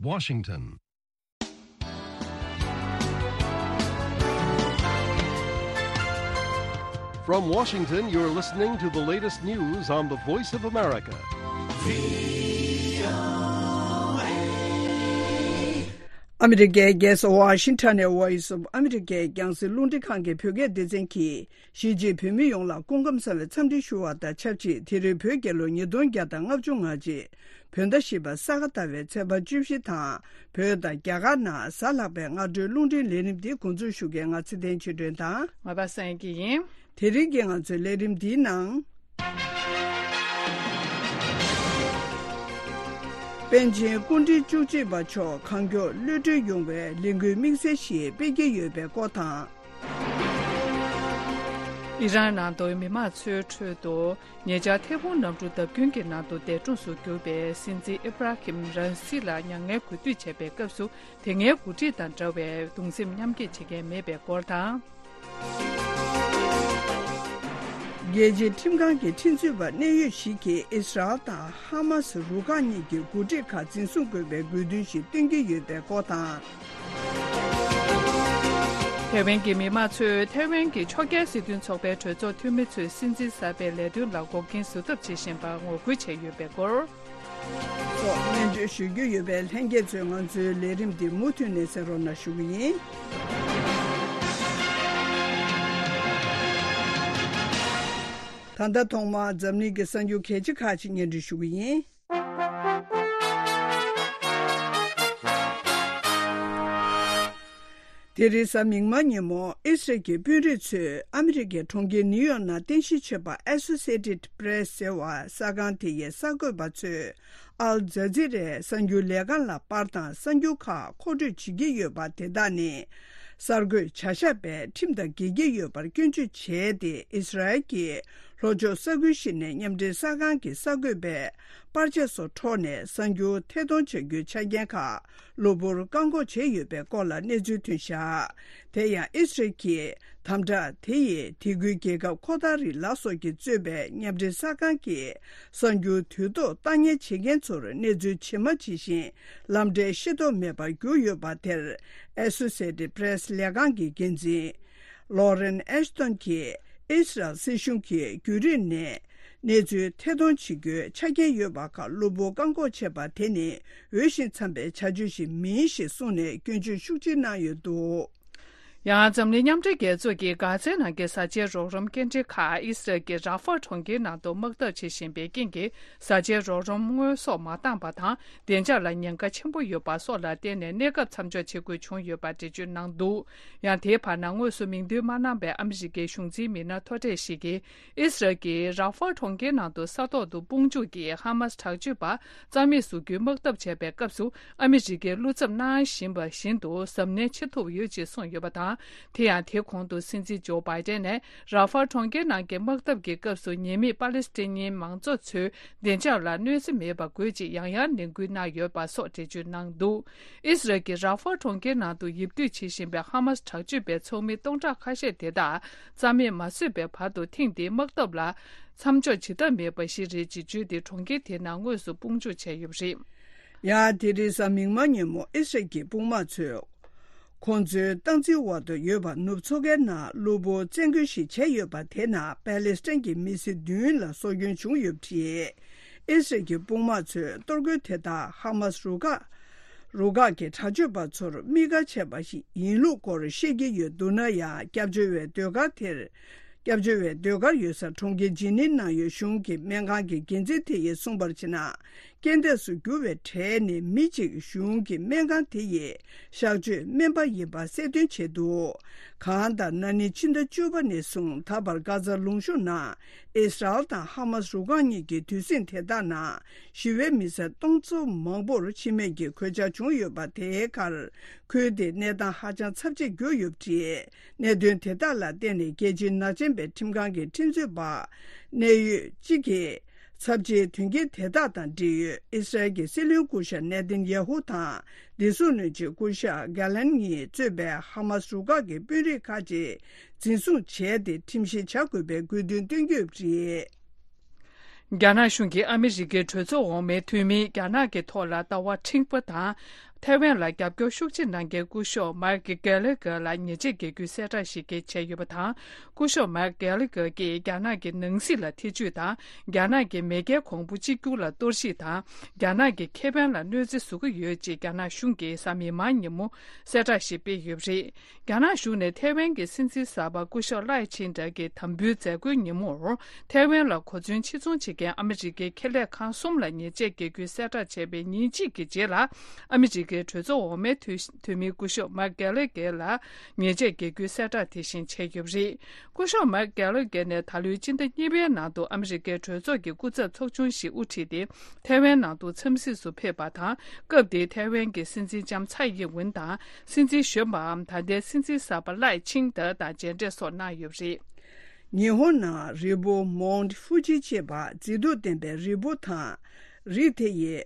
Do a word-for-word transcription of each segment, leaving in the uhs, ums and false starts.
Washington. From Washington, you're listening to the latest news on the Voice of America. ཨ་མི་རི་ཀའི་རྒྱལ་ས་ཝ་ཤིང་ཊོན་ནས་Voice of America་རྒྱང་སྲིང་རླུང་འཕྲིན་ཁང་གི་བོད་སྐད་སྡེ་ཚན་གྱིས། གཞིས་བྱེས་བོད་མི་ཡོངས་ལ་སྐུ་ཁམས་བཟང་བའི་འཚམས་འདྲི་ཞུ་བ་དང་ཆབས་ཅིག་དེ་རིང་བོད་རྒྱལ་ལོ་ཉིས་སྟོང་བརྒྱ་དང་ལྔ་བཅུ་ང་གཅིག་བོད་ཟླ་བཞི་པ་ས་ག་ཟླ་བའི་ཚེས་པ་བཅུ་བཞི་དང་། བོད་དང་རྒྱ་གར་ནང་གཟའ་ལྷག་པའི་སྔ་དྲོའི་རླུང་འཕྲིན་ལས་རིམ་འདི་འགོ་འཛུགས་ཞུ་མཁན་ང་ཚེ་བརྟན་ཆོས་སྒྲོན་དང་། ང་པ་སངས་སྐྱིད་ཡིན། དེ་རིང་གི་ང་ཚོའི་ལས་རིམ་འདིའི་ནང་། པཎ་ཆེན་སྐུ་ཕྲེང་བཅུ་གཅིག་པ་མཆོག་གང་མགྱོགས་གློད་གྲོལ་ཡོང་བའི་ལས་འགུལ་དམིགས་བསལ་ཞིག་སྤེལ་གྱི་ཡོད་པའི་སྐོར་དང་། ཨི་རན་ནང་དུ་མི་མང་ཚོའི་ཁྲོད་དུ་ཉེ་ཆར་ཐལ་ཕུང་གནམ་གྲུ་བརྡབ་སྐྱོན་གྱི་ནང་དུ་འདས་གྲོངས་སུ་གྱུར་པའི་སྲིད་འཛིན་ཨི་བྷ་ར་ཧིམ་ར་ཨིས་ལ་མྱ་ངན་གུས་འདུད་བྱས་པའི་སྐབས་སུ། དེ་སྔའི་འགོ་ཁྲིད་དང་འདྲ་བའི་གདུང་སེམས་མཉམ་སྐྱེད་བྱེད་མཁན་མེད་པའི་སྐོར་དང་། རྒྱལ་སྤྱིའི་ཁྲིམས་ཁང་གི་ཁྲིམས་རྩོད་པ་གནད་ཡོད་ཞིག་གིས་ཨིས་ར་ཨེལ་དང་ཧ་མ་སི་རུ་ཁག་གཉིས་ཀྱི་འགོ་ཁྲིད་ཁག་འཛིན་བཟུང་དགོས་པའི་དགོས་འདུན་ཞིག་བཏོན་གྱི་ཡོད་པའི་སྐོར་དང་། ཐའེ་ཝན་གྱི་མི་མང་ཚོས་ཐའེ་ཝན་གྱི་ཕྱོགས་འགལ་སྲིད་དོན་ཚོགས་པའི་གྲོས་ཚོགས་འཐུས་མི་ཚོས་སྲིད་འཛིན་གསར་པའི་ལས་དོན་ལ་འགོག་རྐྱེན་བཟོ་ཐབས་བྱེད་བཞིན་པར་ངོ་རྒོལ་བྱས་ཡོད་པའི་སྐོར། སོགས་སྙན་སྒྲོན་ཞུ་རྒྱུ་ཡོད་པས་ལྷན་རྒྱས་ཚོས་ང་ཚོའི་ལས་རིམ་འདི་མུ་མཐུད་ནས་གསན་རོགས་གནང་ཞུ་གི་ཡིན། ད་ལྟ་ཐོག་མར་འཛམ་གླིང་གི་གསར་འགྱུར་གལ་ཆེ་ཁག་ཅིག་སྙན་སྒྲོན་ཞུ་གི་ཡིན། དེ་རིང་གཟའ་མིག་དམར་ཉིན་མོ་ཨི་སི་རལ་གྱི་དཔོན་རིགས་ཚོས་ཨ་མི་རི་ཀའི་གྲོང་ཁྱེར་ནིའུ་ཡོག་ནང་རྟེན་གཞི་བྱས་པ་Associated Press་ཟེར་བ་གསར་ཁང་དེ་ཡི་གསར་འགོད་པ་ཚོས་ཨལ་ཛ་ཛི་རའི་གསར་འགྱུར་ལས་ཁང་ལ་པར་དང་གསར་འགྱུར་ཁག་མཁོ་སྤྲོད་བྱེད་ཀྱི་ཡོད་པ་དེ་དག་ནི་གསར་འགོད་བྱ་གཞག་པས་ཁྲིམས་དང་འགལ་གྱི་ཡོད་པར་སྐྱོན་བརྗོད་བྱས་ཏེ་ཨི་སི་རལ་གྱི་ལྷོ་ཕྱོགས་ས་ཁུལ་ཞིག་ནས་མཉམ་འབྲེལ་གསར་ཁང་གི་གསར་འགོད་པས་པར་ཆས་སོགས་འཕྲོག་ནས་གསར་འགྱུར་ཐད་གཏོང་བྱ་རྒྱུའི་ཆ་རྐྱེན་ཁག་གློ་བུར་བཀག་འགོག་བྱས་ཡོད་པའི་སྐོར་ལ་གནས་ཚུལ་ཐོན་བཞག་དེ་ཡང་ཨི་སི་རལ་གྱིས་དམ་དྲག་དེ་ཡིས་དེ་ཁུལ་རྒྱལ་ཁབ་ཁོ་ཐ་རི་ལ་སོགས་ཀྱིས་གཙོས་པའི་མཉམ་འབྲེལ་གསར་ཁང་གི་གསར་འགྱུར་དུས་ཐོག་བཏང་ཉར་བྱེད་མཁན་ཚོར་གནས་ཚུལ་ཇི་མ་ཇི་བཞིན་ལམ་འབྲས་ཤེས་རྟོགས་མེད་པར་གྱུར་ཡོད་པ་དེར་Associated Press་ལས་ཁང་གི་འགན་འཛིན་Lauren Ashton་གྱིས་ཨི་སི་རལ་སྲིད་གཞུང་གིས་བརྒྱུད་རིམ་ནས་གནས་ཚུལ་ཐད་གཏོང་བྱེད་རྒྱུའི་ཆ་རྐྱེན་ཡོད་པ་ཁག་གློ་བུར་བཀག་འགོག་བྱས་པ་དེ་ནི་འོས་ཤིང་འཚམ་པའི་བྱ་སྤྱོད་ཞིག་མིན་ཞེས་གསུངས་ནས་སྐྱོན་བརྗོད་ཤུགས་ཆེ་གནང་ཡོད་འདུག་ཡང་འཛམ་གླིང་མཉམ་འབྲེལ་རྒྱལ་ཚོགས་ཀྱིས་གྷ་ཛའི་ནང་གི་བཟའ་བཅའི་རོགས་རམ་སྐྱེལ་འདྲེན་ཁག་ཨི་སི་རལ་གྱི་ར་ཧྥ་གྲོང་ཁྱེར་ནང་དུ་དམག་འཐབ་བྱེད་བཞིན་པའི་རྐྱེན་གྱིས་བཟའ་བཅའི་རོགས་རམ་དངོས་ཟོག་མ་བཏང་པ་དང་བདེ་འཇགས་ལ་ཉེན་ཁ་ཆེན་པོ་ཡོད་པ་སོགས་ལ་བརྟེན་ནས་གནས་སྐབས་མཚམས་འཇོག་བྱེད་དགོས་བྱུང་ཡོད་པ་འགྲེལ་བརྗོད་གནང་འདུག་ཡང་དེའི་བར་ན་དངོས་སུ་མིང་འདོན་མ་གནང་བའི་ཨ་མི་རི་ཀའི་གཞུང་འཛིན་མི་སྣ་མཐོ་གྲས་ཤིག་གིས་ཨི་སི་རལ་གྱིས་ར་ཧྥ་གྲོང་ཁྱེར་ནང་དུ་ས་ཐོག་ཏུ་དཔུང་འཇུག་གིས་ཧ་མ་སི་དྲག་སྤྱོད་པ་རྩ་མེད་བཟོ་རྒྱུའི་དམག་འཐབ་བྱས་པའི་སྐབས་སུ་ཨ་མི་རི་ཀའི་བློ་འཚབ་གནང་བཞིན་པ་བཞིན་དུ་གཟབ་ནན་བྱེད་ཐུབ་ཡོད་ཅེས་གསུངས་ཡོད་པ་དང་། དེ་ཡང་དེ་གོང་དུ་སྲིད་འཛིན་ཇོ་བྷའི་ཏན་ནས་ར་ཧྥ་གྲོང་ཁྱེར་ནང་གི་དམག་འཐབ་ཀྱི་སྐབས་སུ་ཉེས་མེད་པ་ལེ་སི་ཐན་མང་ཚོགས་ཚོའི་བདེ་འཇགས་ལ་གནོད་འཚེ་མེད་པ་དགོས་ཅེས་ཡང་ཡང་ནན་སྐུལ་གནང་ཡོད་པ་སོགས་འགྲེལ་བརྗོད་གནང་འདུག་ཨི་སི་རལ་གྱིས་ར་ཧྥ་གྲོང་ཁྱེར་ནང་དུ་ཡིབ་སྡོད་བྱེད་བཞིན་པའི་ཧ་མ་སི་དྲག་སྤྱོད་པའི་ཚོགས་མི་སྟོང་ཕྲག་ཁ་ཤས་དེ་དག་རྩ་མེད་མ་བཟོས་པའི་བར་དུ་ཐེངས་འདིའི་དམག་འཐབ་ལ་མཚམས་འཇོག་བྱེད་ཐབས་མེད་པ་ཞིག་རེད་ཅེས་བརྗོད་དེ་གྲོང་ཁྱེར་དེའི་ནང་དངོས་སུ་དཔུང་འཇུག་བྱས་ཡོད་པ་རེད། ཡང་དེ་རིང་གཟའ་མིག་དམར་ཉིན་མོ་ཨི་སི་རལ་གྱི་དཔུང་དམག་ཚོས་ཁོང་ཚོའི་སྟངས་འཛིན་འོག་ཏུ་ཡོད་པ་ནུབ་མཚོ་ཁའི་ནང་གློ་བུར་བཙན་རྒོལ་ཞིག་བྱས་ཡོད་པ་དེ་ནང་པེ་ལེ་སི་ཐན་གྱི་མི་སེར་བདུན་ལ་སྲོག་སྐྱོན་བྱུང་ཡོད་པ་རེད། ཨི་སི་རལ་གྱི་དཔུང་དམག་ཚོས་གཏོར་རྒོལ་དེ་དག་ཧ་མ་སི་རུ་ཁག་རུ་ཁག་གི་དྲག་སྤྱོད་པ་ཚོར་དམིགས་བཀར་བྱས་པ་ཞིག་ཡིན་ལུགས་སྐོར་བཤད་ཀྱི་ཡོད་འདུག་ན་ཡང་སྐྱབས་བཅོལ་བའི་ཟློས་གར་དེར། སྐྱབས་བཅོལ་བའི་ཟློས་གར་ཡོད་ས་གྲོང་ཁྱེར་ཇི་ནིབ་ནང་ཡོད་གཞུང་གི་སྨན་ཁང་གི་འགན་འཛིན་དེ་ཡིས་གསུངས་པར་བྱས་ན། རྐྱེན་འདས་སུ་གྱུར་བའི་གྲས་ནི་མི་གཅིག་གཞུང་གི་སྨན་ཁང་དེ་ཡི་གཤག་བཅོས་སྨན་པ་ཡིན་པ་གསལ་སྟོན་བྱས་འདུག་གང་ལྟར་ན་ནིང་ཕྱི་ཟླ་བཅུ་པ་ནས་བཟུང་ད་བར་གྷ་ཛ་ལུང་གཤོང་ནང་ཨིས་རལ་དང་ཧ་མ་སི་རུ་ཁག་གཉིས་ཀྱི་དུས་ཟིང་དེ་དག་ནང་ཞི་བའི་མི་སེར་སྟོང་ཚོ་མང་པོར་འཆི་རྨས་ཀྱི་གོད་ཆག་བྱུང་ཡོད་པ་དེའི་ཁར་ཁུལ་དེའི་གནས་སྟངས་ཧ་ཅང་ཚབས་ཆེར་གྱུར་ཡོད་པ་རེད། གནད་དོན་དེ་དག་ལ་བརྟེན་ནས་རྒྱལ་སྤྱིའི་ནག་ཅན་པའི་ཁྲིམས་ཁང་གི་ཁྲིམས་རྩོད་པ་གནད་ཡོད་གཅིག་གིས་ཚབས་ཆེའི་དོན་རྐྱེན་དེ་དག་དང་འབྲེལ་ཡོད་ཨི་སི་རལ་གྱི་སྲིད་བློན་སྐུ་ཞབས་ནེ་ཐན་ཡ་ཧུ་དང་བདེ་སྲུང་བློན་ཆེན་སྐུ་ཞབས་གྷ་ལན་གཉིས་གཙོས་པའི་ཧ་མ་སི་རུ་ཁག་གི་དཔོན་རིགས་ཁག་ཅིག་འཛིན་བཟུང་བྱས་ཏེ་ཁྲིམས་བཤེར་བྱ་དགོས་པའི་དགོས་འདུན་བཏོན་གྱི་ཡོད་པ་རེད། རྒྱ་ནག་གཞུང་གིས་ཨ་མི་རི་ཀའི་གྲོས་ཚོགས་འོག་མའི་འཐུས་མིས་རྒྱ་ནག་གི་ཐོག་ལ་ལྟ་བ་འཁྲུག་པ་དང་ ཐའེ་ཝན་ལ་རྒྱབ་སྐྱོར་ཤུགས་ཆེ་གནང་མཁན་སྐུ་ཞབས་མཱིཀ་གྷེ་ལི་གྷེར་ལ་ཉེས་ཆད་འགེལ་རྒྱུའི་གསལ་བསྒྲགས་ཤིག་བྱས་ཡོད་པ་དང་། སྐུ་ཞབས་མཱིཀ་གྷེ་ལི་གྷེར་གྱིས་རྒྱ་ནག་གི་ནང་སྲིད་ལ་ཐེ་བྱུས་དང་། རྒྱ་ནག་གི་མེས་རྒྱལ་གོང་བུ་གཅིག་གྱུར་ལ་གཏོར་བཤིག་དང་། རྒྱ་ནག་གི་ཁེ་ཕན་ལ་གནོད་འཚེ་བཟོ་གི་ཡོད་ཅེས་རྒྱ་ནག་གཞུང་གིས་གཟའ་མིག་དམར་ཉིན་མོ་གསལ་བསྒྲགས་ཤིག་སྤེལ་ཡོད་པ་རེད། རྒྱ་ནག་གཞུང་ནས་ཐའེ་ཝན་གྱི་སྲིད་འཛིན་གསར་པ་སྐུ་ཞབས་ལའེ་ཆིང་ཏེ་གྱི་དམ་འབུལ་མཛད་སྒོའི་ཉིན་མོར། ཐའེ་ཝན་ལ་གོ་མཚོན་ཕྱིར་ཚོང་བྱེད་མཁན་ཨ་མི་རི་ཀའི་ཁེ་ལས་ཁང་གསུམ་ལ་ཉེས་ཆད་འགེལ་རྒྱུའི་གསལ་བསྒྲགས་བྱས་པའི་ཉིན་གཅིག་གི་རྗེས་ལ། ཨ་མི་རི་ཀའི་གྲོས་ཚོགས་འོག་མའི་འཐུས་འཐུས་མི་སྐུ་ཞབས་མཱིཀ་གྷེ་ལི་གྷེར་ལ་ཉེས་ཆད་འགེལ་རྒྱུའི་གསལ་བསྒྲགས་དེ་བཞིན་བྱས་ཡོད་པ་རེད། སྐུ་ཞབས་མཱིཀ་གྷེ་ལི་གྷེར་ནས་ད་ལོའི་སྤྱི་ཟླ་གཉིས་པའི་ནང་དུ་ཨ་མི་རི་ཀའི་གྲོས་ཚོགས་ཀྱི་སྐུ་ཚབ་ཚོགས་ཆུང་ཞིག་དབུ་ཁྲིད་དེ། ཐའེ་ཝན་ནང་དུ་འཚམས་གཟིགས་སུ་ཕེབས་པ་དང་། སྐབས་དེའི་ཐའེ་ཝན་གྱི་སྲིད་འཛིན་ལྕམ་ཚའེ་ཡིན་ཝུན་དང་། སྲིད་འཛིན་གཞོན་པའམ་ད་ལྟའི་སྲིད་འཛིན་གསར་པ་ལའེ་ཆིང་ཏེ་དང་མཇལ་འཕྲད་སོགས་གནང་ཡོད་པ་རེད། ཉི་ཧོང་ནང་རི་བོ་མོན་ཧྥུ་ཇི་ཅེས་པ་མཛེས་སྡུག་ལྡན་པའི་རི་བོ་དང་། རི་དེ་ཡི་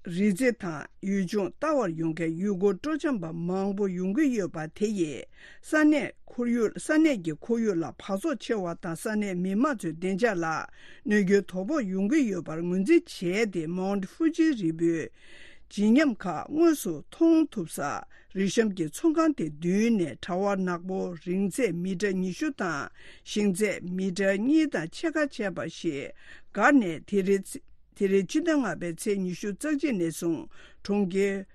རི་རྩེ་དང་ཡུལ་ལྗོངས་ལྟ་བར་ཡོང་མཁན་ཡུལ་སྐོར་སྤྲོ་འཆམ་པ་མང་པོ་ཡོང་གི་ཡོད་པ་དེ་ཡིས། ས་གནས་ཁོར་ཡུག་ས་གནས་ཀྱི་ཁོར་ཡུག་ལ་འབག་བཙོག་ཆེ་བ་དང་ས་གནས་མི་མང་ཚོའི་བདེ་འཇགས་ལ་གནོད་སྐྱོན་དོ་ཕོག་ཡོང་གི་ཡོད་པར་ངོས་འཛིན་བྱས་ཏེ། མོན་ཧྥུ་ཇི་རི་བོའི་བརྗིད་ཉམས་ཁག་དངོས་སུ་མཐོང་ཐུབ་ས་རི་གཤམ་གྱི་ཚོང་ཁང་དེ་མདུན་ནས་གྲྭ་བ་ནག་པོ་རིང་ཚད་མི་ཊར་ཉི་ཤུ་དང་ཞེང་ཚད་མི་ཊར་གཉིས་དང་ཕྱེད་ཀ་བྱས་པ་ཞིག་བསྒར་ནས། དེ་རིང་དེ་རིང་སྤྱི་ཟླ་ལྔ་པའི་ཚེས་ཉི་ཤུ་རྩ་གཅིག་ནས་བཟུང་གྲོང་ཁྱེར་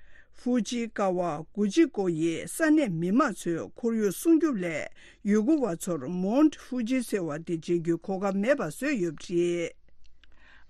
ཧྥུ་ཇི་ཀ་བ་གུ་ཅི་ཀོ་ཡི་ས་གནས་མི་མང་ཚོས་ཁོར་ཡུག་སྲུང་སྐྱོབ་སླད། ཡུལ་སྐོར་བ་ཚོར་མོན་ཧྥུ་ཇི་ཟེར་བ་དེ་མཇལ་རྒྱུའི་གོ་སྐབས་མེད་པ་བཟོས་ཡོད་པ་རེད།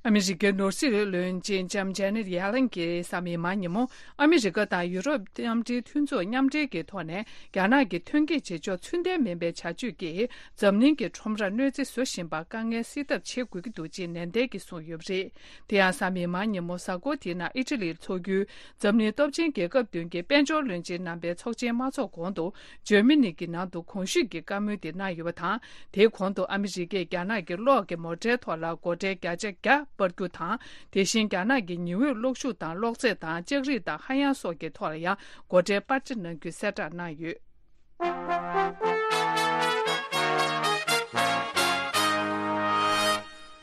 ཨ་མི་རི་ཀའི་ནོར་སྲིད་བློན་ཆེན་ལྕམ་ཇེ་ནེད་ཡེ་ལན་གྱིས་གཟའ་མིག་དམར་ཉིན་མོ། ཨ་མི་རི་ཀ་དང་ཡུ་རོབ་མཉམ་འབྲེལ་མཐུན་ཚོགས་མཉམ་འབྲེལ་གྱི་ཐོག་ནས། རྒྱ་ནག་གི་ཐོན་སྐྱེད་བྱེད་ཕྱོགས་ཚུལ་ལྡན་མིན་པའི་བྱ་སྤྱོད་ཀྱིས། འཛམ་གླིང་གི་ཁྲོམ་རར་གནོད་འཚེ་བཟོ་བཞིན་པར་དཀའ་ངལ་སེལ་ཐབས་བྱེད་དགོས་ཀྱི་འདུག་ཅེས་ནན་ཏན་གྱིས་གསུངས་ཡོད་པ་རེད། དེ་ཡང་གཟའ་མིག་དམར་ཉིན་མོ་གཟའ་འཁོར་དེའི་ནང་ཨི་ཊ་ལིར་འཚོགས་རྒྱུའི་འཛམ་གླིང་སྟོབས་ཆེན་རྒྱལ་ཁབ་བདུན་གྱི་དཔལ་འབྱོར་བློན་ཆེན་རྣམ་པའི་ཚོགས་ཆེན་མ་འཚོགས་གོང་དུ། འཇར་མ་ནི་གི་ནང་དུ་གོང་ཞུས་ཀྱི་བཀའ་མོལ་དེ་གནང་ཡོད་པ་དང་། དེའི་གོང་དུ་ཨ་མི་རི་ཀས་རྒྱ་ནག་གི་གློག་གི་མོ་ཊའི་ཐོག་ལ་སྒོ་ཁྲལ་བརྒྱ་ཆ་བརྒྱ་སྤར་རྒྱུ་དང་། དེ་བཞིན་རྒྱ་ནག་གི་ཉི་འོད་གློག་ཤུགས་དང་གློག་རྫས་དང་ལྕགས་རིགས་དང་ཧ་ཡང་སོགས་ཀྱི་ཐོག་ལ་ཡང་སྒོ་ཁྲལ་སྤར་ཆ་གནང་རྒྱུའི་གསལ་བསྒྲགས་གནང་ཡོད།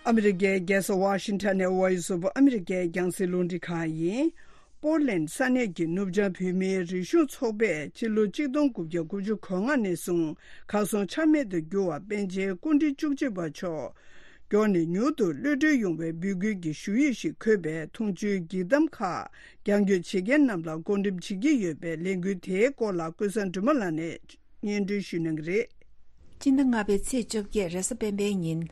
ཨ་མི་རི་ཀའི་རྒྱལ་ས་ཝ་ཤིང་ཊོན་ནས་ཝོ་ཡིས་ཨོཕ་ཨ་མི་རི་ཀའི་རྒྱང་སྲིང་རླུང་འཕྲིན་ཁང་ཡིན། པོར་ལན་ས་གནས་ཀྱི་ནུབ་བྱང་བོད་མིའི་རིག་གཞུང་ཚོགས་པས་ཕྱི་ལོ་ཆིག་སྟོང་དགུ་བརྒྱ་དགུ་བཅུ་གོ་ལྔ་ནས་བཟུང་གར་སོང་ཆ་མེད་དུ་གྱུར་བ་པཎ་ཆེན་སྐུ་ཕྲེང་བཅུ་གཅིག་པ་མཆོག་མགྱོགས་ནས་མྱུར་དུ་གློད་གྲོལ་ཡོང་བའི་འབོད་སྐུལ་གྱི་ཞུ་ཡིག་ཞིག་འཁོད་པའི་འཐུང་ཆུའི་འགྱིག་དམ་ཁག་རྒྱང་སྐྱོད་བྱེད་མཁན་རྣམས་ལ་བགོ་འགྲེམས་བྱེད་ཀྱི་ཡོད་པའི་ལས་འགུལ་དེའི་སྐོར་ལ་ཀུན་བཟང་སྒྲོལ་མ་ལགས་ནས་སྙན་སྒྲོན་ཞུ་གནང་གི་རེད། སྤྱི་ཟླ་ལྔ་པའི་ཚེས་བཅོ་བརྒྱད་རེས་གཟའ་སྤེན་པའི་ཉིན།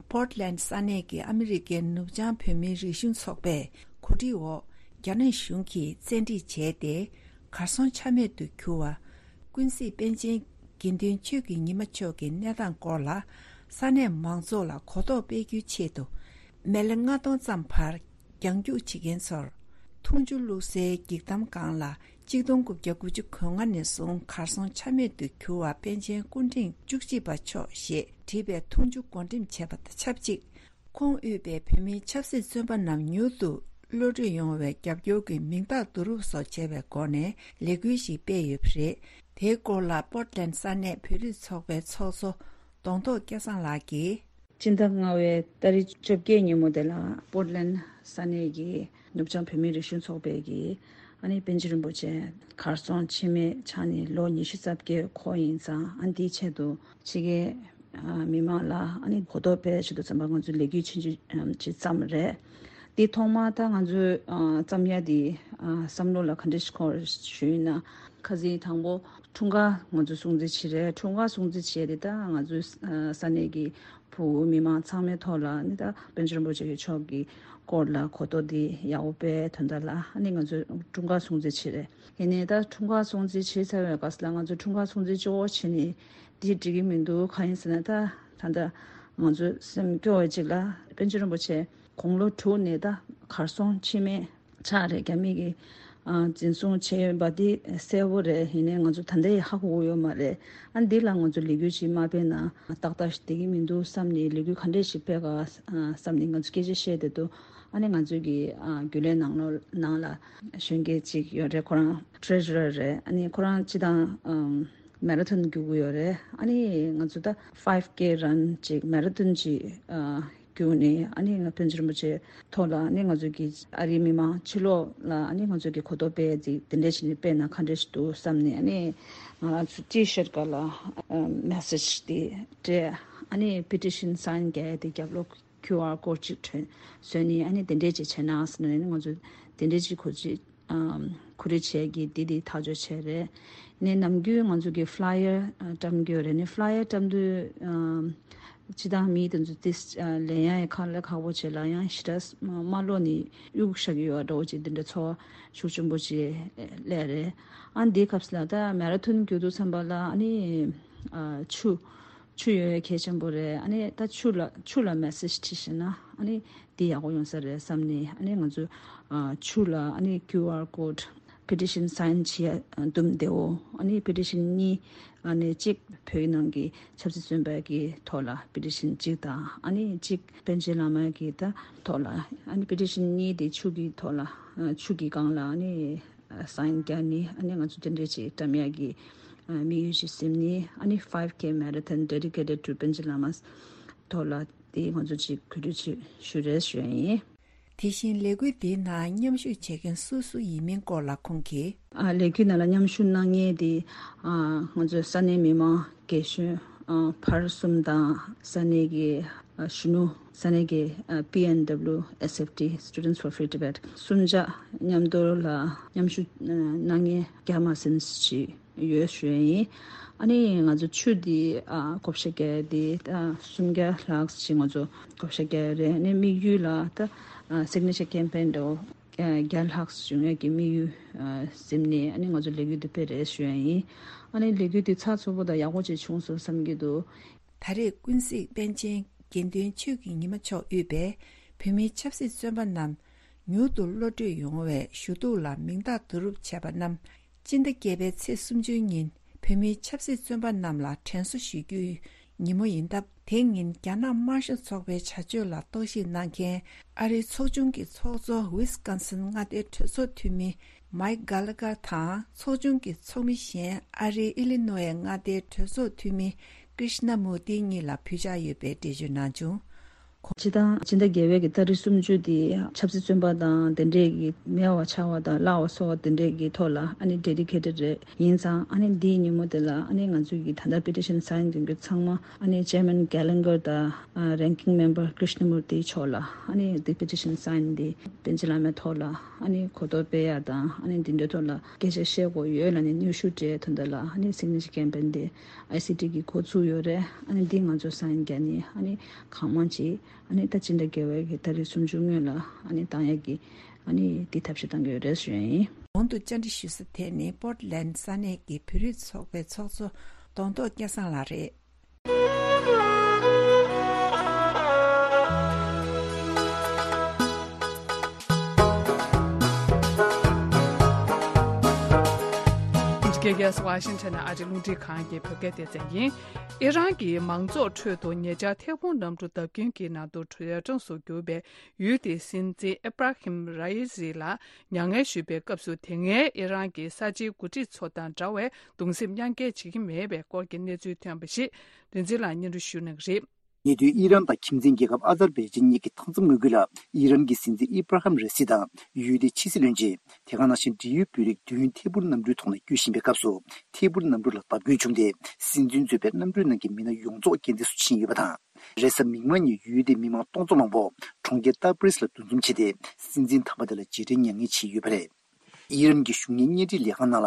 པོར་ལན་ས་གནས་ཀྱི་ཨ་མི་རི་ཀའི་ནུབ་བྱང་བོད་མིའི་རིག་གཞུང་ཚོགས་པས་གོ་སྒྲིག་འོག་རྒྱ་ནག་གཞུང་གིས་བཙན་ཁྲིད་བྱས་ཏེ། གར་སོང་ཆ་མེད་དུ་གྱུར་བ། ཀུན་གཟིགས་པཎ་ཆེན་དགེ་འདུན་ཆོས་ཀྱི་ཉི་མ་མཆོག་གི་གནས་སྟངས་སྐོར་ལ། ས་གནས་མང་ཚོགས་ལ་གོ་རྟོགས་སྤེལ་རྒྱུའི་ཆེད་དུ། མི་ལྔ་སྟོང་ཙམ་བར་རྒྱང་རྒྱུག་བྱེད་མཁན་ཚོར། འཐུང་ཆུ་བླུགས་སའི་འགྱིག་དམ་སྒང་ལ། ཆིག་སྟོང་དགུ་བརྒྱ་དགུ་བཅུ་གོ་ལྔ་ནས་བཟུང་གར་སོང་ཆ་མེད་དུ་གྱུར་བ་པཎ་ཆེན་སྐུ་ཕྲེང་བཅུ་གཅིག་པ་མཆོག་ཞེས་བྲིས་པའི་འཐུང་ཆུ་བགོ་འགྲེམས་བྱས་པ་དང་ཆབས་ཅིག་ཁོང་དབུས་པའི་བོད་མིའི་ཆབ་སྲིད་བཙོན་པ་རྣམས་མྱུར་དུ་གློད་གྲོལ་ཡོང་བའི་རྒྱབ་སྐྱོར་གྱི་མིང་རྟགས་བསྡུ་རུབ་སོགས་བྱས་པའི་སྒོ་ནས་ལས་འགུལ་ཞིག་སྤེལ་ཡོད་པ་རེད། དེའི་སྐོར་ལ་པོར་ཏ་ལན་ས་གནས་བོད་རིགས་ཚོགས་པའི་ཚོགས་གཙོ་གདོང་ཐོག་སྐལ་བཟང་ལགས་ཀྱིས། སྤྱི་ཟླ་ལྔ་པའི་ཏ་རིག་བཅོ་བརྒྱད་ཉིན་མོ་དེ་ལ་པོར་ཏ་ལན་ས་གནས་ཀྱི་ནུབ་བྱང་བོད་མིའི་རིག་གཞུང་ཚོགས་པའི་གི་ཨ་ནི་པཎ་ཆེན་རིན་པོ་ཆེ་གར་སོང་ཕྱི་མའི་ཆ་ནས་ལོ་ཉི་ཤུ་རྩ་བརྒྱད་འཁོར་ཡིན་ཙང་། ཨ་ནི་དེའི་ཆེད་དུ་ཕྱི་རྒྱལ་མི་མང་ལ་ཨ་ནི་གོ་རྟོགས་སྤེལ་ཆེད་དུ་ཙམ་པ་ང་ཚོས་ལས་འགུལ་ཆུང་ཆུང་ཅིག་བརྩམས་རེད། དེ་ཐོག་མ་ད་ང་ཚོས་བརྩམས་ཡ་དེ་བསམ་བློ་ལ་ག་འདྲ་ཞིག་འཁོར་ཞུས་ན། ཁ་སང་དང་པོ་འཁྲུངས་སྐར་ང་ཚོས་སྲུང་བརྩི་བྱས་རེད། འཁྲུངས་སྐར་སྲུང་བརྩི་བྱས་དེ་ད་ང་ཚོའི་ས་གནས་ཀྱི་བུ་མི་མང་ཚང་མའི་ཐོག་ལ་ནི་ད་པཎ་ཆེན་རིན་པོ་ཆེ་མཆོག་གི་སྐོར་ལ་གོ་རྟོགས་འདི་ཡག་པོ་སྤེལ་དོན་དག་ལ་ཨ་ནི་ང་ཚོས་འཁྲུངས་སྐར་སྲུང་བརྩི་བྱས་རེད། ཡིན་ནའི་ད་འཁྲུངས་སྐར་སྲུང་བརྩི་བྱས་ཚར་བའི་སྐབས་ལ་ང་ཚོས་འཁྲུངས་སྐར་སྲུང་བརྩི་གཅིག་པོ་བྱས་ནས་འདི་འགྲིག་གི་མི་འདུག་གང་ཡིན་ཟེར་ན། ད་ད་ལྟ་ང་ཚོས་སེམས་སྐྱོ་བའི་གཅིག་ལ་པཎ་ཆེན་རིན་པོ་ཆེ་དགུང་ལོ་དྲུག་ནས་ད་གར་སོང་ཕྱི་མའི་ཆ་རེད། རྒྱ་མི་གིས་ཨ་འཛིན་བཟུང་བྱས་ཡོད་པ་འདི་གསལ་པོ་རེད། ཡིན་ནའི་ང་ཚོ་ད་ལྟ་ཡང་ཧ་གོ་གི་ཡོད་མ་རེད། ཨ་འདི་ལ་ང་ཚོ་ལས་འགུལ་ཅིག་མ་སྤེལ་ན་ཏག་ཏག་ཞིག་བསྡད་ཀྱི་མི་འདུག་བསམ་ནས། ལས་འགུལ་ག་འདྲས་ཤིག་སྤེལ་ག་བསམ་ནས་ང་ཚོ་སྐད་ཆ་བཤད་བསྡད་འདུག་ཨ་ནི་ང་ཚོའི་གི་ཨ་རྒྱུན་ལས་ནང་ལོགས་ནང་ལ་གཞོན་སྐྱེས་ཅིག་ཡོད་རེད། ཁོ་རང་ཊེ་རེ་ཇུ་རར་རེད། ཨ་ནི་ཁོ་རང་སྤྱིར་བཏང་ཨམ་མེ་ར་ཐོན་རྒྱུག་གི་ཡོད་རེད། ཨ་ནི་ང་ཚོ་ད་ཕའིབ་ཀེ་རན་ཅིག་མེ་ར་ཐོན་ཅིག་ཨ། བསྐྱུར་ནས་ཨ་ནི་ང་པཎ་ཆེན་རིན་པོ་ཆེ་ཐོག་ལ་ཨ་ནི་ང་ཚོ་གི་ཨ་རིའི་མི་མང་ཕྱི་ལོགས་ལ་ཨ་ནི་ང་ཚོ་གི་གོ་རྟོགས་སྤེལ་ཡ་དེ་དེ་འདྲས་བྱས་ནས་སྤེལ་ན་ག་འདྲས་ཞིག་འདུག་བསམ་ནས། ཨ་ནི་ང་ཚོ་ཊི་ཤར་སྒང་ལ་མེ་སེཇ་དེ་སྤྲད། ཨ་ནི་པི་ཊི་ཤན་སའིན་རྒྱག་ཡ་དེ་རྒྱབ་ལོགས་ཁིའུ་ཨར་ཀོཌ་ཅིག་ཐོན་བཟོས་ནས་ཨ་ནི་དེ་འདྲས་ཅིག་བྱས་ན་ཟེར་ནས་ཨ་ནི་ང་ཚོ་དེ་འདྲས་ཅིག་གོ་ཅིག་ཨམ། གོ་སྒྲིག་བྱས་ཀྱི་འདི་འདི་ཐག་གཅོད་བྱས་རེད། ནས་ནམ་རྒྱུན་ང་ཚོ་གི་ཕ་ལ་ཡར་ཨ་བཀྲམ་གྱི་ཡོད་རེད། ནས་ཕ་ལ་ཡར་བཀྲམ་དུས་ཨམ། སྤྱི་བཏང་མི་དེ་ཚོ་ཏིས་ཨ་ལེན་ཡ་ཡི་ཁག་ལས་ཁག་པོ་བྱེད་ལ་ཡང་ཞེ་དྲག་མ་ལོ་ནི་གཡུག་བཞག་གི་ཡོད་འགྲོ་བོ་ཅིག་འདི་འདྲ་ཚོར་བ་ཤུགས་ཆེན་པོ་ཅིག་སླེབས་རེད། ཨ་འདིའི་སྐབས་སུ་ལ་ད་མེ་ར་ཐོན་རྒྱུག་དུས་ཙམ་པ་ལ་ཨ་ནི་ཨ་ཆུ་ཆུ་ཡོད་ཡ་གལ་ཆེན་པོ་རེད། ཨ་ནི་ད་ཆུ་ལ་ཆུ་ལ་མེ་སེཇ་བྲིས་ཤེས་ན་ཨ་ནི་འདི་ཡག་པོ་ཡོང་ས་རེད་བསམ་ནས། ཨ་ནི་ང་ཚོ་ཨ་ཆུ་ལ་ཨ་ནི་ཁིའུ་ཨར་ཀོཌ་པི་ཊི་ཤན་སའིན་བྱེད་ཡ་འདུམ་བདེ་བོ། ཨ་ནི་པི་ཊི་ཤན་གཉིས། ཨ་ནི་གཅིག་བོད་ནང་གི་ཆབ་སྲིད་བཙོན་པ་གི་ཐོག་ལ་པི་ཊི་ཤན་གཅིག་དང་། ཨ་ནི་གཅིག་པཎ་ཆེན་བླ་མ་གི་ད་ཐོག་ལ། ཨ་ནི་པི་ཊི་ཤན་གཉིས་དེ་ཆུ་གི་ཐོག་ལ་ཨ་ཆུ་གི་སྒང་ལ་ཨ་ནི་སའིན་རྒྱག་ནི། ཨ་ནི་ང་ཚོ་དེ་འདྲས་ཅིག་བཀྲམ་ཡག་གི་དམིགས་ཡུལ་ཅིག་ཟིན་ནི། ཨ་ནི་five K marathon dedicated to Panchen Lama's ཐོག་ལ་དེ་ང་ཚོ་ཅིག་གོ་སྒྲིག་ཅིག་ཞུ་རེས་ཞུ་ཡ་ཡིན། དེ་བཞིན་ལས་འགུལ་འདིའི་ནང་མཉམ་ཞུགས་བྱེད་མཁན་སུ་སུ་ཡིན་མིན་སྐོར་ལ་ཁོང་གིས། ཨ་ལས་འགུལ་ནང་ལ་མཉམ་ཞུགས་གནང་མཁན་དེ་ཨ་ང་ཚོའི་ས་གནས་མི་མང་རྒན་གཞོན་ཨ་བར་གསུམ་དང་། ས་གནས་ཀྱི་ཨ་གཞོན་ནུ། ས་གནས་ཀྱི་ཨ་P N W S F T, Students for Free Tibet གསུམ་ཆ་མཉམ་དུ་ལ་མཉམ་ཞུགས་གནང་མཁན་བརྒྱ་མ་ཟིན་ཞིག་ཡོད་ཞུ་ཡ་ཡིན། ཨ་ནི་ང་ཚོ་ཆུ་འདི་ཨ་བགོ་བཤའ་རྒྱག་ཡ་འདི་ད་སུམ་བརྒྱ་ལྷག་ཅིག་ང་ཚོ་བགོ་བཤའ་རྒྱག་ཡ་རེད། ཨ་ནི་དམིགས་ཡུལ་ལ་ད་ཨ་སིག་ནེ་ཅར་ཀེམ་པེན་འདྲ་བོ་བརྒྱ་ལྷག་བྱུང་ཡ་གི་དམིགས་ཡུལ་ཨ་ཟིན་ནས། ཨ་ནི་ང་ཚོ་ལས་འགུལ་འདི་སྤེལ་རེད་ཞུ་ཡ་ཡིན། ཨ་ནི་ལས་འགུལ་འདི་ཚགས་ཚུད་པོ་དང་ཡག་པོ་ཅིག་བྱུང་སོང་བསམ་གྱི་འདུག། ད་རེས་ཀུན་གཟིགས་པཎ་ཆེན་དགེ་འདུན་ཆོས་ཀྱི་ཉི་མ་མཆོག་དབུས་པའི་བོད་མིའི་ཆབ་སྲིད་བཙོན་པ་རྣམས་མྱུར་དུ་གློད་གྲོལ་ཡོང་བའི་ཞུ་གཏུག་ལ་མིང་རྟགས་བསྡུ་རུབ་བྱས་པ་རྣམས། སྤྱི་ཟླ་བརྒྱད་པའི་ཚེས་སུམ་ཅུ་ཉིན་བོད་མིའི་ཆབ་སྲིད་བཙོན་པ་རྣམས་ལ་དྲན་གསོ་ཞུ་རྒྱུའི་ཉིན་མོ་ཡིན་སྟབས། དེ་ཉིན་རྒྱ་ནག་དམར་ཤོག་ཚོགས་པའི་བྱ་སྤྱོད་ལ་རྟོག་ཞིབ་གནང་མཁན་ཨ་རིའི་ཚོགས་ཆུང་གི་ཚོགས་གཙོ་ཝིས་ཀོན་སིན་མངའ་སྡེའི་གྲོས་ཚོགས་འཐུས་མི་མའིག་གྷ་ལ་གྷར་དང་། ཚོགས་ཆུང་གི་ཚོགས་མི་གཞན་ཨ་རིའི་ཨི་ལི་ནོའི་མངའ་སྡེའི་གྲོས་ཚོགས་འཐུས་མི་ཀྲིཤ་ན་མུར་ཏི་གཉིས་ལ་ཕུལ་འཆར་ཡོད་པའི་འགྲེལ་བརྗོད་གནང་བྱུང་། ཁོང་། སྤྱི་བཏང་སྤྱི་ཟླ་བརྒྱད་པའི་གི་ཏ་རིག་སུམ་ཅུ་དེ་ཆབ་སྲིད་བཙོན་པ་དང་དེ་འདྲས་ཀྱི་མེད་པ་ཆགས་པ་དང་བརླག་པ་སོགས་པ་དེ་འདྲས་ཀྱི་ཐོག་ལ་ཨ་ནི་ཌེ་ཌི་ཀེ་ཊེཌ་རེད། ཡིན་ཙང་ཨ་ནི་འདིའི་ཉིན་མོ་དེ་ལ་ཨ་ནི་ང་ཚོའི་གི་ད་ལྟ་པི་ཊི་ཤན་སའིན་མཁན་རྒྱུ་ཚང་མ་ཨ་ནི་ཅེར་མན་གྷ་ལན་གྷར་དང་རེན་ཀིང་མེམ་བར་ཀྲིཤ་ན་མུར་ཏི་མཆོག་ལ་ཨ་ནི་འདི་པི་ཊི་ཤན་སའིན་འདི་པཎ་ཆེན་བླ་མའི་ཐོག་ལ་ཨ་ནི་གོ་རྟོགས་སྤེལ་ཡ་དང་ཨ་ནི་འདི་འདྲའི་ཐོག་ལ་སྐད་ཆ་བཤད་དགོས་ཡོད་ལབ་ནས་སྙན་ཞུ་སྤྲད་དོན་དག་ལ་ཨ་ནི་སིག་ནེ་ཅར་ཀེམ་པེན་འདི་ཨའི་སི་ཊི་གི་འགོ་བཙུགས་ཡོད་རེད། ཨ་ནི་འདི་ང་ཚོ་སའིན་རྒྱག་ནི་ཨ་ནི་གང་མང་ཅིག་ཨ་ནི་ད་སྤྱི་ཟླ་བརྒྱད་པའི་གི་ཏ་རིག་སུམ་ཅུ་སྔོན་ལ་ཨ་ནི་བཏང་ཡ་གི་ཨ་ནི་འདི་ཐབས་ཤེས་བཏང་གི་ཡོད་རེད་ཞུ་ཡ་ཡིན། གོང་དུ་བཅར་འདྲི་ཞུ་ས་དེ་ནི་པོར་ཊི་ལེན་ཌི་ས་གནས་ཀྱི་བོད་རིགས་ཚོགས་པའི་ཚོགས་གཙོ་གདོང་ཐོག་སྐལ་བཟང་ལགས་རེད། འདི་ག་ཝ་ཤིང་ཊོན་ནས་ཨ་རིའི་རླུང་འཕྲིན་ཁང་གི་བོད་སྐད་སྡེ་ཚན་ཡིན། ཨི་རན་གྱི་མང་ཚོགས་ཁྲོད་དུ་ཉེ་ཆར་ཐད་འཕུར་གནམ་གྲུ་བརྡབ་སྐྱོན་གྱི་ནང་དུ་འདས་གྲོངས་སུ་གྱུར་པའི་ཡུལ་དེའི་སྲིད་འཛིན་ཨི་བྷ་ར་ཧིམ་ར་ཨི་སི་ལ་མྱ་ངན་ཞུས་པའི་སྐབས་སུ། དེ་སྔའི་ཨི་རན་གྱི་གསར་བརྗེའི་འགོ་ཁྲིད་ཚོ་དང་འདྲ་བའི་གདུང་སེམས་མཉམ་སྐྱེད་བྱེད་ཀྱི་མེད་པའི་སྐོར་གྱི་གནས་ཚུལ་ཐོན་པ་ཞིག་རིག་འཛིན་ལགས་སྙན་སྒྲོན་ཞུ་གནང་གི་རེད། ཉེ་དུས་ཨི་རན་དང་ཁྱིམ་མཚེས་རྒྱལ་ཁབ་ཨ་ཛར་བྷའི་ཇན་གཉིས་ཀྱི་མཐའ་མཚམས་ངོས་ཀྱི་ལ་ཨི་རན་གྱི་སྲིད་འཛིན་ཨི་བྷ་ར་ཧམ་ར་སི་དང་ཡུལ་དེའི་ཕྱི་སྲིད་བློན་ཆེན། དེ་ག་ནང་བཞིན་འབྲེལ་ཡོད་བོད་རིགས་བདུན་ཐད་འཕུར་གནམ་གྲུའི་ཐོག་ནས་སྐྱོད་བཞིན་པའི་སྐབས་སུ་ཐད་འཕུར་གནམ་གྲུ་ལ་བརྡབ་སྐྱོན་བྱུང་སྟེ། སྲིད་འཛིན་གཙོས་པའི་གནམ་གྲུའི་ནང་གི་མི་སྣ་ཡོངས་རྫོགས་རྐྱེན་འདས་སུ་ཕྱིན་ཡོད་པ་དང་། རེས་གཟའ་མིག་དམར་ཉིན་ཡུལ་དེའི་མི་མང་སྟོང་ཚོ་མང་པོ་གྲོང་ཁྱེར་ཏ་བྷི་རིས་ལ་འདུ་འཛོམས་བྱས་ཏེ། སྲིད་འཛིན་དམ་པ་དེ་ལ་རྗེས་དྲན་མྱ་ངན་བྱས་ཡོད་པ་རེད། ཨི་རན་གྱི་གཞུང་གཉེར་བརྙན་འཕྲིན་ལས་ཁང་ནང་ལ།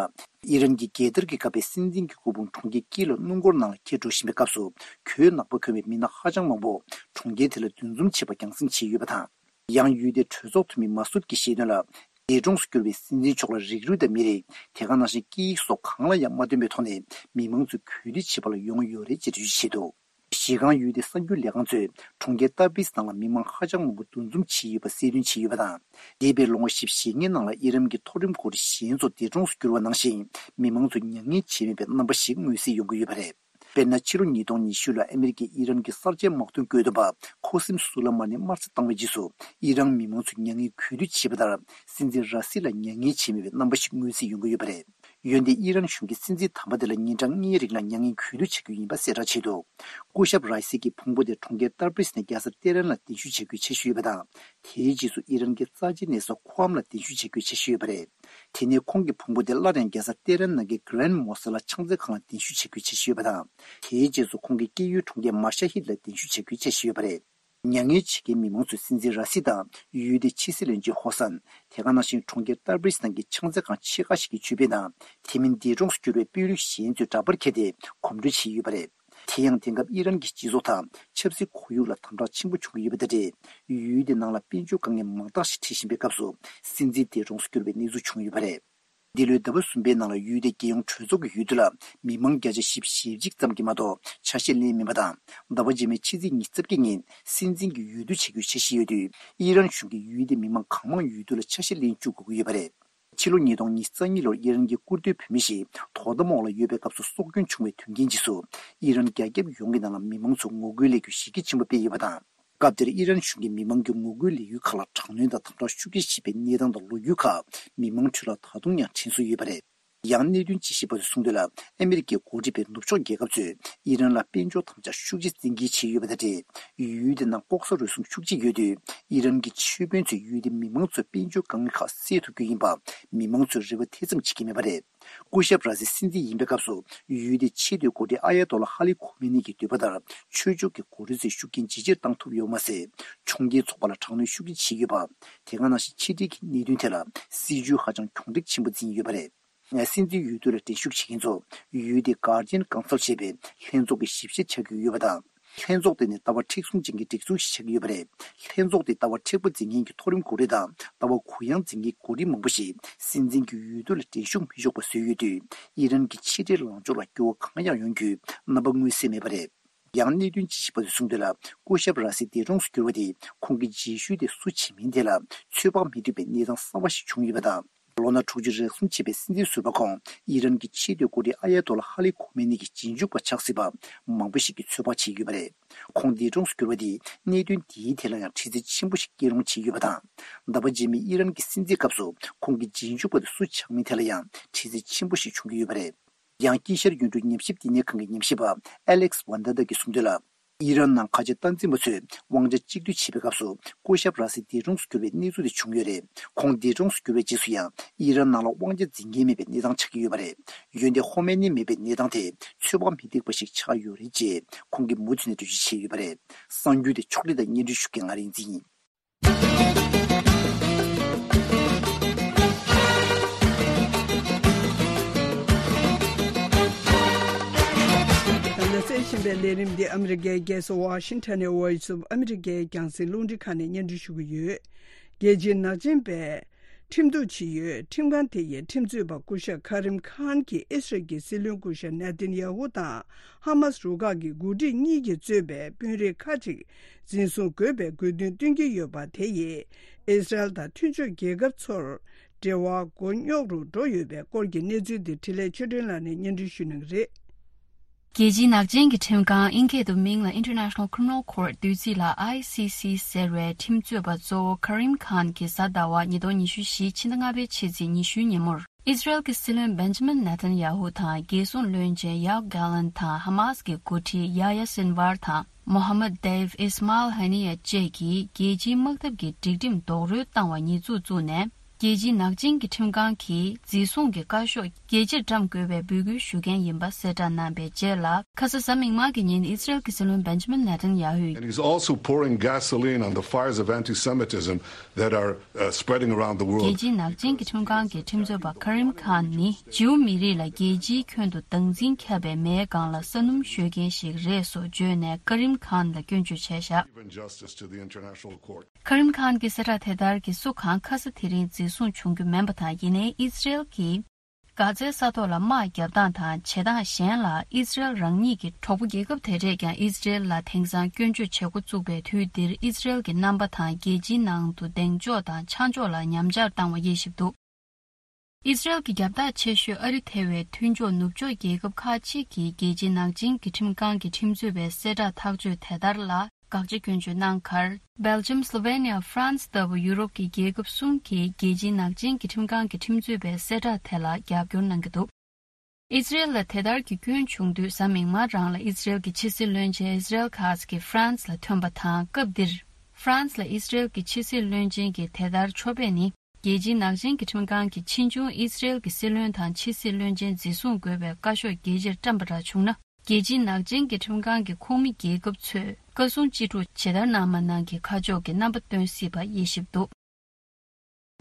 ཨི་རན་གྱི་རྒྱལ་དར་གྱིས་བཀབ་པའི་སྲིད་འཛིན་གྱི་སྐུ་ཕུང་གྲོང་ཁྱེར་ཀིའུ་ལ་སྣུམ་འཁོར་ནང་ལ་འཁྱེར་འགྲོ་བཞིན་པའི་སྐབས་སུ། གོས་ནག་པོ་གོན་པའི་མི་སྣ་ཧ་ཅང་མང་པོ་གྲོང་ཁྱེར་དེ་ལ་འདུ་འཛོམས་བྱེད་པ་རྒྱང་སྲིང་བྱས་ཡོད་པ་དང་། ཡང་ཡུལ་དེའི་གྲོས་ཚོགས་འཐུས་མི་མ་སུད་ཀྱིས་བཤད་དོན་ལ། འདས་གྲོངས་སུ་གྱུར་པའི་སྲིད་འཛིན་མཆོག་ལ་རིགས་རུས་དང་མི་རིགས། དེ་ག་ནང་བཞིན་སྐད་ཡིག་སོགས་གང་ལ་ཡང་མ་བསྟུན་པའི་ཐོག་ནས་མི་མང་ཚོས་གུས་འདུད་བྱེད་པ་ལ་ཡོང་ཡོད་རེད་ཅེས་འགྲེལ་བརྗོད་བྱས་འདུག། གཞི་རྐང་ཡུལ་དེའི་གསར་འགྱུར་ལས་ཁང་ཚོས་གྲོང་ཁྱེར་ཏར་བིས་ནང་ལ་མི་མང་ཧ་ཅང་མང་པོ་འདུ་འཛོམས་བྱས་ཡོད་པ་གསལ་སྟོན་བྱས་ཡོད་པ་དང་། འདས་པའི་ལོ་ངོ་བཞི་བཅུ་ཞེ་ལྔའི་ནང་ལ་ཨི་རན་གྱི་མཐོ་རིམ་འགོ་ཁྲིད་གཞན་ཚོ་འདས་གྲོངས་སུ་གྱུར་བ་ནང་བཞིན། མི་མང་ཚོས་མྱ་ངན་བྱས་མེད་པའི་རྣམ་པ་ཞིག་མངོན་གསལ་ཡོང་གི་ཡོད་པ་རེད། དཔེར་ན། ཕྱི་ལོ་ཉིས་སྟོང་ཉི་ཤུ་ལ་ཨ་མེ་རི་ཀའི་ཨི་རན་གྱི་གསར་བརྗེའི་དམག་དོན་བཀོད་འདོམས་པ་ཁོ་སིམ་སུ་ལ་མ་ནི་དམར་གསོད་བཏང་བའི་རྗེས་སུ། ཨི་རན་མི་མང་ཚོས་མྱ་ངན་གུས་འདུད་བྱས་པ་ལྟར། སྲིད་འཛིན་ར་སི་ལ་མྱ་ངན་བྱས་མེད་པའི་རྣམ་པ་ཞིག་མངོན་གསལ་ཡོང་གི་ཡོད་པ་རེད། འོན་ཏེ་ཨི་རན་གཞུང་གིས་སྲིད་འཛིན་དམ་པ་དེ་ལ་ཉིན་གྲངས་ལྔའི་རིང་ལ་མྱ་ངན་གུས་འདུད་བྱ་རྒྱུ་ཡིན་པ་གསལ་བསྒྲགས་བྱས་འདུག་སྐུ་ཞབས་ར་ཨི་སི་ཀྱི་ཕུང་པོ་དེ་གྲོང་ཁྱེར་ཏར་པིས་ནས་རྒྱལ་ས་ཏེ་རན་ལ་གདན་ཞུ་བྱ་རྒྱུའི་འཆར་གཞི་ཡོད་པ་དང་། དེའི་རྗེས་སུ་ཨི་རན་གྱི་རྩ་ཆེའི་གནས་ས་ཁུའམ་ལ་གདན་ཞུ་བྱ་རྒྱུའི་འཆར་གཞི་ཡོད་པ་རེད། དེ་ནས་ཁོང་གི་ཕུང་པོ་དེ་སླར་ཡང་རྒྱལ་ས་ཏེ་རན་ནང་གི་གྷི་རན་མོ་སི་ལ་ཕྱག་འཚལ་ཁང་ལ་གདན་ཞུ་བྱ་རྒྱུའི་འཆར་གཞི་ཡོད་པ་དང་། དེའི་རྗེས་སུ་ཁོང་གི་སྐྱེས་ཡུལ་གྲོང་ཁྱེར་མ་ཤ་ཧིད་ལ་གདན་ཞུ་བྱ་རྒྱུའི་འཆར་གཞི་ཡོད་པ་རེད། མྱ་ངན་བྱེད་མཁན་མི་མང་ཚོས་སྲིད་འཛིན་ར་སི་དང་ཡུལ་དེའི་ཕྱི་སྲིད་བློན་ཆེན་ཧོ་སན། དེ་ག་ནང་བཞིན་གྲོང་ཁྱེར་ཏར་པིས་ནང་གི་ཕྱག་འཚལ་ཁང་ཆེ་ཁག་ཞིག་གི་ཆོས་དཔོན་དང་། དེ་མིན་འདས་གྲོངས་སུ་གྱུར་བའི་དཔོན་རིགས་གཞན་ཚོས་འདྲ་པར་ཁྱེར་ཏེ་གོམ་བགྲོད་བྱས་ཡོད་པ་རེད། དེ་ཡང་དེང་སྐབས་ཨི་རན་གྱི་སྤྱི་ཚོགས་དང་ཆབ་སྲིད་ཁོར་ཡུག་ལ་དམ་དྲག་ཆེན་པོ་བྱུང་གི་ཡོད་པ་དང་འབྲེལ། ཡུལ་དེ་ནང་ལ་དཔལ་འབྱོར་དཀའ་ངལ་མང་དག་ཞིག་འཕྲད་བཞིན་པའི་སྐབས་སུ། སྲིད་འཛིན་འདས་གྲོངས་སུ་གྱུར་བའི་གནས་ཚུལ་བྱུང་ཡོད་པ་རེད། འདི་ལོའི་ཟླ་བ་གསུམ་པའི་ནང་ལ་ཡུལ་དེའི་རྒྱལ་ཡོངས་གྲོས་ཚོགས་ཀྱི་ཡུལ་དུ་ལ་མི་མང་བརྒྱ་ཆ་བཞི་བཅུ་ཞེ་གཅིག་ཙམ་གྱིས་མ་གཏོགས་ཆ་ཤས་ལེན་མེད་པ་དང་། ཟླ་བ་རྗེས་མའི་ཕྱི་ཚེས་ཉི་ཤུ་རྩ་བརྒྱད་ཉིན་སྲིད་འཛིན་གྱི་འོས་བསྡུ་བྱེད་རྒྱུའི་འཆར་གཞི་ཡོད་དུས། ཨི་རན་གཞུང་གིས་ཡུལ་དེའི་མི་མང་གང་མང་འོས་བསྡུ་ལ་ཆ་ཤས་ལེན་བཅུག་དགོས་ཀྱི་ཡོད་པ་རེད། ཕྱི་ལོ་ཉིས་སྟོང་ཉི་ཤུ་རྩ་གཉིས་ལོར་ཨི་རན་གྱི་སྐུ་ཟླ་བུད་མེད་ཞིག་དོ་དམ་འོག་ལ་ཡོད་པའི་སྐབས་སུ་སྲོག་སྐྱོན་བྱུང་བའི་དོན་རྐྱེན་རྗེས་སུ། ཨི་རན་རྒྱ་ཁྱབ་ཡོངས་ཀྱི་ནང་ལ་མི་མང་ཚོས་ངོ་རྒོལ་ལས་འགུལ་གཞི་རྒྱ་ཆེན་པོ་སྤེལ་ཡོད་པ་དང་། སྐབས་དེར་ཨི་རན་གཞུང་གིས་མི་མང་གི་ངོ་རྒོལ་ལས་འགུལ་ཁག་ལ་དྲག་གནོན་དང་དམ་དྲག་ཤུགས་ཆེ་བྱེད་པའི་གནས་སྟངས་དང་ལོ་རྒྱུས་ཁག་མི་མང་ཁྲོད་ལ་ད་དུང་ཡང་དྲན་གསོ་ཡོད་པ་རེད། ཡང་གནད་དོན་དཔྱད་ཞིབ་པ་ཚོས་གསུངས་དོན་ལ། ཨ་མི་རི་ཀའི་འགོ་ཁྲིད་པའི་ནུབ་ཕྱོགས་རྒྱལ་ཁབ་ཚོས་ཨི་རན་ལ་དཔལ་འབྱོར་དམ་དྲག་ཤུགས་ཆེ་བཙན་འགེལ་བྱས་ཡོད་པ་དང་འབྲེལ། ཡུལ་དེ་ནང་ལྐོག་ཟ་རུལ་སུངས་ཤུགས་ཆེ་ཡོད་དུས། ཨི་རན་གྱི་ཆོས་དཔོན་ཚོས་ཡུལ་དེའི་མི་མང་ཚོས་དཔལ་འབྱོར་དཀའ་ངལ་ཁག་སེལ་ཐུབ་རྒྱུ་ཡིན་པ་མི་མང་ཚོས་རེ་བ་དེ་ཙམ་བྱེད་ཀྱི་མེད་པ་རེད། སྐུ་ཞབས་ར་སི་སྲིད་འཛིན་ཡིན་པའི་སྐབས་སུ། ཡུལ་དེའི་ཆེས་མཐོའི་འགོ་ཁྲིད་ཨ་ཡ་ཏོ་ལ་ཧ་ལི་ཁོ་མེ་ནི་གི་འདོད་པ་ལྟར། ཆོས་ཕྱོགས་ཀྱི་འགོ་ཁྲིད་ཚོས་ཤུགས་རྐྱེན་ཇེ་ཆེར་བཏང་ཐུབ་ཡོད་མ་ཟད། ཕྱོགས་འགལ་ཚོགས་པ་ལ་དྲག་གནོན་ཤུགས་ཆེ་བྱས་ཡོད་པ། དེ་ག་ནང་བཞིན་ཕྱི་འབྲེལ་གྱི་གནད་དོན་ཐད་ལ་སྲིད་བྱུས་ཧ་ཅང་གྱོང་རིག་ཆེན་པོ་འཛིན་ཡོད་པ་རེད། སྲིད་འཛིན་འོས་བསྡུ་ལ་འགྲན་ཞུགས་བྱེད་མཁན་ཚོ། ཡུལ་དེའི་Guardian Council ཞེས་པའི་ལྷན་ཚོགས་ཀྱི་ཞིབ་བཤེར་བྱ་རྒྱུ་ཡོད་པ་དང་། ལྷན་ཚོགས་དེ་ནི་ལྟ་བ་མཁྲེགས་བཟུང་ཅན་གྱི་སྒྲིག་འཛུགས་ཤིག་ཆགས་ཀྱི་ཡོད་པ་རེད། ལྷན་ཚོགས་དེས་ལྟ་བ་མཁྲེགས་པོ་འཛིན་མཁན་གྱི་མཐོ་རིམ་འགོ་ཁྲིད་དང་ལྟ་བ་གུ་ཡངས་འཛིན་མཁན་འགོ་ཁྲིད་མང་པོ་ཞིག་སྲིད་འཛིན་གྱི་འོས་བསྡུ་ལ་འགྲན་ཞུགས་མི་ཆོག་པ་བཟོས་ཡོད་དུས། ཨི་རན་གྱི་ཕྱི་འབྲེལ་ལངས་ཕྱོགས་ལ་འགྱུར་བ་གང་ཡང་ཡོང་རྒྱུའི་རྣམ་པ་མངོན་གསལ་མེད་པ་རེད། ཡང་གནད་དོན་དཔྱད་ཞིབ་པ་ཚོས་གསུངས་དོན་ལ། སྐུ་ཞབས་ར་སི་འདས་གྲོངས་སུ་གྱུར་བ་དེས་ཁོང་གི་རྗེས་ཤུལ་དེ་སུ་བྱེད་མིན་ཐད་ལ་ཚོད་དཔག་མི་ཐུབ་པའི་གནས་སྟངས་གསར་བ་ཞིག་བྱུང་ཡོད་པ་དང་། ལོ་ན་དྲུག་ཅུ་རེ་གསུམ་ཕྱིན་པའི་སྲིད་འཛིན་ཟུར་པ་ཁོང་ཨི་རན་གྱི་ཆེས་མཐོའི་འགོ་ཁྲིད་ཨ་ཡ་ཏོ་ལ་ཧ་ལི་ཁོ་མེ་ནི་གི་རྗེས་འཇུག་པ་ཆགས་སྲིད་པ་མང་པོ་ཞིག་གིས་ཚོད་དཔག་བྱས་ཡོད་པ་རེད། ཁོང་འདས་གྲོངས་སུ་གྱུར་བ་དེས་གནད་དོན་འདིའི་ཐད་ལ་ཡང་འདྲི་རྩད་ཆེན་པོ་ཞིག་སྐྱེལ་རུང་བྱས་ཡོད་པ་དང་། ཟླ་བ་རྗེས་མའི་ཨི་རན་གྱི་སྲིད་འཛིན་སྐབས་སུ་ཁོང་གི་རྗེས་འཇུག་པ་དེ་སུ་ཆགས་མིན་ཐད་ལ་ཡང་འདྲི་རྩད་ཆེན་པོ་ཞིག་བྱུང་གི་ཡོད་པ་རེད། ཡང་དཀྱིལ་ཤར་ཡུལ་གྲུ་ཉམས་ཞིབ་བསྟི་གནས་ཁང་གི་ཉམས་ཞིབ་པ་ཨ་ལེག་སི་ཝན་ད་ད་གིས་གསུངས་དོན་ལ། ཨི་རན་ནང་ཁ་ཆེ་སྟངས་འཛིན་པ་ཚོས་དབང་ཆ་གཅིག་སྡུད་བྱེད་པའི་སྐབས་སུ་སྐུ་ཞབས་ར་སི་འདས་གྲོངས་སུ་གྱུར་བའི་གནས་ཚུལ་དེ་བྱུང་ཡོད་རེད། ཁོང་འདས་གྲོངས་སུ་གྱུར་བའི་རྗེས་སུ་ཡང་ཨི་རན་ནང་ལ་དབང་ཆ་འཛིན་མཁན་མེད་པའི་གནས་སྟངས་ཆགས་ཀྱི་ཡོད་པ་རེད། འོན་ཏེ་ཧོ་མེ་ནི་མེད་པའི་གནས་སྟངས་དེ་ཚོད་དཔག་མི་འདུག་པ་ཞིག་ཆགས་ཡོད་རེད་ཅེས་ཁོང་གིས་མུ་མཐུད་ནས་འགྲེལ་བརྗོད་བྱས་ཡོད་པ་རེད། གསར་འགྱུར་དེ་ཕྱོགས་སྒྲིག་དང་སྙན་སྒྲོན་ཞུ་མཁན་ང་རིག་འཛིན་ཡིན། ད་ལྟ་གསན་བཞིན་པའི་ལས་རིམ་འདི་ཨ་མི་རི་ཀའི་རྒྱལ་ས་ཝ་ཤིང་ཊོན་ནས་Voice of America རྒྱང་སྲིང་རླུང་འཕྲིན་ཁང་ནས་སྙན་སྒྲོན་ཞུ་གི་ཡོད། རྒྱལ་སྤྱིའི་ནག་ཅན་པས་ཁྲིམས་གཏུག་བྱེད་ཡུལ་ཁྲིམས་ཁང་དེ་ཡི་ཁྲིམས་རྩོད་པ་སྐུ་ཞབས་ཁ་རིམ་ཁཱན་གྱིས་ཨི་སི་རལ་གྱི་སྲིད་བློན་སྐུ་ཞབས་ནེ་ཐན་ཡ་ཧུ་དང་ཧ་མཱ་སི་རུ་ཁག་གི་འགོ་ཁྲིད་གཉིས་ཀྱིས་གཙོས་པའི་དཔོན་རིགས་ཁག་ཅིག་འཛིན་བཟུང་དགོས་པའི་དགོས་འདུན་བཏོན་གྱི་ཡོད་པ་དེ་ཡིས་ཨི་སི་རལ་དང་མཐུན་ཕྱོགས་རྒྱལ་ཁབ་ཚོར་འབྲེལ་བ་མགོ་རྙོག་རུ་འགྲོ་ཡོད་པའི་སྐོར་གྱི་གནས་ཚུལ་འདི་འཕྲིན་ལས་ཆོས་སྒྲོན་ལགས་ནས་སྙན་སྒྲོན་ཞུ་གནང་གི་རེད། རྒྱལ་སྤྱིའི་ནག་ཅན་གྱི་ཁྲིམས་ཁང་ཨིན་སྐད་དུ་མིང་ལ་International Criminal Court བསྡུས་ཚིག་ལ་ཨའི་སི་སི་ཟེར་བའི་ཁྲིམས་རྩོད་པ་གཙོ་བོ་ཁ་རིམ་ཁཱན་གྱིས་གཟའ་ཟླ་བ་ཉིས་སྟོང་ཉི་ཤུ་བཞི་ཕྱི་ཟླ་ལྔ་པའི་ཕྱི་ཚེས་ཉི་ཤུའི་ཉིན་མོར། ཨི་སི་རལ་གྱི་སྲིད་བློན་བེན་ཇ་མིན་ནེ་ཐན་ཡ་ཧུ་དང་རྒྱལ་སྲུང་བློན་ཆེན་ཡོབ་གྷ་ལན་དང་ཧ་མཱ་སི་གི་འགོ་ཁྲིད་ཡ་ཡ་སིན་ཝར་དང་མོ་ཧ་མད་དེབ་ཨིས་མཱལ་ཧ་ནི་ཡ་བཅས་ཀྱིས་རྒྱལ་སྤྱིའི་དམག་འཐབ་ཀྱི་སྒྲིག་ཁྲིམས་རྡོག་རོལ་བཏང་བ་ཉེས་འཛུགས་བཙུགས་ནས། རྒྱལ་སྤྱིའི་ནག་ཅན་གྱི་ཁྲིམས་ཁང་གིས་འཛིན་བཟུང་གི་བཀའ་ཤོག་རྒྱལ་སྤྱིར་བཀྲམ་དགོས་པའི་འབོད་སྐུལ་ཞུ་མཁན་ཡིན་པ་གསལ་བསྒྲགས་གནང་པའི་རྗེས་ལ། ཁ་ས་གཟའ་མིག་དམར་གྱི་ཉིན་ཨི་སི་རལ་གྱི་སྲིད་བློན་བེན་ཇ་མིན་ནེ་ཐན་ཡ་ཧུས། And he's also pouring gasoline on the fires of anti-Semitism that are, uh, spreading around the world. རྒྱལ་སྤྱིའི་ནག་ཅན་གྱི་ཁྲིམས་ཁང་གི་ཁྲིམས་རྩོད་པ་ཁ་རིམ་ཁཱན་ནི་ཇིའུ་མི་རིགས་ལ་རྒྱལ་སྤྱིའི་ཁྱོན་དུ་སྡང་འཛིན་ཁྱབ་པའི་མེའི་སྒང་ལ་ས་སྣུམ་གཞོལ་མཁན་ཞིག་རེད་སོགས་བརྗོད་ནས་ཁ་རིམ་ཁཱན་ལ་སྐྱོན་བརྗོད་བྱས་བཞག Injustice to the international court. ཁ་རིམ་ཁཱན་གྱིས་གསལ་བསྒྲགས་དེ་ལྟར་གྱིས་སུ་གང་ཁ་ས་དེ་རིང་འཛིན་བཟུང་བྱུང་རྒྱུ་མིན་པ་དང་། ཡིན་ནའི་ཨི་སི་རེལ་གྱིས་གྷ་ཛའི་ས་ཐོག་ལ་དམག་བརྒྱབ་སྟངས་དང་བྱེད་སྟངས་གཞན་ལ་ཨི་སི་རེལ་རང་ཉིད་ཀྱི་གྲོགས་པོ་རྒྱལ་ཁབ་དེ་འདྲས་ཀྱང་ཨི་སི་རེལ་ལ་དེང་སང་སྐྱོན་བརྗོད་བྱེད་འགོ་བཙུགས་པའི་དུས་འདིར་ཨི་སི་རེལ་གྱི་རྣམ་པ་དང་རྒྱལ་སྤྱིའི་ནང་དུ་གདེང་འཇོག་དང་ཆ་འཇོག་ལ་ཉམས་ཆག་བཏང་བ་དབྱེ་ཞིབ་འདུག་ཨི་སི་རེལ་གྱི་རྒྱབ་ཐག་ཆེ་ཤོས་ཨ་རི་ཐེ་བའི་མཐུན་ཕྱོགས་ནུབ་ཕྱོགས་རྒྱལ་ཁབ་ཁག་ཅིག་གིས་རྒྱལ་སྤྱིའི་ནག་ཅན་གྱི་ཁྲིམས་ཁང་གི་ཁྲིམས་རྩོད་པའི་གསལ་བསྒྲགས་ཐག་གཅོད་དེ་ལྟར་ལ། དགག་བྱ་སྐྱོན་བརྗོད་གནང་ཁར། སྦེལ་ཇམ། སློ་ཝེ་ནི་ཡ། ཧྥ་རན་སི་ལྟ་བུ་ཡུ་རོབ་ཀྱི་རྒྱལ་ཁབ་གསུམ་གྱིས་རྒྱལ་སྤྱིའི་ནག་ཅན་གྱི་ཁྲིམས་ཁང་གི་ཁྲིམས་རྩོད་པའི་གསལ་བསྒྲགས་དེ་ལ་རྒྱབ་སྐྱོར་གནང་གི་འདུག་ཨི་ཛི་རེལ་ལ་དེ་ལྟར་གྱི་སྐྱོན་བྱུང་དུས། གཟའ་མིག་དམར་རང་ལ་ཨི་ཛི་རེལ་གྱི་ཕྱི་སྲིད་བློན་ཆེན་ཨི་ཛི་རེལ་ཁཱ་ཛི་ཧྥ་རན་སི་ལ་ཐོན་པ་དང་། སྐབས་འདིར་ཧྥ་རན་སི་ལ་ཨི་ཛི་རེལ་གྱི་ཕྱི་སྲིད་བློན་ཆེན་གྱི་དེ་ལྟར་ཕྱོགས་ཕེབས་ནི། རྒྱལ་སྤྱིའི་ནག་ཅན་གྱི་ཁྲིམས་ཁང་གིས་ཕྱིས་འབྱུང་ཨི་ཛི་རེལ་གྱི་སྲིད་བློན་དང་ཕྱི་སྲིད་བློན་ཆེན་འཛིན་བཟུང་དགོས་པའི་བཀའ་ཤོག་རྒྱལ་སྤྱིར་བཀྲམ་པ་འདྲ་བྱུང་ན། རྒྱལ་སྤྱིའི་ནག་ཅན་གྱི་ཁྲིམས་ཁང་གི་ཁོངས་མི་རྒྱལ་ཁབ་ཚོས་བཀའ་གསུང་ཅི་སྒྲུབ་ཇི་ལྟར་གནང་མ་གནང་གི་ཁ་ཕྱོགས་ཀྱི་རྣམ་པ་སྟོན་སྲིད་པ་དབྱེ་ཞིབ་འདུག་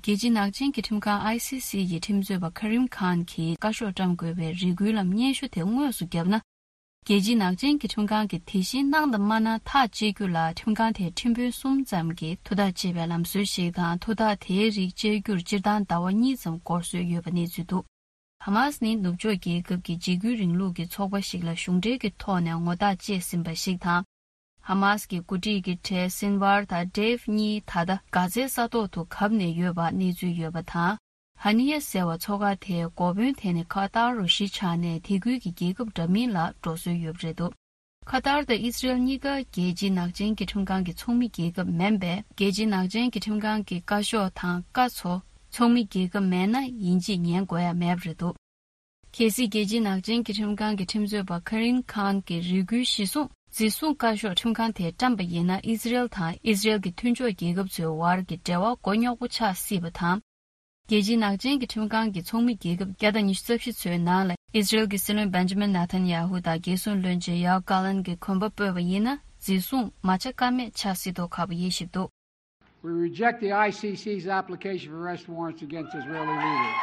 རྒྱལ་སྤྱིའི་ནག་ཅན་གྱི་ཁྲིམས་ཁང་ཨའི་སི་སི་ཡི་ཁྲིམས་རྩོད་པ་ཁ་རིམ་ཁཱན་གྱིས་བཀའ་ཤོག་བཀྲམ་དགོས་པའི་རེ་སྐུལ་ལམ་སྙན་ཞུ་དེ་དངོས་སུ་བརྒྱབ་ན། རྒྱལ་སྤྱིའི་ནག་ཅན་གྱི་ཁྲིམས་ཁང་གིས་དེ་བཞིན་གནང་དང་མ་གནང་ཐག་གཅད་རྒྱུ་ལ། ཁྲིམས་ཁང་དེས་ཁྲིམས་དཔོན་གསུམ་ཙམ་གྱིས་ཐུགས་ཐག་བཅད་པའི་ལམ་སྲོལ་ཞིག་དང་། ཐུགས་ཐག་དེའི་རིགས་བཅད་རྒྱུར་སྤྱིར་བཏང་ཟླ་བ་གཉིས་ཙམ་འགོར་སྲོལ་ཡོད་པ་གནས་ཚུལ་འདུག་ཧ་མཱ་སི་ནི་ནུབ་ཕྱོགས་རྒྱལ་ཁབ་ཀྱི་འཇིགས་སྐུལ་རིང་ལུགས་ཀྱི་ཚོགས་པ་ཞིག་ལ་གཞུང་འབྲེལ་གྱི་ཐོག་ནས་ངོ་རྟགས་བཅད་ཟིན་པ་ཞིག་དང་། ཧ་མཱ་སི་ཀྱི་འགོ་ཁྲིད་ཀྱི་གྲས་སིན་ཝར་དང་ཌེབ་གཉིས་ད་ལྟ་གྷ་ཛའི་ས་ཐོག་ཏུ་གབ་ནས་ཡོད་པ་གནས་ཚུལ་ཡོད་པ་དང་། ཧ་ནི་ཡ་ཟེར་བ་མཚོ་ཁ་དེའི་འགོ་དཔོན་དེ་ནི་ཁ་ཏར་རུ་གཞིས་ཆགས་ནས་དེ་ཁུལ་གྱི་རྒྱལ་ཁབ་འདྲ་མིན་ལ་འགྲོ་སྲོལ་ཡོད་པ་རེད་འདུག་ཁ་ཏར་དང་ཨི་ཛི་རེལ་གཉིས་ཀ་རྒྱལ་སྤྱིའི་ནག་ཅན་གྱི་ཁྲིམས་ཁང་གི་ཚོགས་མི་རྒྱལ་ཁབ་མིན་པས། རྒྱལ་སྤྱིའི་ནག་ཅན་གྱི་ཁྲིམས་ཁང་གི་བཀའ་ཤོག་དང་བཀའ་ཚོ་ཚོགས་མི་རྒྱལ་ཁབ་མེད་ན་ཡིན་གཅིག་ཉན་དགོས་ཡ་མེད་པ་རེད་འདུག་གལ་སྲིད་རྒྱལ་སྤྱིའི་ནག་ཅན་གྱི་ཁྲིམས་ཁང་གི་ཁྲིམས་རྩོད་པ་ཁ་རིན་ཁཱན་གྱི་རེ་སྐུལ་གཞིར་བཟུང་འཛིན་བཟུང་བཀའ་ཤོག་ཁྲིམས་ཁང་དེས་བཀྲམ་པ་ཡིན་ན། ཨི་ཛི་རེལ་དང་ཨི་ཛི་རེལ་གྱི་མཐུན་ཕྱོགས་རྒྱལ་ཁབ་ཚོའི་བར་གྱི་འབྲེལ་བ་མགོ་རྙོག་པོ་ཆགས་སྲིད་པ་དང་། རྒྱལ་སྤྱིའི་ནག་ཅན་གྱི་ཁྲིམས་ཁང་གི་ཚོགས་མི་རྒྱལ་ཁབ་བརྒྱ་དང་ཉི་ཤུ་རྩ་བཞི་ཚོའི་ནང་ལ་ཨི་ཛི་རེལ་གྱི་སྲིད་བློན་བེན་ཇི་མིན་ནེ་ཐན་ཡ་ཧུ་དང་རྒྱལ་སྲུང་བློན་ཆེན་ཡོ་ཨབ་གྷ་ལན་གྱིས་གོམ་པ་སྤོས་པ་ཡིན་ན། འཛིན་བཟུང་མ་བྱ་ཀ་མེད་ཆགས་སྲིད་མདོག་ཁ་པོ་དབྱེ་ཞིབ་འདུག We reject the I C C's application for arrest warrants against Israeli leaders.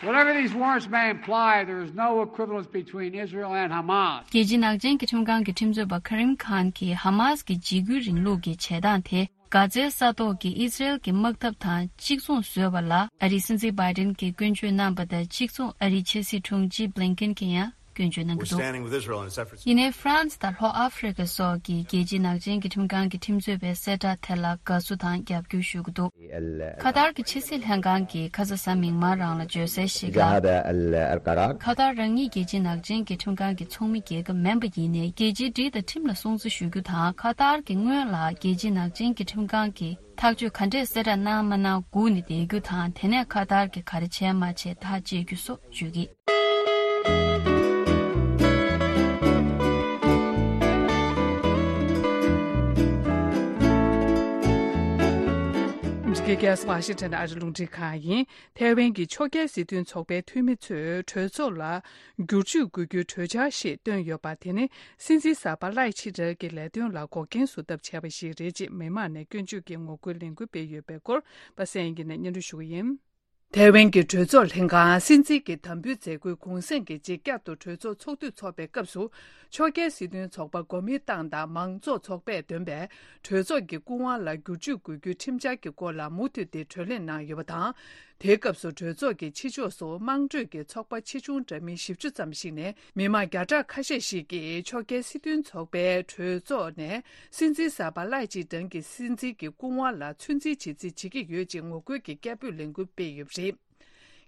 Whatever these warrants may imply, there is no equivalence between Israel and Hamas. རྒྱལ་སྤྱིའི་ནག་ཅན་གྱི་ཁྲིམས་ཁང་གི་ཁྲིམས་རྩོད་པ་ཁ་རིམ་ཁཱན་གྱིས་ཧ་མཱ་སི་གི་འཇིགས་སྐུལ་རིང་ལུགས་ཀྱི་བྱེད་སྟངས་དེ། གྷ་ཛའི་ས་ཐོག་གི་ཨི་ཛི་རེལ་གྱི་དམག་འཐབ་དང་གཅིག་མཚུངས་བཟོས་པ་ལ། ཨ་རིའི་སྲིད་འཛིན་བྷའི་ཏིན་གྱིས་སྐྱོན་བརྗོད་གནང་པ་དང་གཅིག་མཚུངས། ཨ་རིའི་ཕྱི་སྲིད་དྲུང་ཆེ་བྷི་ལིན་ཀིན་གྱིས་ཡང་སྐྱོན་བརྗོད་གནང་གི་འདུག་ཡིན་ནའི་ཧྥ་རན་སི་དང་ལྷོ་ཨ་ཧྥེ་རི་ཁ་སོགས་ཀྱིས་རྒྱལ་སྤྱིའི་ནག་ཅན་གྱི་ཁྲིམས་ཁང་གི་ཁྲིམས་རྩོད་པའི་གསལ་བསྒྲགས་དེ་ལ་དགའ་བསུ་དང་རྒྱབ་སྐྱོར་ཞུ་གི་འདུག་ཁ་ཏར་གྱི་ཕྱི་སྲིད་ལྷན་ཁང་གིས་ཁ་ས་གཟའ་མིག་དམར་རང་ལ་བརྗོད་གསལ་ཞིག་ལ། ཁ་ཏར་རང་ཉིད་རྒྱལ་སྤྱིའི་ནག་ཅན་གྱི་ཁྲིམས་ཁང་གི་ཚོགས་མི་རྒྱལ་ཁབ་མིན་པ་ཡིན་ནའི། རྒྱལ་སྤྱིའི་སྒྲིག་དང་ཁྲིམས་ལ་སྲུང་བརྩི་ཞུ་རྒྱུ་དང་། ཁ་ཏར་གྱིས་སྔོན་ལ་རྒྱལ་སྤྱིའི་ནག་ཅན་གྱི་ཁྲིམས་ཁང་གིས་ཐག་གཅོད་ག་འདྲས་གསལ་བསྒྲགས་གནང་མ་གནང་སྒུག་ནས་བསྡད་རྒྱུ་དང་། དེ་ནས་ཁ་ཏར་གྱིས་ག་རེ་བྱས་མ་བྱས་ཐག་བཅད་རྒྱུ་སོགས་བརྗོད་ཀྱི། འདི་ག་ཨ་རིའི་རླུང་འཕྲིན་ཁང་ཡིན། ཐའེ་ཝན་གྱི་ཕྱོགས་འགལ་སྲིད་དོན་ཚོགས་པའི་འཐུས་མི་ཚོས་གྲོས་ཚོགས་ལ་བསྒྱུར་བཅོས་དགོས་རྒྱུའི་གྲོས་འཆར་ཞིག་བཏོན་ཡོད་པ་དེ་ནི། སྲིད་འཛིན་གསར་པ་ལའེ་ཆི་ཏེ་གི་ལས་དོན་ལ་འགོག་རྐྱེན་བཟོ་ཐབས་བྱས་པ་ཞིག་རེད་ཅེས་མི་མང་ནས་སྐྱོན་བརྗོད་ཀྱི་ངོ་རྒོལ་ལས་འགུལ་སྤེལ་ཡོད་པའི་སྐོར། པ་སངས་དབྱངས་སྐྱིད་ནས་སྙན་སྒྲོན་ཞུ་གི་ཡིན། ཐའེ་ཝན་གྱི་གྲོས་ཚོགས་ལྷན་ཁང་སྲིད་འཛིན་གྱི་དམ་འབུལ་མཛད་སྒོའི་གུང་སེང་གི་རྗེས་བསྐྱར་དུ་གྲོས་ཚོགས་ཚོགས་དུས་འཚོགས་པའི་སྐབས་སུ། ཕྱོགས་འགལ་སྲིད་དོན་ཚོགས་པ་གོ་མིན་ཏང་དང་མང་གཙོ་ཚོགས་པས་འདོན་པའི་གྲོས་ཚོགས་ཀྱི་སྐུ་དབང་ལ་བསྒྱུར་བཅོས་དགོས་རྒྱུའི་ཁྲིམས་འཆར་གྱི་སྐོར་ལ་མུ་མཐུད་དེ་གྲོས་གླེང་གནང་ཡོད་པ་དང་། དེའི་སྐབས་སུ་གྲོས་ཚོགས་ཀྱི་ཕྱི་ཕྱོགས་སུ་དམངས་ཁྲོད་ཀྱི་ཚོགས་པ་ཆེ་ཆུང་འདྲ་མིན་བཞི་བཅུ་ཙམ་ཞིག་ནས་མི་མང་བརྒྱ་ཕྲག་ཁ་ཤས་ཤིག་གིས་ཕྱོགས་འགལ་སྲིད་དོན་ཚོགས་པའི་གྲོས་ཚོགས་ནས་སྲིད་འཛིན་གསར་པ་ལའེ་ཆི་ཏེ་གི་སྲིད་འཛིན་གྱི་སྐུ་དབང་ལ་ཚོད་འཛིན་བྱེད་རྩིས་བྱེད་ཀྱི་ཡོད་ཅེས་ངོ་རྒོལ་གྱི་སྐད་འབོད་ལས་འགུལ་སྤེལ་ཡོད་པ་རེད།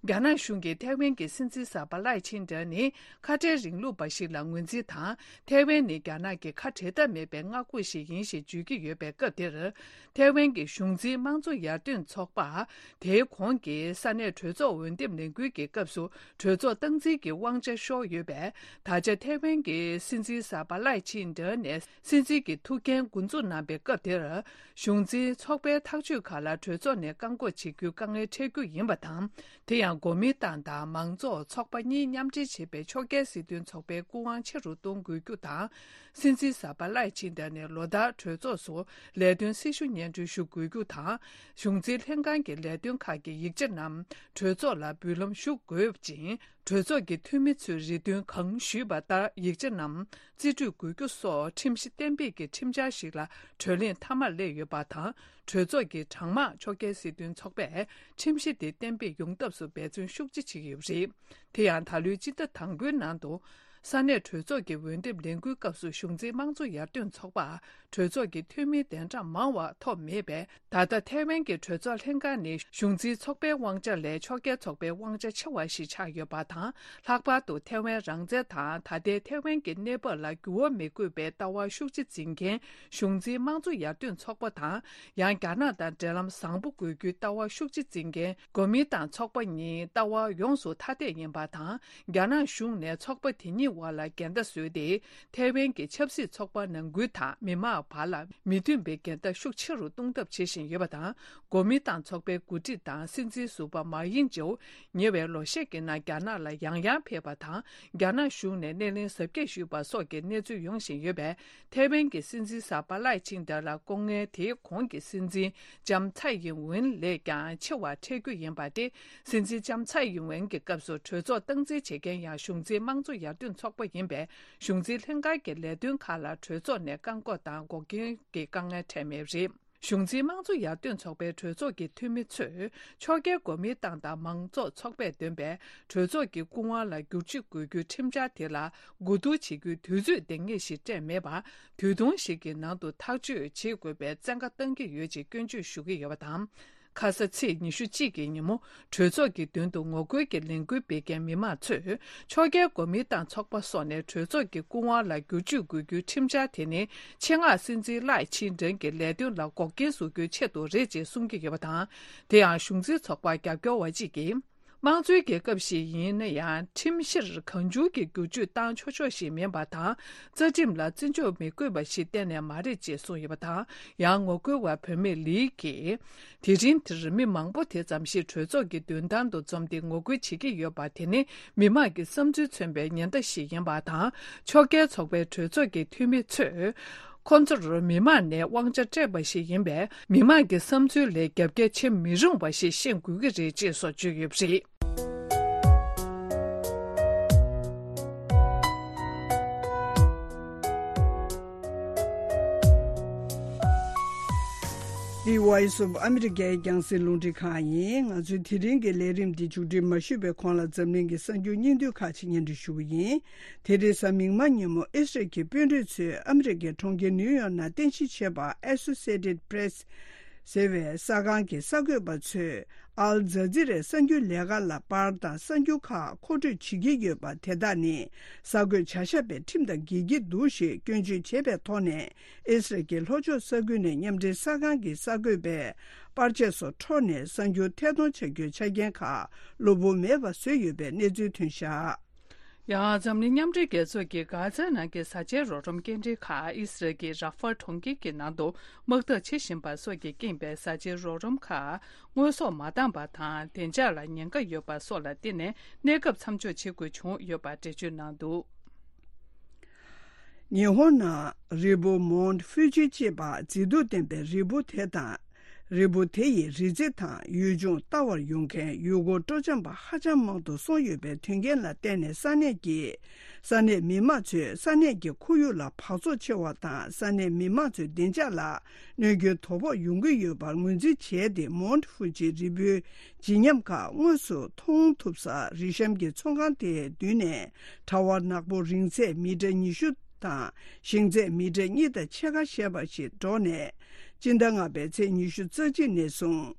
རྒྱ་ནག་གཞུང་གིས་ཐའེ་ཝན་གྱི་སྲིད་འཛིན་གསར་པ་ལའེ་ཆིན་ཏེ་ནི་ཁ་བྲལ་རིང་ལུགས་པ་ཞིག་ལ་ངོས་འཛིན་དང་། ཐའེ་ཝན་ནི་རྒྱ་ནག་གི་ཁ་བྲལ་ཐབས་མེད་པའི་མངའ་ཁོངས་ཤིག་ཡིན་ཞེས་བརྗོད་ཀྱི་ཡོད་པའི་སྐབས་དེར། ཐའེ་ཝན་གྱི་གཞུང་འཛིན་དམངས་གཙོ་ཡར་ཐོན་ཚོགས་པ། དེའི་གོང་གི་ས་གནས་གྲོས་ཚོགས་འོས་འདེམས་ལས་འགུལ་གྱི་སྐབས་སུ་གྲོས་ཚོགས་སྟངས་འཛིན་གྱི་དབང་ཆ་ཤོར་ཡོད་པས། ད་ཆ་ཐའེ་ཝན་གྱི་སྲིད་འཛིན་གསར་པ་ལའེ་ཆིན་ཏེ་ནས་སྲིད་འཛིན་གྱི་ཐུགས་འགན་འགོ་འཛུགས་གནང་པའི་སྐབས་དེར། གཞུང་འཛིན་ཚོགས་པའི་ཐག་གཅོད་ཁག་ལ་གྲོས་ཚོགས་ནས་བཀག་འགོག་བྱེད་རྒྱུའི་དཀའ་ངལ་འཕྲད་རྒྱུ་ཡིན་པ་དང་། དེ་ཡང་གོ་མིན་ཏང་དང་མང་གཙོ་ཚོགས་པ་གཉིས་མཉམ་འབྲེལ་བྱས་པའི་ཕྱོགས་འགལ་སྲིད་དོན་ཚོགས་པའི་སྐུ་དབང་ཆེ་རུ་གཏོང་དགོས་རྒྱུ་དང་། སྲིད་འཛིན་གསར་པ་ལའེ་ཆིན་ཏེ་ནས་ལོ་ལྟར་གྲོས་ཚོགས་སུ་ལས་དོན་སྲི་ཞུ་སྙན་སྒྲོན་ཞུ་དགོས་རྒྱུ་དང་། གཞུང་འཛིན་ལྷན་ཁང་གི་ལས་དོན་ཁག་གི་ཡིག་ཆ་རྣམས་གྲོས་ཚོགས་ལ་འབུལ་ལམ་ཞུ་དགོས་ཅིང་། གྲོས་ཚོགས་ཀྱི་འཐུས་མི་ཚོས་རེ་འདུན་གང་ཞུས་པ་ལྟར་ཡིག་ཆ་རྣམས་རྩིས་སྤྲོད་དགོས་རྒྱུ་སོགས་ཁྲིམས་གཞི་གཏན་འབེབས་ཀྱི་ཁྲིམས་འཆར་ཞིག་ལ་གྲོས་གླེང་མཐའ་མར་སླེབས་ཡོད་པ་དང་། གྲོས་ཚོགས་ཀྱི་གྲངས་མང་ཕྱོགས་འགལ་སྲིད་དོན་ཚོགས་པས་ཁྲིམས་གཞི་དེ་གཏན་འབེབས་ཡོང་ཐབས་སུ་འབད་བརྩོན་ཤུགས་ཆེ་བྱེད་ཀྱི་ཡོད་པ་རེད། དེ་ཡང་ད་ལོའི་སྤྱི་ཟླ་དང་པོའི་ནང་དུ། ས་གནས་གྲོས་ཚོགས་ཀྱི་འོས་འདེམས་ལས་འགུལ་སྐབས་སུ་གཞུང་འཛིན་དམངས་གཙོ་ཡར་ཐོན་ཚོགས་པར་གྲོས་ཚོགས་ཀྱི་འཐུས་མི་གདན་གྲངས་མང་བ་ཐོབ་མེད་པས། ད་ལྟ་ཐའེ་ཝན་གྱི་གྲོས་ཚོགས་ལྷན་ཁང་ནི་གཞུང་འཛིན་ཚོགས་པའི་དབང་ཆ་ལས་ཕྱོགས་འགལ་ཚོགས་པའི་དབང་ཆ་ཆེ་བ་ཞིག་ཆགས་ཡོད་པ་དང་། ལྷག་པར་དུ་ཐའེ་ཝན་རང་བཙན་དང་ད་ལྟའི་ཐའེ་ཝན་གྱི་གནས་བབ་ལ་འགྱུར་བ་མི་དགོས་པའི་ལྟ་བ་ཤུགས་ཆེ་འཛིན་མཁན་གཞུང་འཛིན་དམངས་གཙོ་ཡར་ཐོན་ཚོགས་པ་དང་། ཡང་རྒྱ་ནག་དང་འབྲེལ་ལམ་བཟང་པོ་དགོས་རྒྱུའི་ལྟ་བ་ཤུགས་ཆེ་འཛིན་མཁན་གོ་མིན་ཏང་ཚོགས་པ་གཉིས་ལྟ་བ་ཡོངས་སུ་ཐ་དད་ཡིན་པ་དང་། རྒྱ་ནག་གཞུང་ནས་ཚོགས་པ་དེ་གཉིས་བར་ལ་འགལ་ཟླ་བཟོས་ཏེ། ཐའེ་ཝན་གྱི་ཆབ་སྲིད་ཚོགས་པ་ནང་ཁུལ་དང་མི་མང་བར་ལ་མི་མཐུན་པའི་འགལ་ཟླ་ཤུགས་ཆེ་རུ་གཏོང་ཐབས་བྱེད་བཞིན་ཡོད་པ་དང་། གོ་མིན་ཏང་ཚོགས་པའི་འགོ་ཁྲིད་དང་སྲིད་འཛིན་ཟུར་པ་མ་དབྱིན་ཇོ་ཉེ་བའི་ལོ་ཤས་ཀྱི་ནང་རྒྱ་ནག་ལ་ཡང་ཡང་ཕེབས་པ་དང་། རྒྱ་ནག་གཞུང་ནས་སྣེ་ལེན་གཟབ་རྒྱས་ཞུས་པ་སོགས་ཀྱི་གནས་ཚུལ་ཡོང་བཞིན་ཡོད་པས། ཐའེ་ཝན་གྱི་སྲིད་འཛིན་གསར་པ་ལའེ་ཆིང་ཏེ་ལ་སྐུ་ངལ་དེའི་གོང་གི་སྲིད་འཛིན་ལྕམ་ཚའེ་ཡིན་ཝེན་ལས་ཀྱང་ཆེ་བ་འཕྲད་རྒྱུ་ཡིན་པ་སྟེ། སྲིད་འཛིན་ལྕམ་ཚའེ་ཡིན་ཝེན་གྱི་སྐབས་སུ་གྲོས་ཚོགས་སྟངས་འཛིན་བྱེད་མཁན་ཡང་གཞུང་འཛིན་དམངས་གཙོ་ཡར་ཐོན་ཚོགས་པ་ཡིན་པས། གཞུང་འཛིན་ལྷན་ཁང་གི་ལས་དོན་ཁག་ལ་གྲོས་ཚོགས་ནས་བཀག་འགོག་དང་འགོག་རྐྱེན་གྱི་དཀའ་ངལ་འཕྲད་མེད་པ་རེད། གཞུང་འཛིན་དམངས་གཙོ་ཡར་ཐོན་ཚོགས་པའི་གྲོས་ཚོགས་ཀྱི་འཐུས་མི་ཚོས་ཕྱོགས་འགལ་གོ་མིན་ཏང་དང་མང་གཙོ་ཚོགས་པས་འདོན་པའི་གྲོས་ཚོགས་ཀྱི་སྐུ་དབང་ལ་བསྒྱུར་བཅོས་དགོས་རྒྱུའི་ཁྲིམས་འཆར་དེ་ལ་གོ་བསྡུར་བྱེད་རྒྱུའི་དུས་ཚོད་འདང་ངེས་ཤིག་སྤྲད་མེད་པར། དུས་ཐུང་ཞིག་གི་ནང་དུ་ཐག་གཅོད་བྱེད་དགོས་པའི་བཙན་བཀའ་བཏང་གི་ཡོད་ཅེས་སྐྱོན་བརྗོད་ཞུ་གི་ཡོད་པ་དང་། ཁ་ས་ཚེས་ཉི་ཤུ་གཅིག་གི་ཉིན་མོ་གྲོས་ཚོགས་ཀྱི་མདུན་དུ་ངོ་རྒོལ་གྱི་ལས་འགུལ་སྤེལ་མཁན་མི་མང་ཚོས་ཕྱོགས་འགལ་གོ་མིན་ཏང་ཚོགས་པ་སོགས་ནས་གྲོས་ཚོགས་ཀྱི་སྐུ་དབང་ལ་བསྒྱུར་བཅོས་དགོས་རྒྱུའི་ཁྲིམས་འཆར་དེ་ནི་ཆེད་མངགས་སྲིད་འཛིན་ལའེ་ཆིང་ཏེ་གི་ལས་དོན་ལ་འགོག་རྐྱེན་བཟོ་རྒྱུའི་ཆེད་དུ་རེད་ཅེས་གསུང་གི་ཡོད་པ་དང་། དེ་ཡང་གཞུང་འཛིན་ཚོགས་པར་རྒྱབ་སྐྱོར་བ་གཅིག་གིས། དམངས་གཙོའི་རྒྱལ་ཁབ་ཞིག་ཡིན་ན་ཡང་ཁྲིམས་གཞིར་གང་བྱུང་གི་བསྒྱུར་བཅོས་བཏང་ཆོག་ཆོག་ཞིག་མིན་པ་དང་། རྩ་ཁྲིམས་ལ་བརྩི་འཇོག་མི་དགོས་པ་ཞིག་གཏན་ནས་མ་རེད་ཅེས་གསུངས་ཡོད་པ་དང་། ཡང་ངོ་རྒོལ་བ་བུད་མེད་ལི་གིས། དེ་རིང་འདིར་མི་མང་པོ་དེ་ཙམ་ཞིག་གྲོས་ཚོགས་ཀྱི་མདུན་ཐང་དུ་འཛོམས་ཏེ་ངོ་རྒོལ་བྱེད་ཀྱི་ཡོད་པ་དེ་ནི་མི་མང་གི་བསམ་ཚུལ་མཚོན་པའི་ཉེན་བརྡ་ཞིག་ཡིན་པ་དང་། ཕྱོགས་འགལ་ཚོགས་པའི་གྲོས་ཚོགས་ཀྱི་འཐུས་མི་ཚོས། ཁོང་ཚོར་མི་མང་ནས་དབང་ཆ་སྤྲད་པ་ཞིག་ཡིན་པས། མི་མང་གི་བསམ་ཚུལ་ལས་རྒྱབ་འགལ་བྱེད་མི་རུང་བ་ཞིག་ཤེས་དགོས་ཀྱི་རེད་ཅེས་སོགས་བརྗོད་ཡོད་པ་རེད། འདི་Voice of America་རྒྱང་སྲིང་རླུང་འཕྲིན་ཁང་ཡིན། ང་ཚོའི་དེ་རིང་གི་ལས་རིམ་འདི་མཇུག་སྒྲིལ་མ་ཞུས་པའི་གོང་ལ་འཛམ་གླིང་གི་གསར་འགྱུར་སྙིང་བསྡུས་ཁག་ཅིག་སྙན་སྒྲོན་ཞུ་གི་ཡིན། དེ་རིང་གཟའ་མིག་དམར་ཉིན་མོ་ཨི་སི་རལ་གྱི་དཔོན་རིགས་ཚོས་ཨ་མི་རི་ཀའི་གྲོང་ཁྱེར་ནིའུ་ཡོག་ནང་རྟེན་གཞི་བྱས་པ་Associated Press་ཟེར་བའི་གསར་ཁང་གི་གསར་འགོད་པ་ཚོས་ཨལ་ཛ་ཛི་རའི་གསར་འགྱུར་ལས་ཁང་ལ་པར་དང་གསར་འགྱུར་ཁག་མཁོ་སྤྲོད་བྱེད་ཀྱི་ཡོད་པ་དེ་དག་ནི་གསར་འགོད་བྱ་བཞག་པའི་ཁྲིམས་དང་འགལ་གྱི་འདུག་ཞེས་སྐྱོན་བརྗོད་བྱས་པའི་ཐོག་ནས་ཨི་སི་རལ་གྱི་ལྷོ་ཕྱོགས་ས་ཁུལ་ནས་མཉམ་འབྲེལ་གསར་ཁང་གི་གསར་འགོད་པས་པར་ཆས་སོགས་འཕྲོག་ནས་གསར་འགྱུར་ཐད་གཏོང་བྱ་རྒྱུའི་ཆ་རྐྱེན་ཁག་གློ་བུར་མེད་པ་བཟོས་ཡོད་པའི་གནས་ཚུལ་ཐོན་བཞག། ཡང་འཛམ་གླིང་མཉམ་འབྲེལ་རྒྱལ་ཚོགས་ཀྱིས་གྷ་ཛའི་ནང་གི་བཟའ་བཅའི་རོགས་རམ་སྐྱེལ་འདྲེན་ཁག་ཨི་སི་རལ་གྱི་ར་ཧྥ་གྲོང་ཁྱེར་གྱི་ནང་དུ་དམག་འཐབ་བྱེད་བཞིན་པ་སོགས་ཀྱི་རྐྱེན་པས་བཟའ་བཅའི་རོགས་རམ་ཁག་དངོས་ཟོག་མ་འདང་པ་དང་བདེ་འཇགས་ལ་ཉེན་ཁ་ཡོད་པ་སོགས་ལ་བརྟེན་ནས་གནས་སྐབས་མཚམས་འཇོག་བྱེད་དགོས་བྱུང་ཡོད་པ་འགྲེལ་བརྗོད་གནང་འདུག། ཉི་ཧོང་ནང་རི་བོ་མོན་ཧྥུ་ཇི་ཅེས་པ་མཛེས་སྡུག་ལྡན་པའི་རི་བོ་དེ་དང་། རི་བོ་དེ་ཡི་རི་རྩེ་དང་ཡུལ་ལྗོངས་ལྟ་བར་ཡོང་མཁན་ཡུལ་སྐོར་སྤྲོ་འཆམ་པ་ཧ་ཅང་མང་དུ་སོང་ཡོད་པའི་དོན་རྐྱེན་ལ་བརྟེན་ནས་ས་གནས་ཀྱི་ས་གནས་མི་མང་ཚོས་ས་གནས་ཀྱི་ཁོར་ཡུག་ལ་འབག་བཙོག་ཆེ་བ་དང་ས་གནས་མི་མང་ཚོའི་བདེ་འཇགས་ལ་གནོད་སྐྱོན་དོ་ཕོག་ཡོང་གི་ཡོད་པར་ངོས་འཛིན་བྱས་ཏེ་མོན་ཧྥུ་ཇི་རི་བོའི་བརྗིད་ཉམས་ཁག་དངོས་སུ་མཐོང་ཐུབ་ས་རི་གཤམ་གྱི་ཚོང་ཁང་དེའི་མདུན་ནས་གྲྭ་བ་ནག་པོ་རིང་ཚད་མི་ཊར་ཉི་ཤུ་དང་ཞེང་ཚད་མི་ཊར་གཉིས་དང་ཕྱེད་ཀ་བཞེས་པ་ཞིག་བཀྲོངས་ནས་སྤྱི་ཟླ་ལྔ་པའི་ཚེས་ཉི་ཤུ་རྩ་གཅིག་ནས་བཟུང་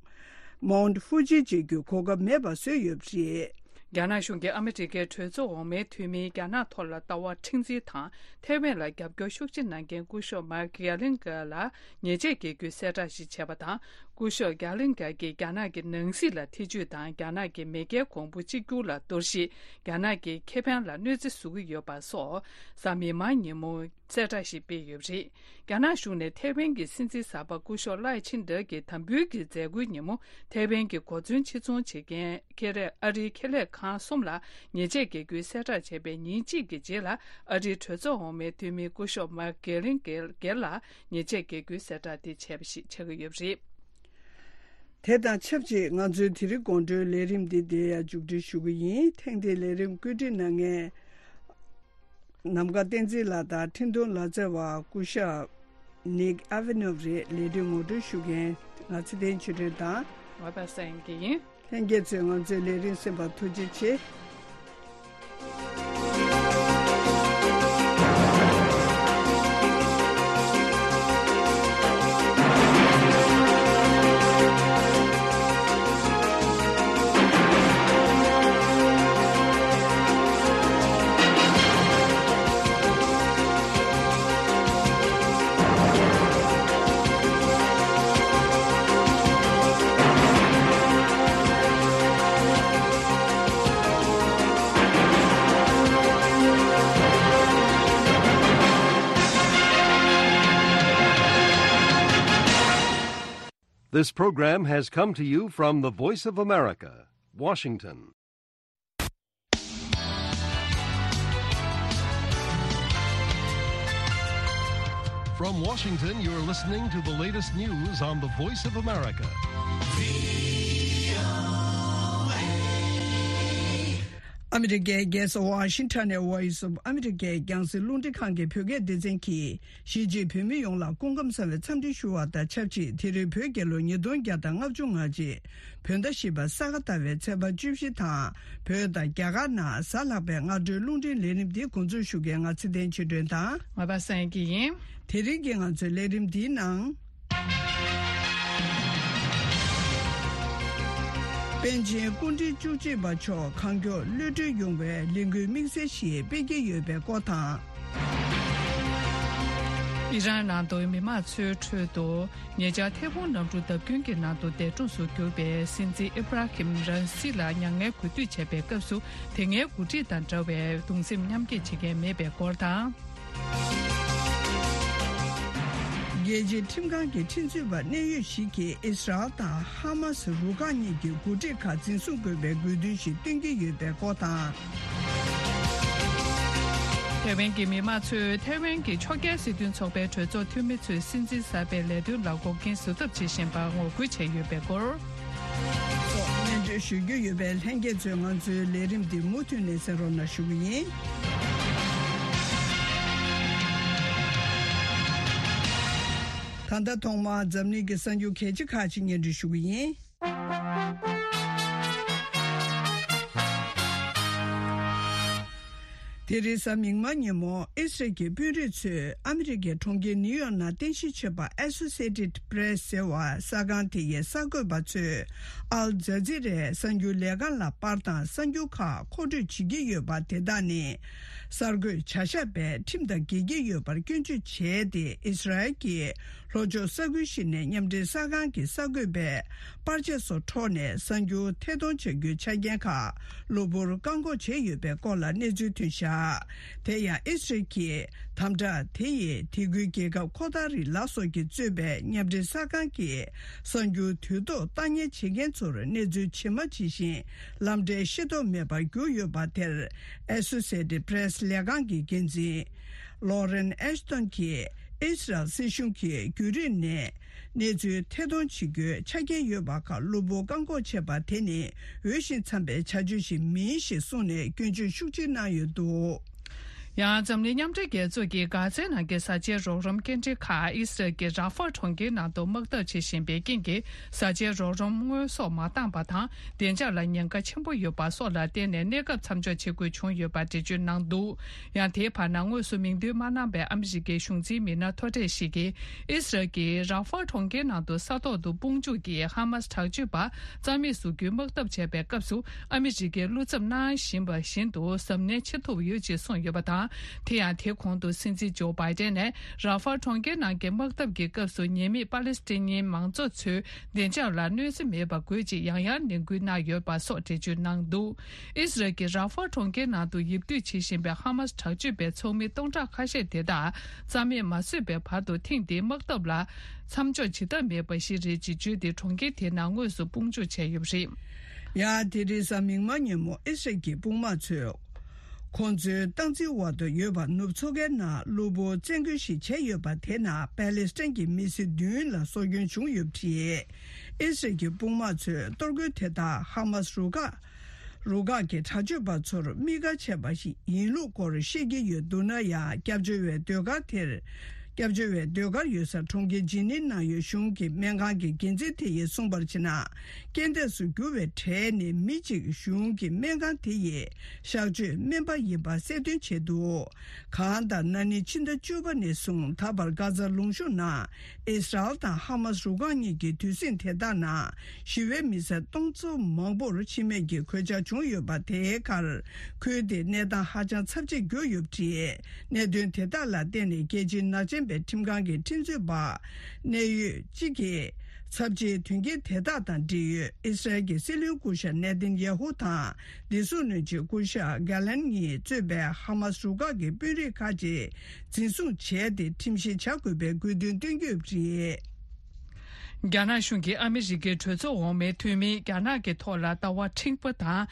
མོན་ཧྥུ་ཇི་མཇལ་རྒྱུའི་གོ་སྐབས་མེད་པ་བཟོས་ཡོད་པ་རེད། རྒྱ་ནག་གཞུང་གིས་ཨ་མི་རི་ཀའི་གྲོས་ཚོགས་འོག་མའི་འཐུས་མིས་རྒྱ་ནག་ཐོག་ལ་ལྟ་བ་མཁྲེགས་འཛིན་དང་ཐའེ་ཝན་ལ་རྒྱབ་སྐྱོར་ཤུགས་ཆེ་གནང་མཁན་སྐུ་ཞབས་མཱིག་གྷེ་ལིང་གྷེ་ལ་ཉེས་ཆད་འགེལ་རྒྱུའི་གསལ་བསྒྲགས་ཤིག་བྱས་པ་དང་། སྐུ་ཞབས་གྷེ་ལིང་གྷེ་གྱིས་རྒྱ་ནག་གི་ནང་སྲིད་ལ་ཐེ་ཇུས་དང་རྒྱ་ནག་གི་མེས་རྒྱལ་གོང་བུ་གཅིག་གྱུར་ལ་གཏོར་བཤིག་རྒྱ་ནག་གི་ཁེ་ཕན་ལ་གནོད་འཚེ་བཟོ་གི་ཡོད་པ་སོགས་གཟའ་མིག་དམར་ཉིན་མོ། གསལ་བསྒྲགས་ཤིག་སྤེལ་ཡོད་པ་རེད། རྒྱ་ནག་གཞུང་ནས་ཐའེ་ཝན་གྱི་སྲིད་འཛིན་གསར་པ་སྐུ་ཞབས་ལའེ་ཆིན་ཏེ་གྱི་དམ་འབུལ་གྱི་མཛད་སྒོའི་ཉིན་མོ་ཐའེ་ཝན་གྱི་གོ་མཚོན་ཕྱིར་ཚོང་བྱེད་མཁན་ཁེ་ལས་ཨ་རིའི་ཁེ་ལས་ཁང་གསུམ་ལ་ཉེས་ཆད་འགེལ་རྒྱུའི་གསལ་བསྒྲགས་བྱས་པའི་ཉིན་གཅིག་གི་རྗེས་ལ་ཨ་རིའི་གྲོས་ཚོགས་འོག་མའི་འཐུས་མི་སྐུ་ཞབས་མཱིག་གྷེ་ལིང་གྷེ་ལ་ཉེས་ཆད་འགེལ་རྒྱུའི་གསལ་བསྒྲགས་དེ་བྱས་པ་ཞིག་ཆགས་ཀྱི་ཡོད་པ་རེད། དེ་དང་ཆབས་ཅིག་ང་ཚོའི་དེ་རིང་དགོང་དྲོའི་ལས་རིམ་འདི་འདིར་ཡང་མཇུག་སྒྲིལ་ཞུ་གི་ཡིན། ཐེངས་འདིའི་ལས་རིམ་བཀོད་སྒྲིག་གནང་མཁན། ནམ་མཁའ་བསྟན་འཛིན་ལགས་དང་འཕྲིན་གཏོང་ལག་རྩལ་བ་སྐུ་ཞབས་ནིག་ཨ་ཝེ་ནོབ་རེད། ལས་དོན་ངོ་སྤྲོད་ཞུ་མཁན་ང་ཚེ་བརྟན་ཆོས་སྒྲོན་དང་། ང་པ་སངས་སྐྱིད་ཡིན། ལྷན་རྒྱས་ཚོས་ང་ཚོའི་ལས་རིམ་གསན་པར་ཐུགས་རྗེ་ཆེ། This program has come to you from the Voice of America, Washington. From Washington, you're listening to the latest news on the Voice of America. ཨ་མི་རི་ཀའི་རྒྱལ་ས་ཝ་ཤིང་ཊོན་ནས་Voice of America རྒྱང་སྲིང་རླུང་འཕྲིན་ཁང་གི་བོད་སྐད་སྡེ་ཚན་གྱིས། གཞིས་བྱེས་བོད་མི་ཡོངས་ལ་སྐུ་ཁམས་བཟང་བའི་འཚམས་འདྲི་ཞུ་བ་དང་ཆབས་ཅིག་དེ་རིང་བོད་རྒྱལ་ལོ་ཉིས་སྟོང་བརྒྱ་དང་ལྔ་བཅུ་ང་གཅིག་བོད་ཟླ་བཞི་པ་ས་ག་ཟླ་བའི་ཚེས་པ་བཅུ་བཞི་དང་། བོད་དང་རྒྱ་གར་ནང་གཟའ་ལྷག་པའི་སྔ་དྲོའི་རླུང་འཕྲིན་ལས་རིམ་འདི་འགོ་འཛུགས་ཞུ་མཁན་ང་ཚེ་བརྟན་ཆོས་སྒྲོན་དང་། ང་པ་སངས་སྐྱིད་ཡིན། དེ་རིང་གི་ང་ཚོའི་ལས་རིམ་འདིའི་ནང་། པཎ་ཆེན་སྐུ་ཕྲེང་བཅུ་གཅིག་པ་མཆོག་གང་མགྱོགས་གློད་གྲོལ་ཡོང་བའི་ལས་འགུལ་དམིགས་བསལ་ཞིག་སྤེལ་གྱི་ཡོད་པའི་སྐོར་དང་། ཨི་རན་ནང་དུ་མི་མང་ཚོའི་ཁྲོད་དུ་ཉེ་ཆར་ཐལ་འཕུང་གནམ་གྲུ་བརྡབ་སྐྱོན་གྱི་ནང་དུ་འདས་གྲོངས་སུ་གྱུར་པའི་སྲིད་འཛིན་ཨི་བྷ་ར་ཧིམ་ར་ཨིས་ལ་མྱ་ངན་གུས་འདུད་བྱས་པའི་སྐབས་སུ་དེ་སྔའི་འགོ་ཁྲིད་དང་འདྲ་བའི་གདུང་སེམས་མཉམ་སྐྱེད་བྱེད་མཁན་མེད་པའི་སྐོར་དང་། རྒྱལ་སྤྱིའི་ཁྲིམས་ཁང་གི་ཁྲིམས་རྩོད་པ་གནད་ཡོད་ཞིག་གིས་ཨིས་རལ་དང་ཧ་མ་སི་རུ་ཁག་གཉིས་ཀྱི་འགོ་ཁྲིད་ཁག་འཛིན་བཟུང་དགོས་པའི་དགོས་འདུན་ཞིག་བཏོན་གྱི་ཡོད་པའི་སྐོར་དང་། ཐའེ་ཝན་གྱི་མི་མང་ཚོས་ཐའེ་ཝན་གྱི་ཕྱོགས་འགལ་སྲིད་དོན་ཚོགས་པའི་གྲོས་ཚོགས་འཐུས་མི་ཚོས་སྲིད་འཛིན་གསར་པའི་ལས་དོན་ལ་འགོག་རྐྱེན་བཟོ་ཐབས་བྱེད་བཞིན་པར་ངོ་རྒོལ་བྱས་ཡོད་པའི་སྐོར། སོགས་སྙན་སྒྲོན་ཞུ་རྒྱུ་ཡོད་པས་ལྷན་རྒྱས་ཚོས་ང་ཚོའི་ལས་རིམ་འདི་མུ་མཐུད་ནས་གསན་རོགས་གནང་ཞུ་གི་ཡིན། ད་ལྟ་ཐོག་མར་འཛམ་གླིང་གི་གསར་འགྱུར་གལ་ཆེ་ཁག་ཅིག་སྙན་སྒྲོན་ཞུ་གི་ཡིན། དེ་རིང་གཟའ་མིག་དམར་ཉིན་མོ་ཨི་སི་རལ་གྱི་དཔོན་རིགས་ཚོས་ཨ་མི་རི་ཀའི་གྲོང་ཁྱེར་ནིའུ་ཡོག་ནང་རྟེན་གཞི་བྱས་པ་Associated Press ཟེར་བ་གསར་ཁང་དེ་ཡི་གསར་འགོད་པ་ཚོས་ཨལ་ཛ་ཛི་རའི་གསར་འགྱུར་ལས་ཁང་ལ་པར་དང་གསར་འགྱུར་ཁག་མཁོ་སྤྲོད་བྱེད་ཀྱི་ཡོད་པ་དེ་དག་ནི་གསར་འགོད་བྱ་གཞག་པས་ཁྲིམས་དང་འགལ་གྱི་ཡོད་པར་སྐྱོན་བརྗོད་བྱས་ཏེ། ཨི་སི་རལ་གྱི་ལྷོ་ཕྱོགས་ས་ཁུལ་ཞིག་ནས་མཉམ་འབྲེལ་གསར་ཁང་གི་གསར་འགོད་པས་པར་ཆས་སོགས་འཕྲོག་ནས་གསར་འགྱུར་ཐད་གཏོང་བྱ་རྒྱུའི་ཆ་རྐྱེན་ཁག་གློ་བུར་བཀག་འགོག་བྱས་ཡོད་པའི་སྐོར་ལ་གནས་ཚུལ་ཐོན་བཞག་དེ་ཡང་ཨི་སི་རལ་གྱིས་དམ་དྲག་དེ་ཡིས་དེ་ཁུལ་རྒྱལ་ཁབ་ཁོ་ཐ་རི་ལ་སོགས་ཀྱིས་གཙོས་པའི་མཉམ་འབྲེལ་གསར་ཁང་གི་གསར་འགྱུར་དུས་ཐོག་བཏང་ཉར་བྱེད་མཁན་ཚོར་གནས་ཚུལ་ཇི་མ་ཇི་བཞིན་ལམ་འབྲས་ཤེས་རྟོགས་མེད་པར་གྱུར་ཡོད་པ་དེར། Associated Press ལས་ཁང་གི་འགན་འཛིན་Lauren Ashton གྱིས་ཨི་སི་རལ་སྲིད་གཞུང་གིས་བརྒྱུད་རིམ་ནས་གནས་ཚུལ་ཐད་གཏོང་བྱེད་རྒྱུའི་ཆ་རྐྱེན་ཡོད་པ་ཁག་གློ་བུར་བཀག་འགོག་བྱས་པ་དེ་ནི་འོས་ཤིང་འཚམ་པའི་བྱ་སྤྱོད་ཞིག་མིན་ཞེས་གསུངས་ནས་སྐྱོན་བརྗོད་ཤུགས་ཆེ་གནང་ཡོད་འདུག་ཡང་འཛམ་གླིང་མཉམ་འབྲེལ་རྒྱལ་ཚོགས་ཀྱིས་གྷ་ཛའི་ནང་གི་བཟའ་བཅའི་རོགས་རམ་སྐྱེལ་འདྲེན་ཁག་ཨི་སི་རལ་གྱི་ར་ཧྥ་གྲོང་ཁྱེར་ནང་དུ་དམག་འཐབ་བྱེད་བཞིན་པའི་རྐྱེན་གྱིས་བཟའ་བཅའི་རོགས་རམ་དངོས་ཟོག་མ་བཏང་པ་དང་བདེ་འཇགས་ལ་ཉེན་ཁ་ཆེན་པོ་ཡོད་པ་སོགས་ལ་བརྟེན་ནས་གནས་སྐབས་མཚམས་འཇོག་བྱེད་དགོས་བྱུང་ཡོད་པ་འགྲེལ་བརྗོད་གནང་འདུག་ཡང་དེའི་བར་ན་དངོས་སུ་མིང་འདོན་མ་གནང་པའི་ཨ་མི་རི་ཀའི་གཞུང་འཛིན་མི་སྣ་མཐོ་གྲས་ཤིག་གིས་ཨི་སི་རལ་གྱིས་ར་ཧྥ་གྲོང་ཁྱེར་ནང་དུ་ས་ཐོག་ཏུ་དཔུང་འཇུག་གིས་ཧ་མ་སི་དྲག་སྤྱོད་པ་རྩ་མེད་བཟོ་རྒྱུའི་དམག་འཐབ་བྱས་པའི་སྐབས་སུ། ཨ་མི་རི་ཀའི་བློ་འཚབ་གནང་བཞིན་པ་བཞིན་དུ་གཟབ་ནན་བྱེད་ཐུབ་ཡོད་ཅེས་གསུངས་ཡོད་པ་དང་། དེ་ཡང་དེ་གོང་དུ་སྲིད་འཛིན་ཇོ་བྷའི་ཏན་ནས་ར་ཧྥ་གྲོང་ཁྱེར་ནང་གི་དམག་འཐབ་ཀྱི་སྐབས་སུ་ཉེས་མེད་པ་ལེ་སི་ཐན་མང་ཚོགས་ཚོའི་བདེ་འཇགས་ལ་གནོད་འཚེ་མེད་པ་དགོས་ཅེས་ཡང་ཡང་ནན་སྐུལ་གནང་ཡོད་པ་སོགས་འགྲེལ་བརྗོད་གནང་འདུག་ཨི་སི་རལ་གྱིས་ར་ཧྥ་གྲོང་ཁྱེར་ནང་དུ་ཡིབ་སྡོད་བྱེད་བཞིན་པའི་ཧ་མ་སི་དྲག་སྤྱོད་པའི་ཚོགས་མི་སྟོང་ཕྲག་ཁ་ཤས་དེ་དག་རྩ་མེད་མ་བཟོས་པའི་བར་དུ་ཐེངས་འདིའི་དམག་འཐབ་ལ། མཚམས་འཇོག་བྱེད་ཐབས་མེད་པ་ཞིག་རེད་ཅེས་བརྗོད་དེ་གྲོང་ཁྱེར་དེའི་ནང་དངོས་སུ་དཔུང་འཇུག་བྱས་ཡོད་པ་རེད། ཡང་དེ་རིང་གཟའ་མིག་དམར་ཉིན་མོ་ཨི་སི་རལ་གྱི་དཔུང་དམག་ཚོས་ཁོང་ཚོའི་སྟངས་འཛིན་འོག་ཏུ་ཡོད་པ་ནུབ་མཚོ་ཁའི་ནང་གློ་བུར་བཙན་རྒོལ་ཞིག་བྱས་ཡོད་པ་དེ་ནང་པ་ལེ་སི་ཐན་གྱི་མི་སེར་བདུན་ལ་སྲོག་སྐྱོན་བྱུང་ཡོད་པ་རེད། ཨི་སི་རལ་གྱི་དཔུང་དམག་ཚོས་གཏོར་རྒོལ་དེ་དག་ཧ་མ་སི་རུ་ཁག་རུ་ཁག་གི་དྲག་སྤྱོད་པ་ཚོར་དམིགས་བཀར་བྱས་པ་ཞིག་ཡིན་ལུགས་སྐོར་བཤད་ཀྱི་ཡོད་འདུག་ན་ཡང་། སྐྱབས་བཅོལ་བའི་ཟློས་གར་དེར། སྐྱབས་བཅོལ་བའི་ཟློས་གར་ཡོད་ས་གྲོང་ཁྱེར་ཇི་ནིབ་ནང་ཡོད་གཞུང་གི་སྨན་ཁང་གི་འགན་འཛིན་དེ་ཡིས་གསུངས་པར་བྱས་ན། རྐྱེན་འདས་སུ་གྱུར་བའི་གྲས་ནི་མི་གཅིག་གཞུང་གི་སྨན་ཁང་དེ་ཡི་གཤག་བཅོས་སྨན་པ་ཡིན་པ་གསལ་སྟོན་བྱས་འདུག་གང་ལྟར་ན་ནིང་ཕྱི་ཟླ་བཅུ་པ་ནས་བཟུང་ད་བར་གྷ་ཛ་ལུང་གཤོང་ནང་ཨིས་རལ་དང་ཧ་མ་སི་རུ་ཁག་གཉིས་ཀྱི་དུས་ཟིང་དེ་དག་ནང་ཞི་བའི་མི་སེར་སྟོང་ཚོ་མང་པོར་འཆི་རྨས་ཀྱི་གོད་ཆག་བྱུང་ཡོད་པ་དེའི་ཁར། ཁུལ་དེའི་གནས་སྟངས་ཧ་ཅང་ཚབས་ཆེར་གྱུར་ཡོད་པ་རེད། གནད་དོན་དེ་དག་ལ་བརྟེན་ནས་རྒྱལ་སྤྱིའི་ནག་ཅན་པའི་ཁྲིམས་ཁང་གི་ཁྲིམས་རྩོད་པ་གནད་ཡོད་གཅིག་གིས་ཚབས་ཆེའི་དོན་རྐྱེན་དེ་དག་དང་འབྲེལ་ཡོད་ཨི་སི་རལ་གྱི་སྲིད་བློན་སྐུ་ཞབས་ནེ་ཐན་ཡ་ཧུ་དང་བདེ་སྲུང་བློན་ཆེན་སྐུ་ཞབས་གྷ་ལན་གཉིས་གཙོས་པའི་ཧ་མ་སི་རུ་ཁག་གི་དཔོན་རིགས་ཁག་ཅིག་འཛིན་བཟུང་བྱས་ཏེ་ཁྲིམས་བཤེར་བྱ་དགོས་པའི་དགོས་འདུན་བཏོན་གྱི་ཡོད་པ་རེད། རྒྱ་ནག་གཞུང་གིས་ཨ་མི་རི་ཀའི་གྲོས་ཚོགས་འོག་མའི་འཐུས་མིས་རྒྱ་ནག་གི་ཐོག་ལ་ལྟ་བ་མཁྲེགས་པོ་དང་།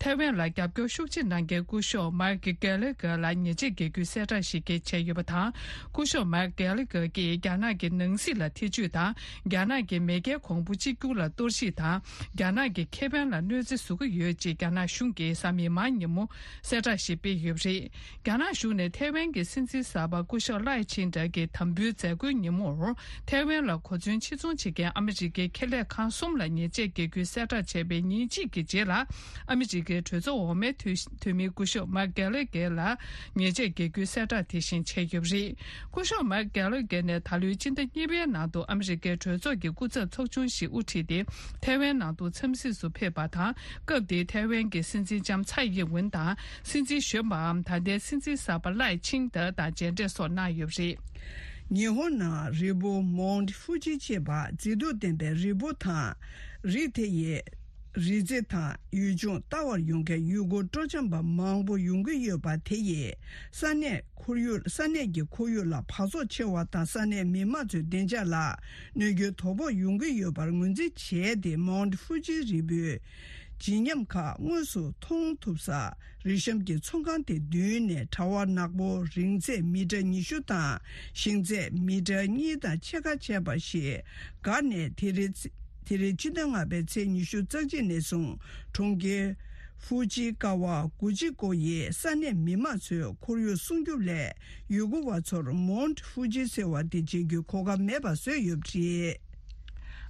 ཐའེ་ཝན་ལ་རྒྱབ་སྐྱོར་ཤུགས་ཆེ་གནང་མཁན་སྐུ་ཞབས་མཱིཀ་གྷེ་ལི་གྷེ་ལ་ཉེས་ཆད་འགེལ་རྒྱུའི་གསལ་བསྒྲགས་ཤིག་བྱས་ཡོད་པ་དང་། སྐུ་ཞབས་མཱིཀ་གྷེ་ལི་གྷེ་གིས་རྒྱ་ནག་གི་ནང་སྲིད་ལ་ཐེ་བྱུས་དང་། རྒྱ་ནག་གི་མེས་རྒྱལ་གོང་བུ་གཅིག་གྱུར་ལ་གཏོར་བཤིག་དང་། རྒྱ་ནག་གི་ཁེ་ཕན་ལ་གནོད་འཚེ་བཟོ་གི་ཡོད་ཅེས་རྒྱ་ནག་གཞུང་གིས་གཟའ་མིག་དམར་ཉིན་མོ་གསལ་བསྒྲགས་ཤིག་སྤེལ་ཡོད་པ་རེད། རྒྱ་ནག་གཞུང་ནས་ཐའེ་ཝན་གྱི་སྲིད་འཛིན་གསར་པ་སྐུ་ཞབས་ལའེ་ཆིང་ཏེ་གི་དམ་འབུལ་མཛད་སྒོའི་ཉིན་མོར། ཐའེ་ཝན་ལ་གོ་མཚོན་ཕྱིར་ཚོང་བྱེད་མཁན་ཨ་མི་རི་ཀའི་ཁེ་ལས་ཁང་གསུམ་ལ་ཉེས་ཆད་འགེལ་རྒྱུའི་གསལ་བསྒྲགས་བྱས་པའི་ཉིན་གཅིག་གི་རྗེས་ལ། ཨ་མི་རི་ཀའི་གྲོས་ཚོགས་འོག་མའི་འཐུས་འཐུས་མི་སྐུ་ཞབས་མཱིཀ་གྷེ་ལི་གྷེ་ལ་ཉེས་ཆད་འགེལ་རྒྱུའི་གསལ་བསྒྲགས་དེ་བཞིན་བྱས་ཡོད་པ་རེད། སྐུ་ཞབས་མཱིཀ་གྷེ་ལི་གྷེ་ནས་ད་ལོའི་སྤྱི་ཟླ་གཉིས་པའི་ནང་དུ་ཨ་མི་རི་ཀའི་གྲོས་ཚོགས་ཀྱི་སྐུ་ཚབ་ཚོགས་ཆུང་ཞིག་དབུ་ཁྲིད་དེ་ཐའེ་ཝན་ནང་དུ་འཚམས་གཟིགས་སུ་ཕེབས་པ་དང་། སྐབས་དེའི་ཐའེ་ཝན་གྱི་སྲིད་འཛིན་ལྕམ་ཚའེ་ཡིན་ཝུན་དང་། སྲིད་འཛིན་གཞོན་པའམ་ད་ལྟའི་སྲིད་འཛིན་གསར་པ་ལའེ་ཆིང་ཏེ་དང་མཇལ་འཕྲད་སོགས་གནང་ཡོད་པ་རེད། ཉི་ཧོང་ནང་རི་བོ་མོན་ཧྥུ་ཇི་ཅེས་པ་མཛེས་སྡུག་ལྡན་པའི་རི་བོ་དང་། རི་དེ་ཡི་རི་རྩེ་དང་ཡུལ་ལྗོངས་ལྟ་བར་ཡོང་མཁན་ཡུལ་སྐོར་སྤྲོ་འཆམ་པ་མང་པོ་ཡོང་གི་ཡོད་པ་དེ་ཡིས་ས་གནས་ཁོར་ཡུག་ས་གནས་ཀྱི་ཁོར་ཡུག་ལ་འབག་བཙོག་ཆེ་བ་དང་ས་གནས་མི་དམངས་ཚོའི་བདེ་འཇགས་ལ་གནོད་སྐྱོན་དོ་ཕོག་ཡོང་གི་ཡོད་པར་ངོས་འཛིན་བྱས་ཏེ། མོན་ཧྥུ་ཇི་རི་བོའི་བརྗིད་ཉམས་ཁག་དངོས་སུ་མཐོང་ཐུབ་ས་རི་གཤམ་གྱི་ཚོང་ཁང་དེ་མདུན་ནས་གྲྭ་བ་ནག་པོ་རིང་ཚད་མི་ཊར་ཉི་ཤུ་དང་ཞེང་ཚད་མི་ཊར་གཉིས་དང་ཕྱེད་ཀ་བྱས་པ་ཞིག་བཀག་ནས། དེ་རིང་དེ་རིང་ཕྱི་ཟླ་ལྔ་པའི་ཚེས་ཉི་ཤུ་རྩ་གཅིག་ནས་བཟུང་གྲོང་ཁྱེར་ཧྥུ་ཇི་ཀ་ཝ་གུ་ཅི་ཀོ་ཡི་ས་གནས་མི་དམངས་ཚོས་ཁོར་ཡུག་སྲུང་སྐྱོབ་ལས་ཡུལ་སྐོར་བ་ཚོར་མོན་ཧྥུ་ཇི་ཟེར་བ་དེ་མཇལ་རྒྱུའི་གོ་སྐབས་མེད་པ་བཟོས་ཡོད་པ་རེད།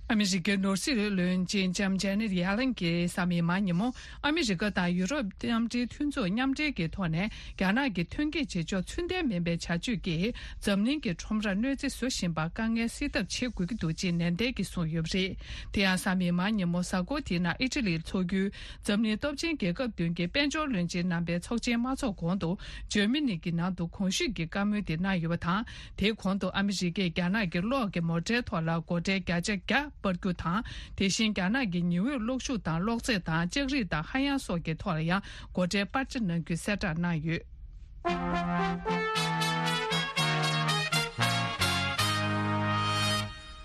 ཨ་མི་རི་ཀའི་ནོར་སྲིད་བློན་ཆེན་ལྕམ་ཇེ་ནེ་ཊི་ཡེ་ལན་གྱིས་གཟའ་མིག་དམར་ཉིན་མོ་ཨ་མི་རི་ཀ་དང་ཡུ་རོབ་མཉམ་འབྲེལ་མཐུན་ཚོགས་མཉམ་འབྲེལ་གྱི་ཐོག་ནས་རྒྱ་ནག་གི་ཐོན་སྐྱེད་བྱེད་ཕྱོགས་ཚུལ་ལྡན་མིན་པའི་བྱ་སྤྱོད་ཀྱིས་འཛམ་གླིང་གི་ཁྲོམ་རར་གནོད་འཚེ་བཟོ་བཞིན་པར་དཀའ་ངལ་སེལ་ཐབས་བྱེད་དགོས་ཀྱི་འདུག་ཅེས་ནན་ཏན་གྱིས་གསུངས་ཡོད་པ་རེད། དེ་ཡང་གཟའ་མིག་དམར་ཉིན་མོ་གཟའ་འཁོར་དེའི་ནང་ཨི་ཊ་ལིར་འཚོགས་རྒྱུའི་འཛམ་གླིང་སྟོབས་ཆེན་རྒྱལ་ཁབ་བདུན་གྱི་དཔལ་འབྱོར་བློན་ཆེན་རྣམ་པའི་ཚོགས་ཆེན་མ་འཚོགས་གོང་དུ་ཇར་མ་ནི་གྱི་ནང་དུ་གོང་ཞུས་ཀྱི་བཀའ་མོལ་དེ་གནང་ཡོད་པ་དང་། དེའི་གོང་དུ་ཨ་མི་རི་ཀས་རྒྱ་ནག་གི་གློག་གི་མོ་ཊའི་ཐོག་ལ་སྒོ་ཁྲལ་བརྒྱ་ཆ་བརྒྱ་སྤར་རྒྱུ་དང་། དེ་བཞིན་རྒྱ་ནག་གི་ཉི་འོད་གློག་ཤུགས་དང་གློག་རྫས་དང་ལྕགས་རིགས་དང་ཧ་ཡང་སོགས་ཀྱི་ཐོག་ལ་ཡང་སྒོ་ཁྲལ་སྤར་ཆ་གནང་རྒྱུའི་གསལ་བསྒྲགས་གནང་ཡོད།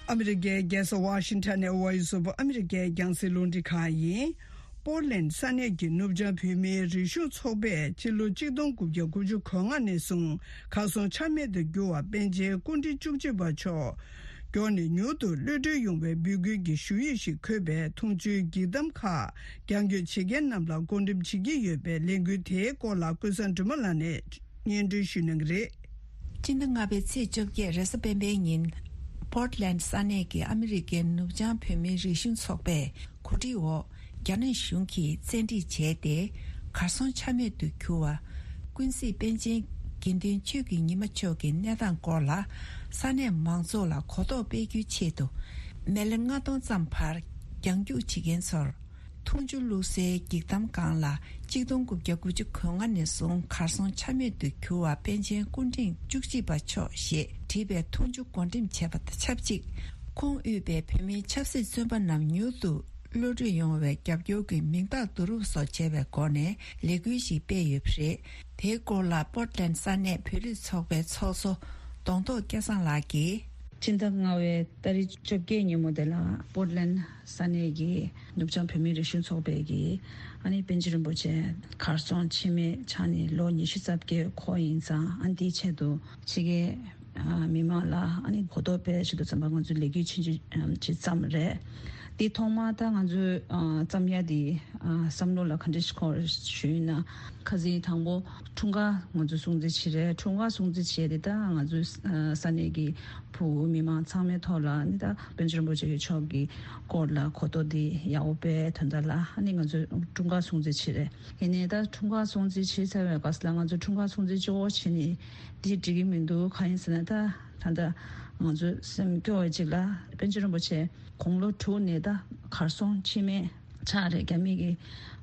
ཨ་མི་རི་ཀའི་རྒྱལ་ས་ཝ་ཤིང་ཊོན་ནས་ཝོ་ཡི་སི་ཨོཕ་ཨ་མི་རི་ཀའི་རྒྱང་སྲིང་རླུང་འཕྲིན་ཁང་ཡིན། པོར་ལན་ས་གནས་ཀྱི་ནུབ་བྱང་བོད་མིའི་རིག་གཞུང་ཚོགས་པས་ཕྱི་ལོ་ཆིག་སྟོང་དགུ་བརྒྱ་དགུ་བཅུ་གོ་ལྔ་ནས་བཟུང་གར་སོང་ཆ་མེད་དུ་གྱུར་བ་པཎ་ཆེན་སྐུ་ཕྲེང་བཅུ་གཅིག་པ་མཆོག་མགྱོགས་ནས་མྱུར་དུ་གློད་གྲོལ་ཡོང་བའི་འབོད་སྐུལ་གྱི་ཞུ་ཡིག་ཞིག་འཁོད་པའི་འཐུང་ཆུའི་འགྱིག་དམ་ཁག་རྒྱང་སྐྱོད་བྱེད་མཁན་རྣམས་ལ་བགོ་འགྲེམས་བྱེད་ཀྱི་ཡོད་པའི་ལས་འགུལ་དེའི་སྐོར་ལ་ཀུན་བཟང་སྒྲོལ་མ་ལགས་ནས་སྙན་སྒྲོན་ཞུ་གནང་གི་རེད། སྤྱི་ཟླ་ལྔ་པའི་ཚེས་བཅོ་བརྒྱད་རེས་གཟའ་སྤེན་པའི་ཉིན། པོར་ལན་ས་གནས་ཀྱི་ཨ་མི་རི་ཀའི་ནུབ་བྱང་བོད་མིའི་རིག་གཞུང་ཚོགས་པས་གོ་སྒྲིག་འོག་རྒྱ་ནག་གཞུང་གིས་བཙན་ཁྲིད་བྱས་ཏེ། གར་སོང་ཆ་མེད་དུ་གྱུར་བ། ཀུན་གཟིགས་པཎ་ཆེན་དགེ་འདུན་ཆོས་ཀྱི་ཉི་མ་མཆོག་གི་གནས་སྟངས་སྐོར་ལ། ས་གནས་མང་ཚོགས་ལ་གོ་རྟོགས་སྤེལ་རྒྱུའི་ཆེད་དུ། མི་ལེ་ལྔ་སྟོང་ཙམ་བར་རྒྱང་རྒྱུག་བྱེད་མཁན་ཚོར། འཐུང་ཆུ་བླུགས་སའི་འགྱིག་དམ་སྒང་ལ་གཅིག་སྟོང་དགུ་བརྒྱ་དགུ་བཅུ་གོ་ལྔ་ནས་བཟུང་གར་སོང་ཆ་མེད་དུ་གྱུར་བ་པཎ་ཆེན་སྐུ་ཕྲེང་བཅུ་གཅིག་པ་མཆོག་ཞེས་བྲིས་པའི་འཐུང་ཆུ་བགོ་འགྲེམས་བྱས་པ་དང་ཆབས་ཅིག་ཁོང་དབུས་པའི་བོད་མིའི་ཆབ་སྲིད་བཙོན་པ་རྣམས་མྱུར་དུ་གློད་གྲོལ་ཡོང་བའི་རྒྱབ་སྐྱོར་གྱི་མིང་རྟགས་བསྡུ་རུབ་སོགས་བྱས་པའི་སྒོ་ནས་ལས་འགུལ་ཞིག་སྤེལ་ཡོད་པ་རེད། དེའི་སྐོར་ལ་པོར་ཊ་ལན་ས་གནས་བོད་རིགས་ཚོགས་པའི་ཚོགས་གཙོ་གདོང་ཐོག་སྐལ་བཟང་ལགས་ཀྱིས། ཕྱི་ཟླ་ལྔ་པའི་ཏ་རིག་བཅོ་བརྒྱད་ཉིན་མོ་དེ་ལ་པོར་ལན་ས་གནས་ཀྱི་ནུབ་བྱང་བོད་མིའི་རིག་གཞུང་ཚོགས་པའི་གི་ཨ་ནི་པཎ་ཆེན་རིན་པོ་ཆེ་གར་སོང་ཕྱི་མའི་ཆ་ནས་ལོ་ཉི་ཤུ་རྩ་བརྒྱད་འཁོར་ཡིན་ཙང་། ཨ་ནི་དེའི་ཆེད་དུ་ཕྱི་རྒྱལ་མི་མང་ལ་ཨ་ནི་གོ་རྟོགས་སྤེལ་ཆེད་དུ་ཙམ་པ་ང་ཚོས་ལས་འགུལ་ཆུང་ཆུང་ཅིག་བརྩམས་རེད། དེ་ཐོག་མ་ད་ང་ཚོས་བརྩམ་ཡ་དེ་བསམ་བློ་ལ་ག་འདྲ་ཞིག་འཁོར་ཞུས་ན། ཁ་སང་དང་པོ་འཁྲུངས་སྐར་ང་ཚོས་སྲུང་བརྩི་བྱས་རེད། འཁྲུངས་སྐར་སྲུང་བརྩི་བྱས་ཏེ། ད་ང་ཚོའི་ས་གནས་ཀྱི་བོད་མི་མང་ཚང་མའི་ཐོག་ལ་ནི་ད་པཎ་ཆེན་རིན་པོ་ཆེ་མཆོག་གི་སྐོར་ལ་གོ་རྟོགས་འདི་ཡག་པོ་སྤེལ་དོན་དག་ལ་ཨ་ནི་ང་ཚོས་འཁྲུངས་སྐར་སྲུང་བརྩི་བྱས་རེད། ཡིན་ནའི་ད་འཁྲུངས་སྐར་སྲུང་བརྩི་བྱས་ཚར་བའི་སྐབས་ལ་ང་ཚོས་འཁྲུངས་སྐར་སྲུང་བརྩི་གཅིག་པོ་བྱས་ནས་འདི་འགྲིག་གི་མི་འདུག་གང་ཡིན་ཟེར་ན། ད་ད་ལྟ་ང་ཚོས་སེམས་སྐྱོ་བའི་ཅིག་ལ་པཎ་ཆེན་རིན་པོ་ཆེ་དགུང་ལོ་དྲུག་ནས་ད་གར་སོང་ཕྱི་མའི་ཆ་རེད། རྒྱ་མི་གིས་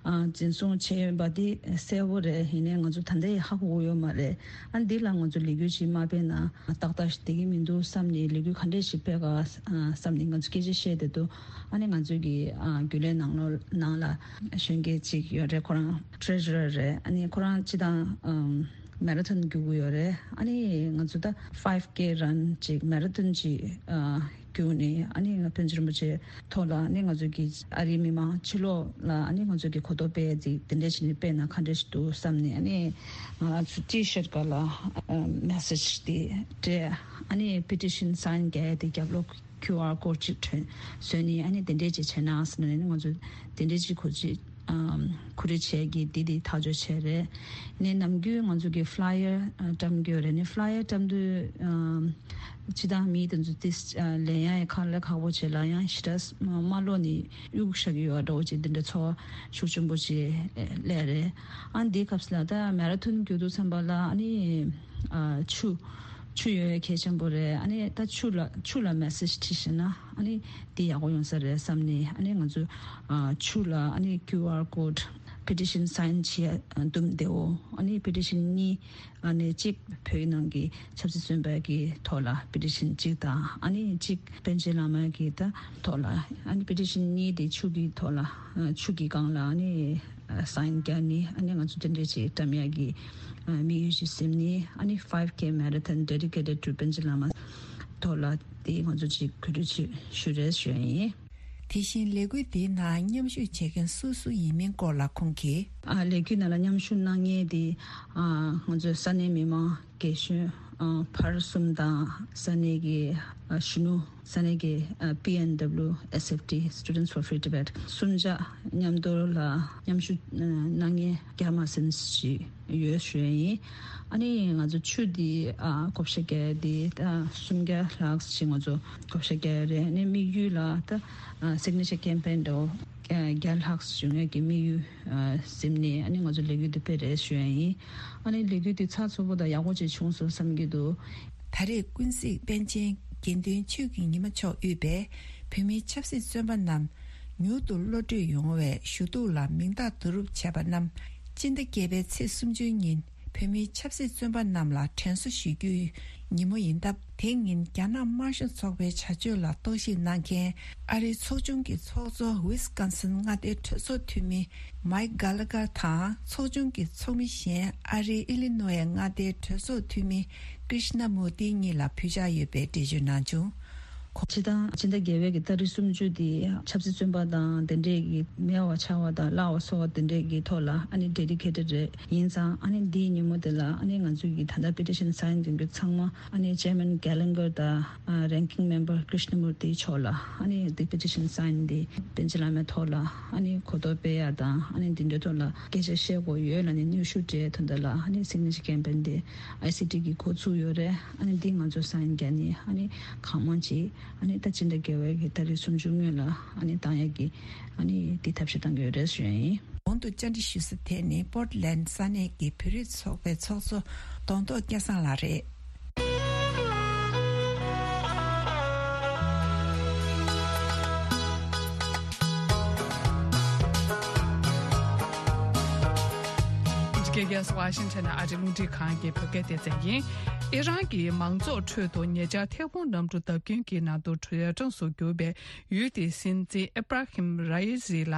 ཨ་འཛིན་བཟུང་བྱས་ཡོད་པ་འདི་གསལ་པོ་རེད། ཡིན་ནའི་ང་ཚོ་ད་ལྟ་ཡང་ཧ་གོ་གི་ཡོད་མ་རེད། ཨ་འདི་ལ་ང་ཚོ་ལས་འགུལ་ཞིག་མ་སྤེལ་ན་ཏག་ཏག་ཞིག་བསྡད་ཀྱི་མི་འདུག་བསམ་ནས་ལས་འགུལ་ག་འདྲས་ཞིག་སྤེལ་ག་བསམ་ནས་ང་ཚོ་སྐད་ཆ་བཤད་བསྡད་འདུག་ཨ་ནི་ང་ཚོའི་གི་ཨ་རྒྱུན་ལས་ནང་ལོགས་ནང་ལ་གཞོན་སྐྱེས་ཅིག་ཡོད་རེད། ཁོ་རང་ཊི་རེ་ཇུ་རར་རེད། ཨ་ནི་ཁོ་རང་སྤྱིར་བཏང་ཨམ་མེ་ར་ཐོན་རྒྱུག་གི་ཡོད་རེད། ཨ་ནི་ང་ཚོ་ད་ཕའིབ་ཀེ་རན་ཅིག་མེ་ར་ཐོན་ཅིག་ཨ། བསྐྱུར་ནས་ཨ་ནི་ང་པཎ་ཆེན་རིན་པོ་ཆེ་ཐོག་ལ་ཨ་ནི་ང་ཚོ་གི་ཨ་རིའི་མི་མང་ཕྱི་ལོགས་ལ་ཨ་ནི་ང་ཚོ་གི་གོ་རྟོགས་སྤེལ་ཡ་དེ་དེ་འདྲ་བྱས་ནས་སྤེལ་ན་ག་འདྲ་ཞིག་འདུག་བསམ་ནས། ཨ་ནི་ང་ཚོ་ཊི་ཤར་སྒང་ལ་མེ་སེཇ་དེ་སྤྲད། ཨ་ནི་པི་ཊི་ཤན་སའིན་རྒྱག་ཡ་དེ་རྒྱབ་ལོགས་ཁིའུ་ཨར་ཀོཌ་ཅིག་ཐོན་བཟོས་ནས་ཨ་ནི་དེ་འདྲས་ཅིག་བྱས་ན་ཟེར་ནས་ང་ཚོ་དེ་འདྲས་ཅིག་གོ་ཅིག་ཨམ་གོ་སྒྲིག་བྱས་ཀྱི་དེ་དེ་ཐག་གཅོད་བྱས་རེད། ནས་ནམ་རྒྱུན་ང་ཚོ་གི་ཕ་ལ་ཡར་ཨ་བཀྲམ་གྱི་ཡོད་རེད། ནས་ཕ་ལ་ཡར་བཀྲམ་དུས་ཨམ་སྤྱི་བཏང་མི་དེ་ཚོ་དེ་ཨ་ལེན་ཡ་ཡི་ཁག་ལས་ཁག་པོ་བྱས་ལ་ཡང་ཞེ་དྲག་མ་ལོག་ནས་གཡུག་བཞག་གི་ཡོད་འདྲ་བོ་ཅིག་དེ་འདྲ་ཚོར་བ་ཤུགས་ཆེན་པོ་ཅིག་སླེབས་རེད། ཨ་འདིའི་སྐབས་སུ་ལ་ད་མེ་ར་ཐོན་རྒྱུག་དུས་ཙམ་པ་ལ་ཨ་ནི་ཨ་ཆུ་ཆུ་ཡོད་ཡ་གལ་ཆེན་པོ་རེད། ཨ་ནི་ད་ཆུ་ལ་ཆུ་ལ་མེ་སེཇ་བྲིས་ཤེས་ན་ཨ་ནི་དེ་ཡག་པོ་ཡོང་ས་རེད་བསམ་ནས། ཨ་ནི་ང་ཚོ་ཨ་ཆུ་ལ་ཨ་ནི་ཁིའུ་ཨར་ཀོཌ། པི་ཊི་ཤན་སའིན་བྱེད་ཡ་འདུམ་བདེ་བོ། ཨ་ནི་པི་ཊི་ཤན་གཉིས། ཨ་ནི་གཅིག་བོད་ནང་གི་ཆབ་སྲིད་བཙོན་པ་གི་ཐོག་ལ་པི་ཊི་ཤན་གཅིག་དང་། ཨ་ནི་གཅིག་པཎ་ཆེན་བླ་མ་གི་ད་ཐོག་ལ། ཨ་ནི་པི་ཊི་ཤན་གཉིས་དེ་ཆུ་གི་ཐོག་ལ་ཨ་ཆུ་གི་སྒང་ལ་ཨ་ནི་ཨ་སའིན་རྒྱག་ནི། ཨ་ནི་ང་ཚོ་དེ་འདྲས་ཅིག་བཀྲམ་ཡག་གི་ཨ་དམིགས་ཡུལ་ཅིག་ཟིན་ནི། ཨ་ནི་five K marathon dedicated to པཎ་ཆེན་བླ་མ་ཐོག་ལ་དེ་ང་ཚོ་ཅིག་གོ་སྒྲིག་ཅིག་ཞུ་རེས་ཞུ་ཡ་ཡིན། དེ་བཞིན་ལས་འགུལ་འདིའི་ནང་མཉམ་ཞུགས་བྱེད་མཁན་སུ་སུ་ཡིན་མིན་སྐོར་ལ་ཁོང་གིས། ཨ་ལས་འགུལ་ནང་ལ་མཉམ་ཞུགས་གནང་མཁན་དེ་ཨ་ང་ཚོའི་ས་གནས་མི་མང་རྒན་གཞོན་ཨ་བར་གསུམ་དང་། ས་གནས་ཀྱི་ཨ་གཞོན་ནུ། ས་གནས་ཀྱི་ཨ་པི་ཨེན་ཌབ་ལིའུ་ཨེས་ཨེཕ་ཊི། Students for Free Tibet། གསུམ་ཆ་མཉམ་དུ་ལ་མཉམ་ཞུགས་ཨ་གནང་མཁན་བརྒྱ་མ་ཟིན་ཞིག་ཡོད་ཞུ་ཡ་ཡིན། ཨ་ནི་ང་ཚོ་ཆུ་འདི་ཨ་བགོ་བཤའ་རྒྱག་ཡ་འདི་ད་སུམ་བརྒྱ་ལྷག་ཞིག་ང་ཚོ་བགོ་བཤའ་རྒྱག་ཡ་རེད། ཨ་ནི་དམིགས་ཡུལ་ལ་ད་ཨ་སིག་ནེ་ཅར་ཀེམ་པེན་འདྲ་བོ་ཨ་བརྒྱ་ལྷག་བྱུང་ཡ་གི་དམིགས་ཡུལ་ཨ་ཟིན་ནས། ཨ་ནི་ང་ཚོ་ལས་འགུལ་འདི་སྤེལ་རེད་ཞུ་ཡ་ཡིན། ཨ་ནི་ལས་འགུལ་འདི་ཚགས་ཚུད་པོ་དང་ཡག་པོ་ཅིག་བྱུང་སོང་བསམ་གྱི་འདུག། ད་རེས་ཀུན་གཟིགས་པཎ་ཆེན་དགེ་འདུན་ཆོས་ཀྱི་ཉི་མ་མཆོག་དབུས་པའི་བོད་མིའི་ཆབ་སྲིད་བཙོན་པ་རྣམས་མྱུར་དུ་གློད་གྲོལ་ཡོང་བའི་ཞུ་གཏུག་ལ་མིང་རྟགས་བསྡུ་རུབ་བྱས་པ་རྣམས་སྤྱི་ཟླ་བརྒྱད་པའི་ཚེས་སུམ་ཅུ་ཉིན་བོད་མིའི་ཆབ་སྲིད་བཙོན་པ་རྣམས་ལ་དྲན་གསོ་ཞུ་རྒྱུའི་ཉིན་མོ་ཡིན་སྟབས། དེ་ཉིན་རྒྱ་ནག་དམར་ཤོག་ཚོགས་པའི་བྱ་སྤྱོད་ལ་རྟོག་ཞིབ་གནང་མཁན་ཨ་རིའི་ཚོགས་ཆུང་གི་ཚོགས་གཙོ་ཝིས་ཀོན་སིན་མངའ་སྡེའི་གྲོས་ཚོགས་འཐུས་མི་མའིག་གྷ་ལ་གྷར་དང་། ཚོགས་ཆུང་གི་ཚོགས་མི་གཞན་ཨ་རིའི་ཨི་ལི་ནོ་ཝེ་མངའ་སྡེའི་གྲོས་ཚོགས་འཐུས་མི་ཀྲིཤ་ན་མུར་ཏི་གཉིས་ལ་ཕུལ་འཆར་ཡོད་པའི་འགྲེལ་བརྗོད་གནང་བྱུང་། ཁོང་སྤྱི་བཏང་སྤྱི་ཟླ་བརྒྱད་པའི་གི་ཏ་རིག་སུམ་ཅུ་དེ་ཆབ་སྲིད་བཙོན་པ་དང་དེ་འདྲས་ཀྱི་མེད་པ་ཆགས་པ་དང་བརླག་པ་སོགས་པ་དེ་འདྲས་ཀྱི་ཐོག་ལ་ཨ་ནི་ཌེ་ཌི་ཀེ་ཊེཌ་རེད། ཡིན་ཙང་ཨ་ནི་འདིའི་ཉིན་མོ་དེ་ལ་ཨ་ནི་ང་ཚོ་གི་ད་ལྟ་པེ་ཊི་ཤན་སའིན་མཁན་གྱི་ཚང་མ་ཨ་ནི་ཅེར་མེན་གྷ་ལན་གྷར་དང་ཨ་རེང་ཀིང་མེམ་བར་ཀྲིཤ་ན་མུར་ཏི་མཆོག་ལ་ཨ་ནི་འདི་པེ་ཊི་ཤན་སའིན་འདི་པཎ་ཆེན་བླ་མའི་ཐོག་ལ་ཨ་ནི་གོ་རྟོགས་སྤེལ་ཡ་དང་ཨ་ནི་འདི་འདྲའི་ཐོག་ལ་སྐད་ཆ་བཤད་དགོས་ཡོད་ལབ་ནས་གནོན་ཤུགས་སྤྲད་དོན་དག་ལ་ཨ་ནི་སིག་ནེ་ཅར་ཀེམ་པེན་འདི་ཨའི་སི་ཊི་གིས་འགོ་བཙུགས་ཡོད་རེད། ཨ་ནི་འདི་ང་ཚོ་སའིན་རྒྱག་ནི་ཨ་ནི་གང་མང་ཅིག་ཨ་ནི་ད་སྤྱི་ཟླ་བརྒྱད་པའི་གི་ཏ་རིག་སུམ་ཅུ་སྔོན་ལ་ཨ་ནི་བཏང་ཡ་གི་ཨ་ནི་འདི་ཐབས་ཤེས་བཏང་གི་ཡོད་རེད་ཞུ་ཡ་ཡིན། གོང་དུ་བཅར་འདྲི་ཞུ་ས་དེ་ནི་པོར་ཊི་ལེན་ཌི་ས་གནས་ཀྱི་བོད་རིགས་ཚོགས་པའི་ཚོགས་གཙོ་གདོང་ཐོག་སྐལ་བཟང་ལགས་རེད། འདི་ག་ཝ་ཤིང་ཊོན་ནས་ཨ་རིའི་རླུང་འཕྲིན་ཁང་གི་བོད་སྐད་སྡེ་ཚན་ཡིན། ཨི་རན་གྱི་མང་ཚོགས་ཁྲོད་དུ་ཉེ་ཆར་ཐད་འཕུར་གནམ་གྲུ་བརྡབ་སྐྱོན་གྱི་ནང་དུ་འདས་གྲོངས་སུ་གྱུར་པའི་ཡུལ་དེའི་སྲིད་འཛིན་ཨི་བྷ་ར་ཧིམ་ར་ཨི་སི་ལ་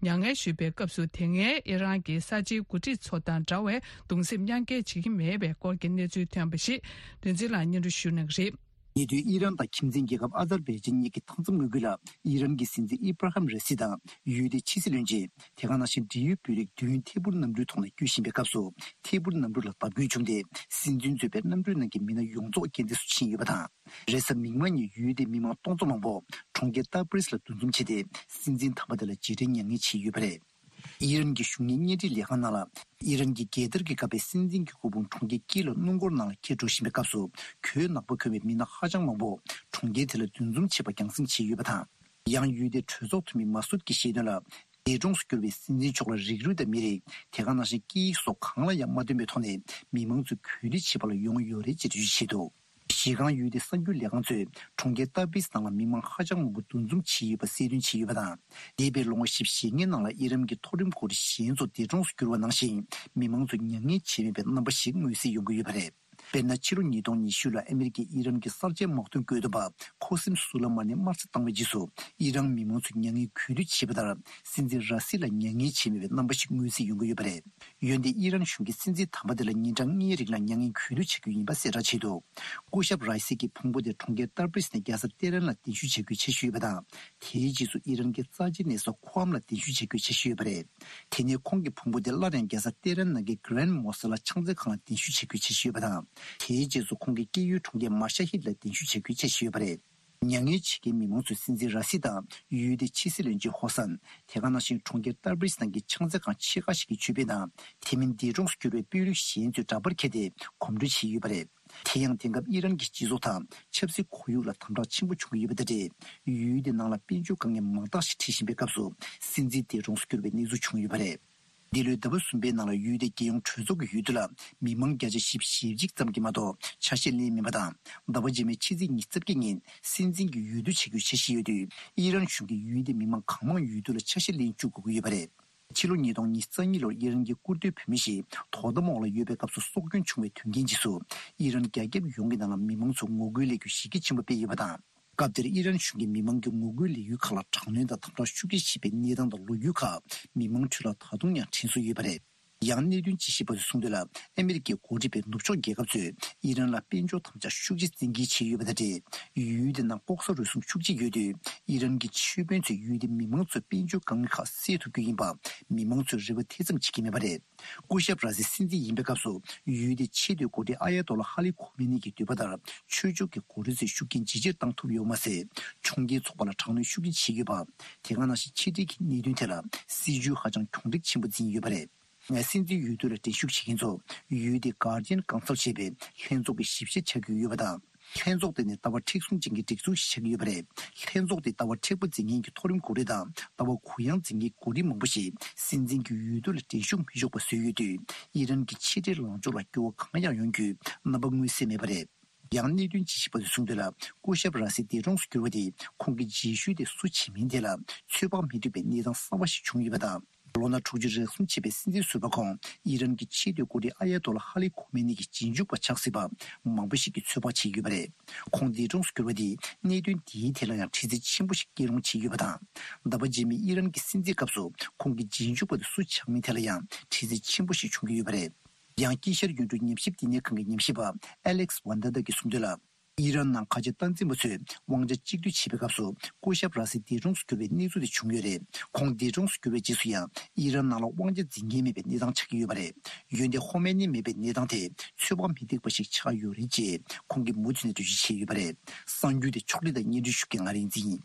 མྱ་ངན་ཞུས་པའི་སྐབས་སུ། དེ་སྔའི་ཨི་རན་གྱི་གསར་བརྗེའི་འགོ་ཁྲིད་ཚོ་དང་འདྲ་བའི་གདུང་སེམས་མཉམ་སྐྱེད་བྱེད་ཀྱི་མེད་པའི་སྐོར་གྱི་གནས་ཚུལ་ཐོན་པ་ཞིག་བདུན་ཚེ་ལགས་སྙན་སྒྲོན་ཞུ་གནང་གི་རེད། ཉེ་དུས་ཨི་རན་དང་ཁྱིམ་མཚེས་རྒྱལ་ཁབ་ཨ་ཛར་བྷའི་ཇན་གཉིས་ཀྱི་མཐའ་མཚམས་ངོས་ཁུལ་ལ་ཨི་རན་གྱི་སྲིད་འཛིན་ཨི་བྷ་ར་ཧམ་ར་སི་དང་ཡུལ་དེའི་ཕྱི་སྲིད་བློན་ཆེན། དེ་ག་ནང་བཞིན་འབྲེལ་ཡོད་བོད་རིགས་བདུན་ཐད་འཕུར་གནམ་གྲུའི་ཐོག་ནས་སྐྱོད་བཞིན་པའི་སྐབས་སུ། ཐད་འཕུར་གནམ་གྲུ་ལ་བརྡབ་སྐྱོན་བྱུང་སྟེ། སྲིད་འཛིན་གཙོས་པའི་གནམ་གྲུའི་ནང་གི་མི་སྣ་ཡོངས་རྫོགས་རྐྱེན་འདས་སུ་ཕྱིན་ཡོད་པ་དང་། རེས་གཟའ་མིག་དམར་ཉིན་ཡུལ་དེའི་མི་མང་སྟོང་ཚོ་མང་པོ་གྲོང་ཁྱེར་ཏ་པྲིས་ལ་འདུ་འཛོམས་བྱས་ཏེ། སྲིད་འཛིན་དམ་པ་དེ་ལ་རྗེས་དྲན་མྱ་ངན་བྱས་ཡོད་པ་རེད། ཨི་རན་གྱི་གཞུང་གཉེར་བརྙན་འཕྲིན་ལས་ཁང་ནང་ལ། ཨི་རན་གྱི་རྒྱལ་དར་གྱིས་བཀབ་པའི་སྲིད་འཛིན་གྱི་སྐུ་ཕུང་གྲོང་ཁྱེར་ཀིལ་ལ་སྣུམ་འཁོར་ནང་ལ་འཁྱེར་འགྲོ་བཞིན་པའི་སྐབས་སུ། གོས་ནག་པོ་གོན་པའི་མི་སྣ་ཧ་ཅང་མང་པོ་གྲོང་ཁྱེར་དེ་ལ་འདུ་འཛོམས་བྱེད་པར་རྒྱང་སྲིང་བྱས་ཡོད་པ་དང་། ཡང་ཡུལ་དེའི་གྲོས་ཚོགས་འཐུས་མི་མ་སུད་ཀྱིས་བཤད་དོན་ལ། འདས་གྲོངས་སུ་གྱུར་བའི་སྲིད་འཛིན་མཆོག་ལ་རིགས་རུས་དང་མི་རིགས། དེ་ག་ནང་བཞིན་སྐད་ཡིག་སོགས་གང་ལ་ཡང་མ་བསྟུན་པའི་ཐོག་ནས་མི་མང་ཚོས་གུས་འདུད་བྱེད་པ་ལ་ཡོང་ཡོད་རེད་ཅེས་འགྲེལ་བརྗོད་བྱས་འདུག། གཞི་རྐང་ཡུལ་དེའི་གསར་འགྱུར་ལས་ཁང་ཚོས་གྲོང་ཁྱེར་ཏར་བིས་ནང་ལ་མི་མང་ཧ་ཅང་མང་པོ་འདུ་འཛོམས་བྱས་ཡོད་པ་གསལ་སྟོན་བྱས་ཡོད་པ་དང་། འདས་པའི་ལོ་ངོ་བཞི་བཅུ་ཞེ་ལྔའི་ནང་ལ་ཨི་རན་གྱི་མཐོ་རིམ་འགོ་ཁྲིད་གཞན་ཚོ་འདས་གྲོངས་སུ་གྱུར་བ་ནང་བཞིན། མི་མང་ཚོས་མྱ་ངན་བྱས་མེད་པའི་རྣམ་པ་ཞིག་མངོན་གསལ་ཡོང་གི་ཡོད་པ་རེད། དཔེར་ན། ཕྱི་ལོ་ཉིས་སྟོང་ཉི་ཤུ་ལ་ཨ་མི་རི་ཀས་ཨི་རན་གྱི་གསར་བརྗེའི་དམག་དོན་བཀོད་འདོམས་པ་ཁོ་སིམ་སུ་ལ་མ་ནི་དམར་གསོད་བཏང་བའི་རྗེས་སུ། ཨི་རན་མི་མང་ཚོས་མྱ་ངན་གུས་འདུད་བྱས་པ་ལྟར། སྲིད་འཛིན་ར་སི་ལ་མྱ་ངན་བྱས་མེད་པའི་རྣམ་པ་ཞིག་མངོན་གསལ་ཡོང་གི་ཡོད་པ་རེད། འོན་ཏེ། ཨི་རན་གཞུང་གིས་སྲིད་འཛིན་དམ་པ་དེ་ལ་ཉིན་གྲངས་ལྔའི་རིང་ལ་མྱ་ངན་གུས་འདུད་བྱ་རྒྱུ་ཡིན་པ་གསལ་བསྒྲགས་བྱས་འདུག་སྐུ་ཞབས་ར་སི་གི་ཕུང་པོ་དེ་གྲོང་ཁྱེར་ཏར་པིས་ནས་རྒྱལ་ས་ཏེ་རན་ལ་གདན་ཞུ་བྱ་རྒྱུའི་འཆར་གཞི་ཡོད་པ་དང་། དེའི་རྗེས་སུ་ཨི་རན་གྱི་རྩ་ཆེའི་གནས་ས་ཁུ་ཨམ་ལ་གདན་ཞུ་བྱ་རྒྱུའི་འཆར་གཞི་ཡོད་པ་རེད། དེ་ནས་ཁོང་གི་ཕུང་པོ་དེ་སླར་ཡང་རྒྱལ་ས་ཏེ་རན་ནང་གི་Grand Mosque ལ་ཕྱག་འཚལ་ཁང་ལ་གདན་ཞུ་བྱ་རྒྱུའི་འཆར་གཞི་ཡོད་པ་དང་། དེའི་རྗེས་སུ་ཁོང་གི་སྐྱེས་ཡུལ་གྲོང་ཁྱེར་མ་ཤ་ཧིད་ལ་གདན་ཞུ་བྱ་རྒྱུའི་འཆར་གཞི་ཡོད་པ་རེད། མྱ་ངན་བྱེད་མཁན་མི་མང་ཚོས་སྲིད་འཛིན་ར་སི་དང་ཡུལ་དེའི་ཕྱི་སྲིད་བློན་ཆེན་ཧོ་སན། དེ་ག་ནང་བཞིན་གྲོང་ཁྱེར་ཏར་པིས་ནང་གི་ཕྱག་འཚལ་ཁང་ཆེ་ཁག་ཞིག་གི་ཆོས་དཔོན་དང་། དེ་མིན་འདས་གྲོངས་སུ་གྱུར་བའི་དཔོན་རིགས་གཞན་ཚོས་འདྲ་པར་ཁྱེར་ཏེ་གོམ་བགྲོད་བྱས་ཡོད་པ་རེད། དེ་ཡང་དེང་སྐབས་ཨི་རན་གྱི་སྤྱི་ཚོགས་དང་ཆབ་སྲིད་ཁོར་ཡུག་ལ་དམ་དྲག་ཆེན་པོ་བྱུང་གི་ཡོད་པ་དང་འབྲེལ། ཡུལ་དེ་ནང་ལ་དཔལ་འབྱོར་དཀའ་ངལ་མང་དག་ཞིག་འཕྲད་བཞིན་པའི་སྐབས་སུ། སྲིད་འཛིན་འདས་གྲོངས་སུ་གྱུར་བའི་གནས་ཚུལ་བྱུང་ཡོད་པ་རེད། འདི་ལོའི་ཟླ་བ་གསུམ་པའི་ནང་ལ་ཡུལ་དེའི་རྒྱལ་ཡོངས་གྲོས་ཚོགས་ཀྱི་འོས་བསྡུ་ལ་མི་མང་བརྒྱ་ཆ་བཞི་བཅུ་ཞེ་གཅིག་ཙམ་གྱིས་མ་གཏོགས་ཆ་ཤས་ལེན་མིན་པ་དང་། ཟླ་བ་རྗེས་མའི་ཕྱི་ཚེས་ཉི་ཤུ་རྩ་བརྒྱད་ཉིན་སྲིད་འཛིན་གྱི་འོས་བསྡུ་བྱེད་རྒྱུའི་འཆར་གཞི་ཡོད་དུས། ཨི་རན་གཞུང་གིས་ཡུལ་དེའི་མི་མང་གང་མང་འོས་བསྡུ་ལ་ཆ་ཤས་ལེན་བཅུག་དགོས་ཀྱི་ཡོད་པ་རེད། ཕྱི་ལོ་ཉིས་སྟོང་ཉི་ཤུ་རྩ་གཉིས་ལོར་ཨི་རན་གྱི་སྐུ་མདུན་བོད་མི་ཞིག་དོ་དམ་འོག་ལ་ཡོད་པའི་སྐབས་སུ་སྲོག་སྐྱོན་བྱུང་བའི་དོན་རྐྱེན་རྗེས་སུ། ཨི་རན་རྒྱ་ཁྱབ་ཡོངས་ཀྱི་ནང་ལ་མི་མང་ཚོས་ངོ་རྒོལ་ལས་འགུལ་གཞི་རྒྱ་ཆེན་པོ་སྤེལ་ཡོད་པ་དང་། སྐབས་དེར་ཨི་རན་གཞུང་གིས་མི་མང་གི་ངོ་རྒོལ་ལས་འགུལ་ཁག་ལ་དྲག་གནོན་དང་དམ་དྲག་ཤུགས་ཆེ་བྱས་པའི་གནས་སྟངས་དང་ལོ་རྒྱུས་ཁག་མི་མང་ཁྲོད་ལ་ད་དུང་ཡང་དྲན་གསོ་ཡོད་པ་རེད། ཡང་གནད་དོན་དཔྱད་ཞིབ་པ་ཚོས་གསུངས་དོན་ལ། ཨ་མི་རི་ཀའི་འགོ་ཁྲིད་པའི་ནུབ་ཕྱོགས་རྒྱལ་ཁབ་ཚོས་ཨི་རན་ལ་དཔལ་འབྱོར་དམ་བཅའ་ཤུགས་ཆེ་བཙན་འགེལ་བྱས་ཡོད་པ་དང་འབྲེལ། ཡུལ་དེ་ནང་ལྐོག་ཟ་རུལ་སུངས་ཤུགས་ཆེ་ཡོད་དུས། ཨི་རན་གྱི་ཆོས་དཔོན་ཚོས་ཡུལ་དེའི་མི་མང་ཚོས་དཔལ་འབྱོར་དཀའ་ངལ་ཁག་སེལ་ཐུབ་རྒྱུ་ཡིན་པ་མི་མང་ཚོས་རེ་བ་དེ་ཙམ་བྱེད་ཀྱི་མེད་པ་རེད། སྐུ་ཞབས་ར་སི་སྲིད་འཛིན་ཡིན་པའི་སྐབས་སུ། ཡུལ་དེའི་ཆེས་མཐོའི་འགོ་ཁྲིད་ཨ་ཡ་ཏོ་ལ་ཧ་ལི་ཁོ་མེ་ནི་གྱི་འདོད་པ་ལྟར། ཆོས་ཕྱོགས་ཀྱི་འགོ་ཁྲིད་ཚོས་ཤུགས་རྐྱེན་ཇེ་ཆེར་བཏང་ཐུབ་ཡོད་མ་ཟད། གྲོང་ཁྱེར་ཚོགས་པ་ལ་དྲག་གནོན་ཤུགས་ཆེ་བྱེད་ཀྱི་ཡོད་པ། དེ་ག་ནང་བཞིན་ཕྱི་འབྲེལ་གྱི་གནད་དོན་ཐད་ལ་སྲིད་ཇུས་ཧ་ཅང་གྱོང་རིག་ཆེན་པོ་འཛིན་ཡོད་པ་རེད། སྲིད་འཛིན་འོས་བསྡུ་ལ་འགྲན་ཞུགས་བྱེད་མཁན་ཚོ། ཡུལ་དེའི་Guardian Council ཞེས་པའི་ལྷན་ཚོགས་ཀྱི་ཞིབ་བཤེར་བྱ་རྒྱུ་ཡོད་པ་དང་། ལྷན་ཚོགས་དེ་ནི་ལྟ་བ་མཁྲེགས་བཟུང་ཅན་གྱི་སྒྲིག་འཛུགས་ཤིག་ཆགས་ཀྱི་ཡོད་པ་རེད། ལྷན་ཚོགས་དེས་ལྟ་བ་མཁྲེགས་པོ་འཛིན་མཁན་གྱི་མཐོ་རིམ་འགོ་ཁྲིད་དང་ལྟ་བ་གུ་ཡངས་འཛིན་མཁན་འགོ་ཁྲིད་མང་པོ་ཞིག་སྲིད་འཛིན་གྱི་འོས་བསྡུ་ལ་འགྲན་ཞུགས་མི་ཆོག་པ་བཟོས་ཡོད་དུས། ཨི་རན་གྱི་ཕྱི་འབྲེལ་ལངས་ཕྱོགས་ལ་འགྱུར་བ་གང་ཡང་ཡོང་རྒྱུའི་རྣམ་པ་མངོན་གསལ་མེད་པ་རེད། ཡང་གནད་དོན་དཔྱད་ཞིབ་པ་ཚོས་གསུངས་དོན་ལ། སྐུ་ཞབས་ར་སི་འདས་གྲོངས་སུ་གྱུར་བ་དེས་ཁོང་གི་རྗེས་ཤུལ་དེ་སུ་བྱེད་མིན་ཐད་ལ་ཚོད་དཔག་མི་ཐུབ་པའི་གནས་སྟངས་གསར་པ་ཞིག་བྱུང་ཡོད་པ་དང་། ལོ་ན་དྲུག་ཅུ་རེ་གསུམ་ཕྱིན་པའི་སྲིད་འཛིན་ཟུར་པ་ཁོང་ཨི་རན་གྱི་ཆེས་མཐོའི་འགོ་ཁྲིད་ཨ་ཡ་ཏོ་ལ་ཧ་ལི་ཁོ་མེ་ནི་གི་རྗེས་འཇུག་པ་ཆགས་སྲིད་པ་མང་པོ་ཞིག་གིས་ཚོད་དཔག་བྱས་ཡོད་པ་རེད། ཁོང་འདས་གྲོངས་སུ་གྱུར་བ་དེས་གནད་དོན་འདིའི་ཐད་ལ་ཡང་འདྲི་རྩད་ཆེན་པོ་ཞིག་སྐྱེལ་རུང་བྱས་ཡོད་པ་དང་། ཟླ་བ་རྗེས་མའི་ཨི་རན་གྱི་སྲིད་འཛིན་སྐབས་སུ་ཁོང་གི་རྗེས་འཇུག་པ་དེ་སུ་ཆགས་མིན་ཐད་ལ་ཡང་འདྲི་རྩད་ཆེན་པོ་ཞིག་བྱུང་གི་ཡོད་པ་རེད། ཡང་དཀྱིལ་ཤར་ཡུལ་གྲུ་ཉམས་ཞིབ་བསྟི་གནས་ཁང་གི་ཉམས་ཞིབ་པ་ཨ་ལེག་སི་ཝན་ད་ད་གིས་གསུངས་དོན་ལ། ཨི་རན་ནང་ཁ་ཆེ་སྟངས་འཛིན་པ་ཚོས་དབང་ཆ་གཅིག་སྡུད་བྱེད་པའི་སྐབས་སུ་སྐུ་ཞབས་ར་སི་འདས་གྲོངས་སུ་གྱུར་བའི་གནས་ཚུལ་དེ་བྱུང་ཡོད་རེད། ཁོང་འདས་གྲོངས་སུ་གྱུར་བའི་རྗེས་སུ་ཡང་ཨི་རན་ནང་ལ་དབང་ཆ་འཛིན་མཁན་མེད་པའི་གནས་སྟངས་ཆགས་ཀྱི་ཡོད་པ་རེད། འོན་ཏེ་ཧོ་མེ་ནི་མེད་པའི་གནས་སྟངས་དེ་ཚོད་དཔག་མི་ཐེག་པ་ཞིག་ཆགས་ཡོད་རེད་ཅེས་ཁོང་གིས་མུ་མཐུད་ནས་འགྲེལ་བརྗོད་བྱས་ཡོད་པ་རེད། གསར་འགྱུར་དེ་ཕྱོགས་སྒྲིག་དང་སྙན་སྒྲོན་ཞུ་མཁན་ང་རིག་འཛིན་ཡིན།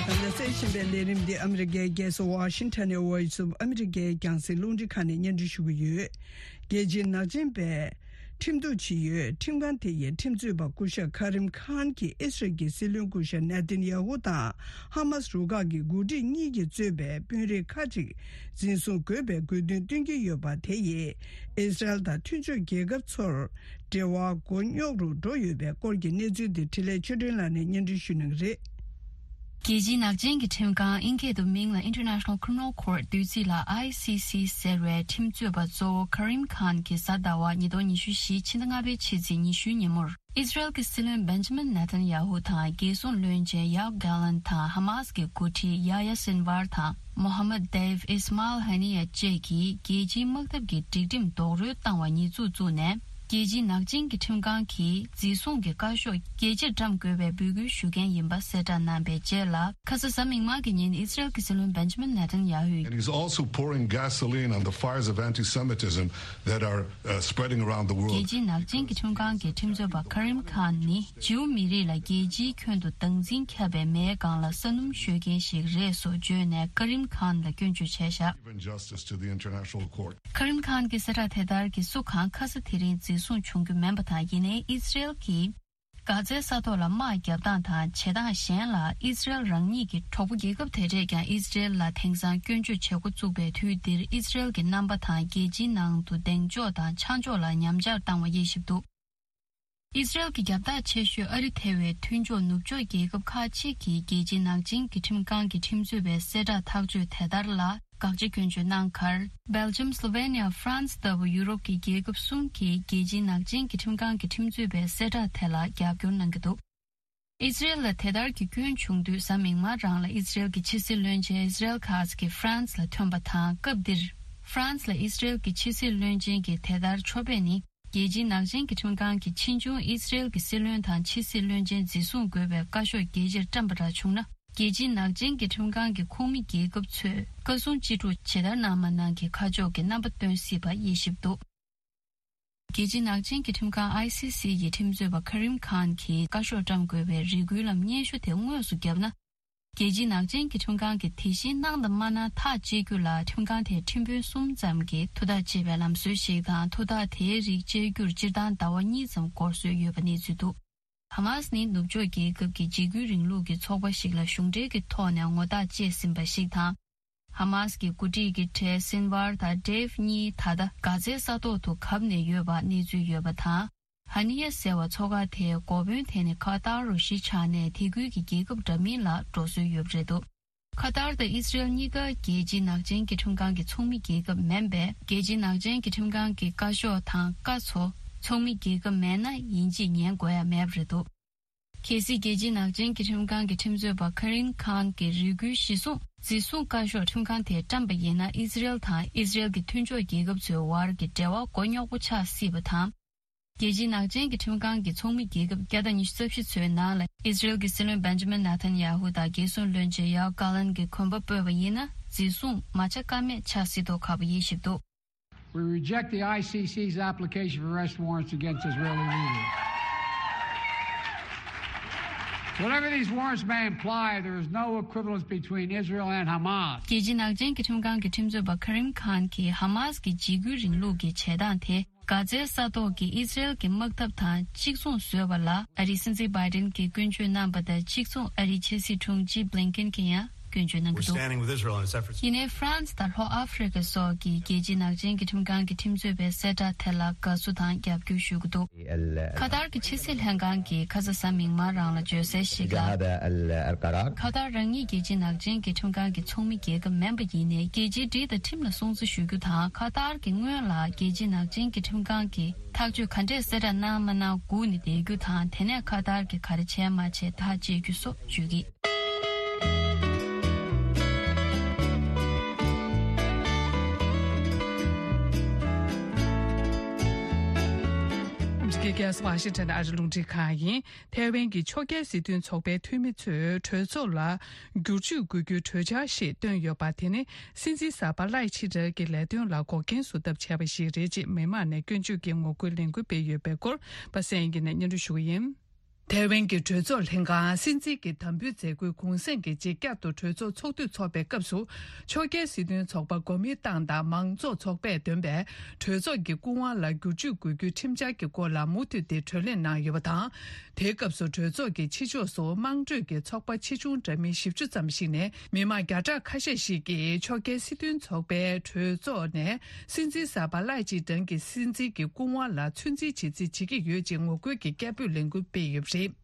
ད་ལྟ་གསན་བཞིན་པའི་ལས་རིམ་འདི་ཨ་མི་རི་ཀའི་རྒྱལ་ས་ཝ་ཤིང་ཊོན་ནས་Voice of America རྒྱང་སྲིང་རླུང་འཕྲིན་ཁང་ནས་སྙན་སྒྲོན་ཞུ་གི་ཡོད། རྒྱལ་སྤྱིའི་ནག་ཅན་པས་ཁྲིམས་གཏུག་བྱེད་ཡུལ་ཁྲིམས་ཁང་དེ་ཡི་ཁྲིམས་རྩོད་པ་སྐུ་ཞབས་ཁ་རིམ་ཁཱན་གྱིས་ཨི་སི་རལ་གྱི་སྲིད་བློན་སྐུ་ཞབས་ནེ་ཐན་ཡ་ཧུ་དང་ཧ་མཱ་སི་རུ་ཁག་གི་འགོ་ཁྲིད་གཉིས་ཀྱིས་གཙོས་པའི་དཔོན་རིགས་ཁག་ཅིག་འཛིན་བཟུང་དགོས་པའི་དགོས་འདུན་བཏོན་གྱི་ཡོད་པ་དེ་ཡིས་ཨི་སི་རལ་དང་མཐུན་ཕྱོགས་རྒྱལ་ཁབ་ཚོར་འབྲེལ་བ་མགོ་རྙོག་རུ་འགྲོ་ཡོད་པའི་སྐོར་གྱི་གནས་ཚུལ་དེ་འཕྲིན་ལས་ཆོས་སྒྲོན་ལགས་ནས་སྙན་སྒྲོན་ཞུ་གནང་གི་རེད། རྒྱལ་སྤྱིའི་ནག་ཅན་གྱི་ཁྲིམས་ཁང་། ཨིན་སྐད་དུ་མིང་ལ་International Criminal Court བསྡུས་ཚིག་ལ་ཨའི་སི་སི་ཟེར་བའི་ཁྲིམས་རྩོད་པ་གཙོ་བོ་ཁ་རིམ་ཁཱན་གྱིས་གཟའ་ཟླ་བ་ཉིས་སྟོང་ཉི་ཤུ་བཞི་ཕྱི་ཟླ་ལྔ་པའི་ཕྱི་ཚེས་ཉི་ཤུའི་ཉིན་མོར། ཨི་སི་རལ་གྱི་སྲིད་བློན་བེན་ཇ་མིན་ནེ་ཐན་ཡ་ཧུ་དང་། རྒྱལ་སྲུང་བློན་ཆེན་ཡོབ་གྷ་ལན་དང་། ཧ་མཱ་སི་གི་འགོ་ཁྲིད་ཡ་ཡ་སིན་ཝར་དང་། མོ་ཧ་མད་དེབ་ཨིས་མཱལ་ཧ་ནི་ཡ་བཅས་ཀྱིས་རྒྱལ་སྤྱིའི་དམག་འཐབ་ཀྱི་སྒྲིག་ཁྲིམས་རྡོག་རོལ་བཏང་བ་ཉེས་འཛུགས་བཙུགས་ནས། རྒྱལ་སྤྱིའི་ནག་ཅན་གྱི་ཁྲིམས་ཁང་གིས་འཛིན་བཟུང་གི་བཀའ་ཤོག་རྒྱལ་སྤྱིར་བཀྲམ་དགོས་པའི་འབོད་སྐུལ་ཞུ་མཁན་ཡིན་པ་གསལ་བསྒྲགས་གནང་པའི་རྗེས་ལ། ཁ་ས་གཟའ་མིག་དམར་གྱི་ཉིན་ཨི་སི་རལ་གྱི་སྲིད་བློན་བེན་ཇ་མིན་ནེ་ཐན་ཡ་ཧུས། And he's also pouring gasoline on the fires of anti-Semitism that are, uh, spreading around the world. རྒྱལ་སྤྱིའི་ནག་ཅན་གྱི་ཁྲིམས་ཁང་གི་ཁྲིམས་རྩོད་པ་ཁ་རིམ་ཁཱན་ནི་ཇིའུ་མི་རིགས་ལ་རྒྱལ་སྤྱིའི་ཁྱོན་དུ་སྡང་འཛིན་ཁྱབ་པའི་མེའི་སྒང་ལ་ས་སྣུམ་གཡོ་མཁན་ཞིག་རེད་སོགས་བརྗོད་ནས་ཁ་རིམ་ཁཱན་ལ་སྐྱོན་བརྗོད་བྱས་བཞག Given justice to the International Court. ཁ་རིམ་ཁཱན་གྱི་གསལ་བསྒྲགས་དེ་ལྟར་གྱིས་སུ་གང་ཁ་ས་དེ་རིང་འཛིན་བཟུང་བྱུང་རྒྱུ་མིན་པ་དང་། ཡིན་ནའི་ཨི་སི་རེལ་གྱིས་གྷ་ཛའི་ས་ཐོག་ལ་དམག་བརྒྱབ་སྟངས་དང་བྱེད་སྟངས་གཞན་ལ་ཨི་སི་རེལ་རང་ཉིད་ཀྱི་གྲོགས་པོ་རྒྱལ་ཁབ་དེ་འདྲས་ཀྱང་ཨི་སི་རེལ་ལ་དེང་སང་སྐྱོན་བརྗོད་བྱེད་འགོ་བཙུགས་པའི་དུས་འདིར། ཨི་སི་རེལ་གྱི་རྣམ་པ་དང་རྒྱལ་སྤྱིའི་ནང་དུ་གདེང་འཇོག་དང་ཆ་འཇོག་ལ་ཉམས་ཆག་བཏང་བ་དབྱེ་ཞིབ་འདུག་ཨི་སི་རེལ་གྱི་རྒྱབ་ཐག་ཆེ་ཤོས་ཨ་རི་ཐེ་བའི་མཐུན་ཕྱོགས་ནུབ་ཕྱོགས་རྒྱལ་ཁབ་ཁག་ཅིག་གིས་རྒྱལ་སྤྱིའི་ནག་ཅན་གྱི་ཁྲིམས་ཁང་གི་ཁྲིམས་རྩོད་པའི་གསལ་བསྒྲགས་ཐག་གཅོད་དེ་ལྟར་ལ་དགག་བྱ་སྐྱོན་བརྗོད་གནང་ཁར། སྦེལ་ཇམ། སློ་ཝེ་ནི་ཡ། ཧྥ་རན་སི་ལྟ་བུ་ཡུ་རོབ་ཀྱི་རྒྱལ་ཁབ་གསུམ་གྱིས་རྒྱལ་སྤྱིའི་ནག་ཅན་གྱི་ཁྲིམས་ཁང་གི་ཁྲིམས་རྩོད་པའི་གསལ་བསྒྲགས་དེ་ལ་རྒྱབ་སྐྱོར་གནང་གི་འདུག་ཨི་སི་རེལ་ལ་དེ་ལྟར་གྱི་སྐྱོན་བྱུང་དུས་གཟའ་མིག་དམར་རང་ལ་ཨི་སི་རེལ་གྱི་ཕྱི་སྲིད་བློན་ཆེན་ཨི་སི་རེལ་ཁཱ་ཛི་ཀྱིས་ཧྥ་རན་སི་ལ་ཐོན་པ་དང་། སྐབས་འདིར་ཧྥ་རན་སི་ལ་ཨི་སི་རེལ་གྱི་ཕྱི་སྲིད་བློན་ཆེན་གྱི་དེ་ལྟར་ཕྱོགས་ཕེབས་ནི། རྒྱལ་སྤྱིའི་ནག་ཅན་གྱི་ཁྲིམས་ཁང་གི་ཕྱིས་འབྱུང་ཨི་སི་རེལ་གྱི་སྲིད་བློན་དང་ཕྱི་སྲིད་བློན་ཆེན་འཛིན་བཟུང་དགོས་པའི་བཀའ་ཤོག་རྒྱས་ཕྱིར་བཀྲམ་པ་འདྲ་བྱུང་ན། རྒྱལ་སྤྱིའི་ནག་ཅན་གྱི་ཁྲིམས་ཁང་གི་ཁོངས་མི་རྒྱལ་ཁབ་ཚོས་བཀའ་གསུང་ཅི་སྒྲུབ་ཇི་ལྟར་གནང་མ་གནང་གི་ཁ་ཕྱོགས་ཀྱི་རྣམ་པ་སྟོན་སྲིད་པ་དབྱེ་ཞིབ་འདུག་རྒྱལ་སྤྱིའི་ནག་ཅན་གྱི་ཁྲིམས་ཁང་ཨའི་སི་སི་ཡི་ཁྲིམས་རྩོད་པ་ཁ་རིམ་ཁཱན་གྱིས་བཀའ་ཤོག་བཀྲམ་དགོས་པའི་རེ་སྐུལ་ལམ་སྙན་ཞུ་དེ་དངོས་སུ་བརྒྱབ་ན། རྒྱལ་སྤྱིའི་ནག་ཅན་གྱི་ཁྲིམས་ཁང་གིས་དེ་བཞིན་གནང་དང་མ་གནང་ཐག་གཅད་རྒྱུ་ལ་ཁྲིམས་ཁང་དེས་ཁྲིམས་དཔོན་གསུམ་ཙམ་གྱིས་ཐུགས་ཐག་བཅད་པའི་ལམ་སྲོལ་ཞིག་དང་། ཐུགས་ཐག་དེའི་རིགས་བཅད་རྒྱུར་སྤྱིར་བཏང་ཟླ་བ་གཉིས་ཙམ་འགོར་སྲོལ་ཡོད་པ་གནས་ཚུལ་འདུག་ཧ་མཱ་སི་ནི་ནུབ་ཕྱོགས་རྒྱལ་ཁབ་ཀྱི་འཇིགས་སྐུལ་རིང་ལུགས་ཀྱི་ཚོགས་པ་ཞིག་ལ་གཞུང་འབྲེལ་གྱི་ཐོག་ནས་ངོ་རྟགས་བཅད་ཟིན་པ་ཞིག་དང་། ཧ་མཱ་སི་ཀྱི་འགོ་ཁྲིད་ཀྱི་གྲས་སིན་ཝར་དང་ཌེབ་གཉིས་ད་ལྟ་གྷ་ཛའི་ས་ཐོག་ཏུ་གབ་ནས་ཡོད་པ་གནས་ཚུལ་ཡོད་པ་དང་། ཧ་ནི་ཡ་ཟེར་བ་མཚོ་ཁ་དེའི་འགོ་དཔོན་དེ་ནི་ཁ་ཏར་རུ་གཞིས་ཆགས་ནས་དེ་ཁུལ་གྱི་རྒྱལ་ཁབ་འདྲ་མིན་ལ་འགྲོ་སྲོལ་ཡོད་པ་རེད་འདུག་ཁ་ཏར་དང་ཨི་སི་རེལ་གཉིས་ཀ་རྒྱལ་སྤྱིའི་ནག་ཅན་གྱི་ཁྲིམས་ཁང་གི་ཚོགས་མི་རྒྱལ་ཁབ་མིན་པས། རྒྱལ་སྤྱིའི་ནག་ཅན་གྱི་ཁྲིམས་ཁང་གི་བཀའ་ཤོག་དང་བཀའ་ཚོ་ཚོགས་མི་རྒྱལ་ཁབ་མེད་ན་ཡིན་གཅིག་ཉན་དགོས་ཡ་མེད་པ་རེད་འདུག་གལ་སྲིད་རྒྱལ་སྤྱིའི་ནག་ཅན་གྱི་ཁྲིམས་ཁང་གི་ཁྲིམས་རྩོད་པ་ཁ་རིམ་ཁཱན་གྱི་རེ་སྐུལ་གཞིར་བཟུང་འཛིན་བཟུང་བཀའ་ཤོག་ཁྲིམས་ཁང་དེས་བཀྲམ་པ་ཡིན་ན། ཨི་སི་རེལ་དང་ཨི་སི་རེལ་གྱི་མཐུན་ཕྱོགས་རྒྱལ་ཁབ་ཚོའི་བར་གྱི་འབྲེལ་བ་མགོ་རྙོག་པོ་ཆགས་སྲིད་པ་དང་། རྒྱལ་སྤྱིའི་ནག་ཅན་གྱི་ཁྲིམས་ཁང་གི་ཚོགས་མི་རྒྱལ་ཁབ་བརྒྱ་དང་ཉི་ཤུ་རྩ་བཞི་ཚོའི་ནང་ལ་ཨི་སི་རེལ་གྱི་སྲིད་བློན་བེན་ཇ་མིན་ནེ་ཐན་ཡ་ཧུ་དང་རྒྱལ་སྲུང་བློན་ཆེན་ཡོབ་གྷ་ལན་གྱིས་གོམ་པ་སྤོས་པ་ཡིན་ན། འཛིན་བཟུང་མ་བྱ་ཀ་མེད་ཆགས་སྲིད་མདོག་ཁ་པོ་དབྱེ་ཞིབ་འདུག We reject the I C C's application for arrest warrants against Israeli leaders. Whatever these warrants may imply, there is no equivalence between Israel and Hamas. རྒྱལ་སྤྱིའི་ནག་ཅན་གྱི་ཁྲིམས་ཁང་གི་ཁྲིམས་རྩོད་པ་ཁ་རིམ་ཁཱན་གྱིས་ཧ་མཱ་སི་ཀྱི་འཇིགས་སྐུལ་རིང་ལུགས་ཀྱི་བྱེད་སྟངས་དེ། གྷ་ཛའི་ས་ཐོག་གི་ཨི་སི་རེལ་གྱི་དམག་འཐབ་དང་གཅིག་མཚུངས་བཟོས་པ་ལ། ཨ་རིའི་སྲིད་འཛིན་བྷའི་ཌེན་གྱིས་སྐྱོན་བརྗོད་གནང་པ་དང་གཅིག་མཚུངས། ཨ་རིའི་ཕྱི་སྲིད་དྲུང་ཆེ་བྷི་ལིན་ཀེན་གྱིས་ཡང་སྐྱོན་བརྗོད་གནང་གི་འདུག We're standing with Israel on a separate ཡིན་ནའི་ཧྥ་རན་སི་དང་ལྷོ་ཨ་ཧྥེ་རི་ཁ་སོགས་ཀྱིས་རྒྱལ་སྤྱིའི་ནག་ཅན་གྱི་ཁྲིམས་ཁང་གི་ཁྲིམས་རྩོད་པའི་གསལ་བསྒྲགས་དེ་ལ་དགའ་བསུ་དང་རྒྱབ་སྐྱོར་ཞུ་གི་འདུག་ཁ་ཏར་གྱི་ཕྱི་སྲིད་ལྷན་ཁང་གིས་ཁ་ས་གཟའ་མིག་དམར་རང་ལ་བརྗོད་གསལ་ཞིག་ལ། ཁ་ཏར་རང་ཉིད་རྒྱལ་སྤྱིའི་ནག་ཅན་གྱི་ཁྲིམས་ཁང་གི་ཚོགས་མི་རྒྱལ་ཁབ་མིན་པ་ཡིན་ནའི། རྒྱལ་སྤྱིའི་སྒྲིག་དང་ཁྲིམས་ལ་སྲུང་བརྩི་ཞུ་རྒྱུ་དང་། ཁ་ཏར་གྱིས་སྔོན་ལ་རྒྱལ་སྤྱིའི་ནག་ཅན་གྱི་ཁྲིམས་ཁང་གིས་ཐག་གཅོད་ག་འདྲས་གསལ་བསྒྲགས་གནང་མ་གནང་སྒུག་ནས་བསྡད་རྒྱུ་དང་། དེ་ནས་ཁ་ཏར་གྱིས་ག་རེ་བྱས་མ་བྱས་ཐག་བཅད་རྒྱུ་སོགས་བརྗོད་ཀྱི། ཨ་མི་རི་ཀའི་རྒྱལ་ས་ཝ་ཤིང་ཊོན་ཨ་རི་རླུང་འཕྲིན་ཁང་ཡིན། ཐའེ་ཝན་གྱི་ཕྱོགས་འགལ་སྲིད་དོན་ཚོགས་པའི་འཐུས་མི་ཚོས་གྲོས་ཚོགས་ལ་བསྒྱུར་བཅོས་དགོས་རྒྱུའི་གྲོས་འཆར་ཞིག་བཏོན་ཡོད་པ་དེ་ནི། སྲིད་འཛིན་གསར་པ་ལའེ་ཆི་ཏེ་གྱི་ལས་དོན་ལ་འགོག་རྐྱེན་བཟོ་ཐབས་བྱས་པ་ཞིག་རེད་ཅེས་མི་མང་ནས་སྐྱོན་བརྗོད་ཀྱི་ངོ་རྒོལ་ལས་འགུལ་སྤེལ་ཡོད་པའི་སྐོར་པ་སངས་དབྱངས་སྐྱིད་ནས་སྙན་སྒྲོན་ཞུ་གི་ཡིན། ཐའེ་ཝན་གྱི་གྲོས་ཚོགས་ལྷན་ཁང་སྲིད་འཛིན་གྱི་དམ་འབུལ་མཛད་སྒོའི་གུང་སེང་གི་རྗེས་བསྐྱར་དུ་གྲོས་ཚོགས་ཚོགས་དུས་འཚོགས་པའི་སྐབས་སུ། ཕྱོགས་འགལ་སྲིད་དོན་ཚོགས་པ་གོ་མིན་ཏང་དང་མང་གཙོ་ཚོགས་པས་འདོན་པའི་གྲོས་ཚོགས་ཀྱི་སྐུ་དབང་ལ་བསྒྱུར་བཅོས་དགོས་རྒྱུའི་ཁྲིམས་འཆར་གྱི་སྐོར་ལ་མུ་མཐུད་དེ་གྲོས་གླེང་གནང་ཡོད་པ་དང་། དེའི་སྐབས་སུ་གྲོས་ཚོགས་ཀྱི་ཕྱི་ཕྱོགས་སུ་དམངས་ཁྲོད་ཀྱི་ཚོགས་པ་ཆེ་ཆུང་འདྲ་མིན་བཞི་བཅུ་ཙམ་ཞིག་ནས་མི་མང་བརྒྱ་ཕྲག་ཁ་ཤས་ཤིག་གིས་ཕྱོགས་འགལ་སྲིད་དོན་ཚོགས་པའི་གྲོས་ཚོགས་ནས་སྲིད་འཛིན་གསར་པ་ལའེ་ཆི་ཏེ་གྱི་སྲིད་འཛིན་གྱི་སྐུ་དབང་ལ་ཚོད་འཛིན་བྱེད་རྩིས་བྱེད་ཀྱི་ཡོད་ཅེས་ངོ་རྒོལ་གྱི་སྐད་འབོད་ལས་འགུལ་སྤེལ་ཡོད་པ་རེད།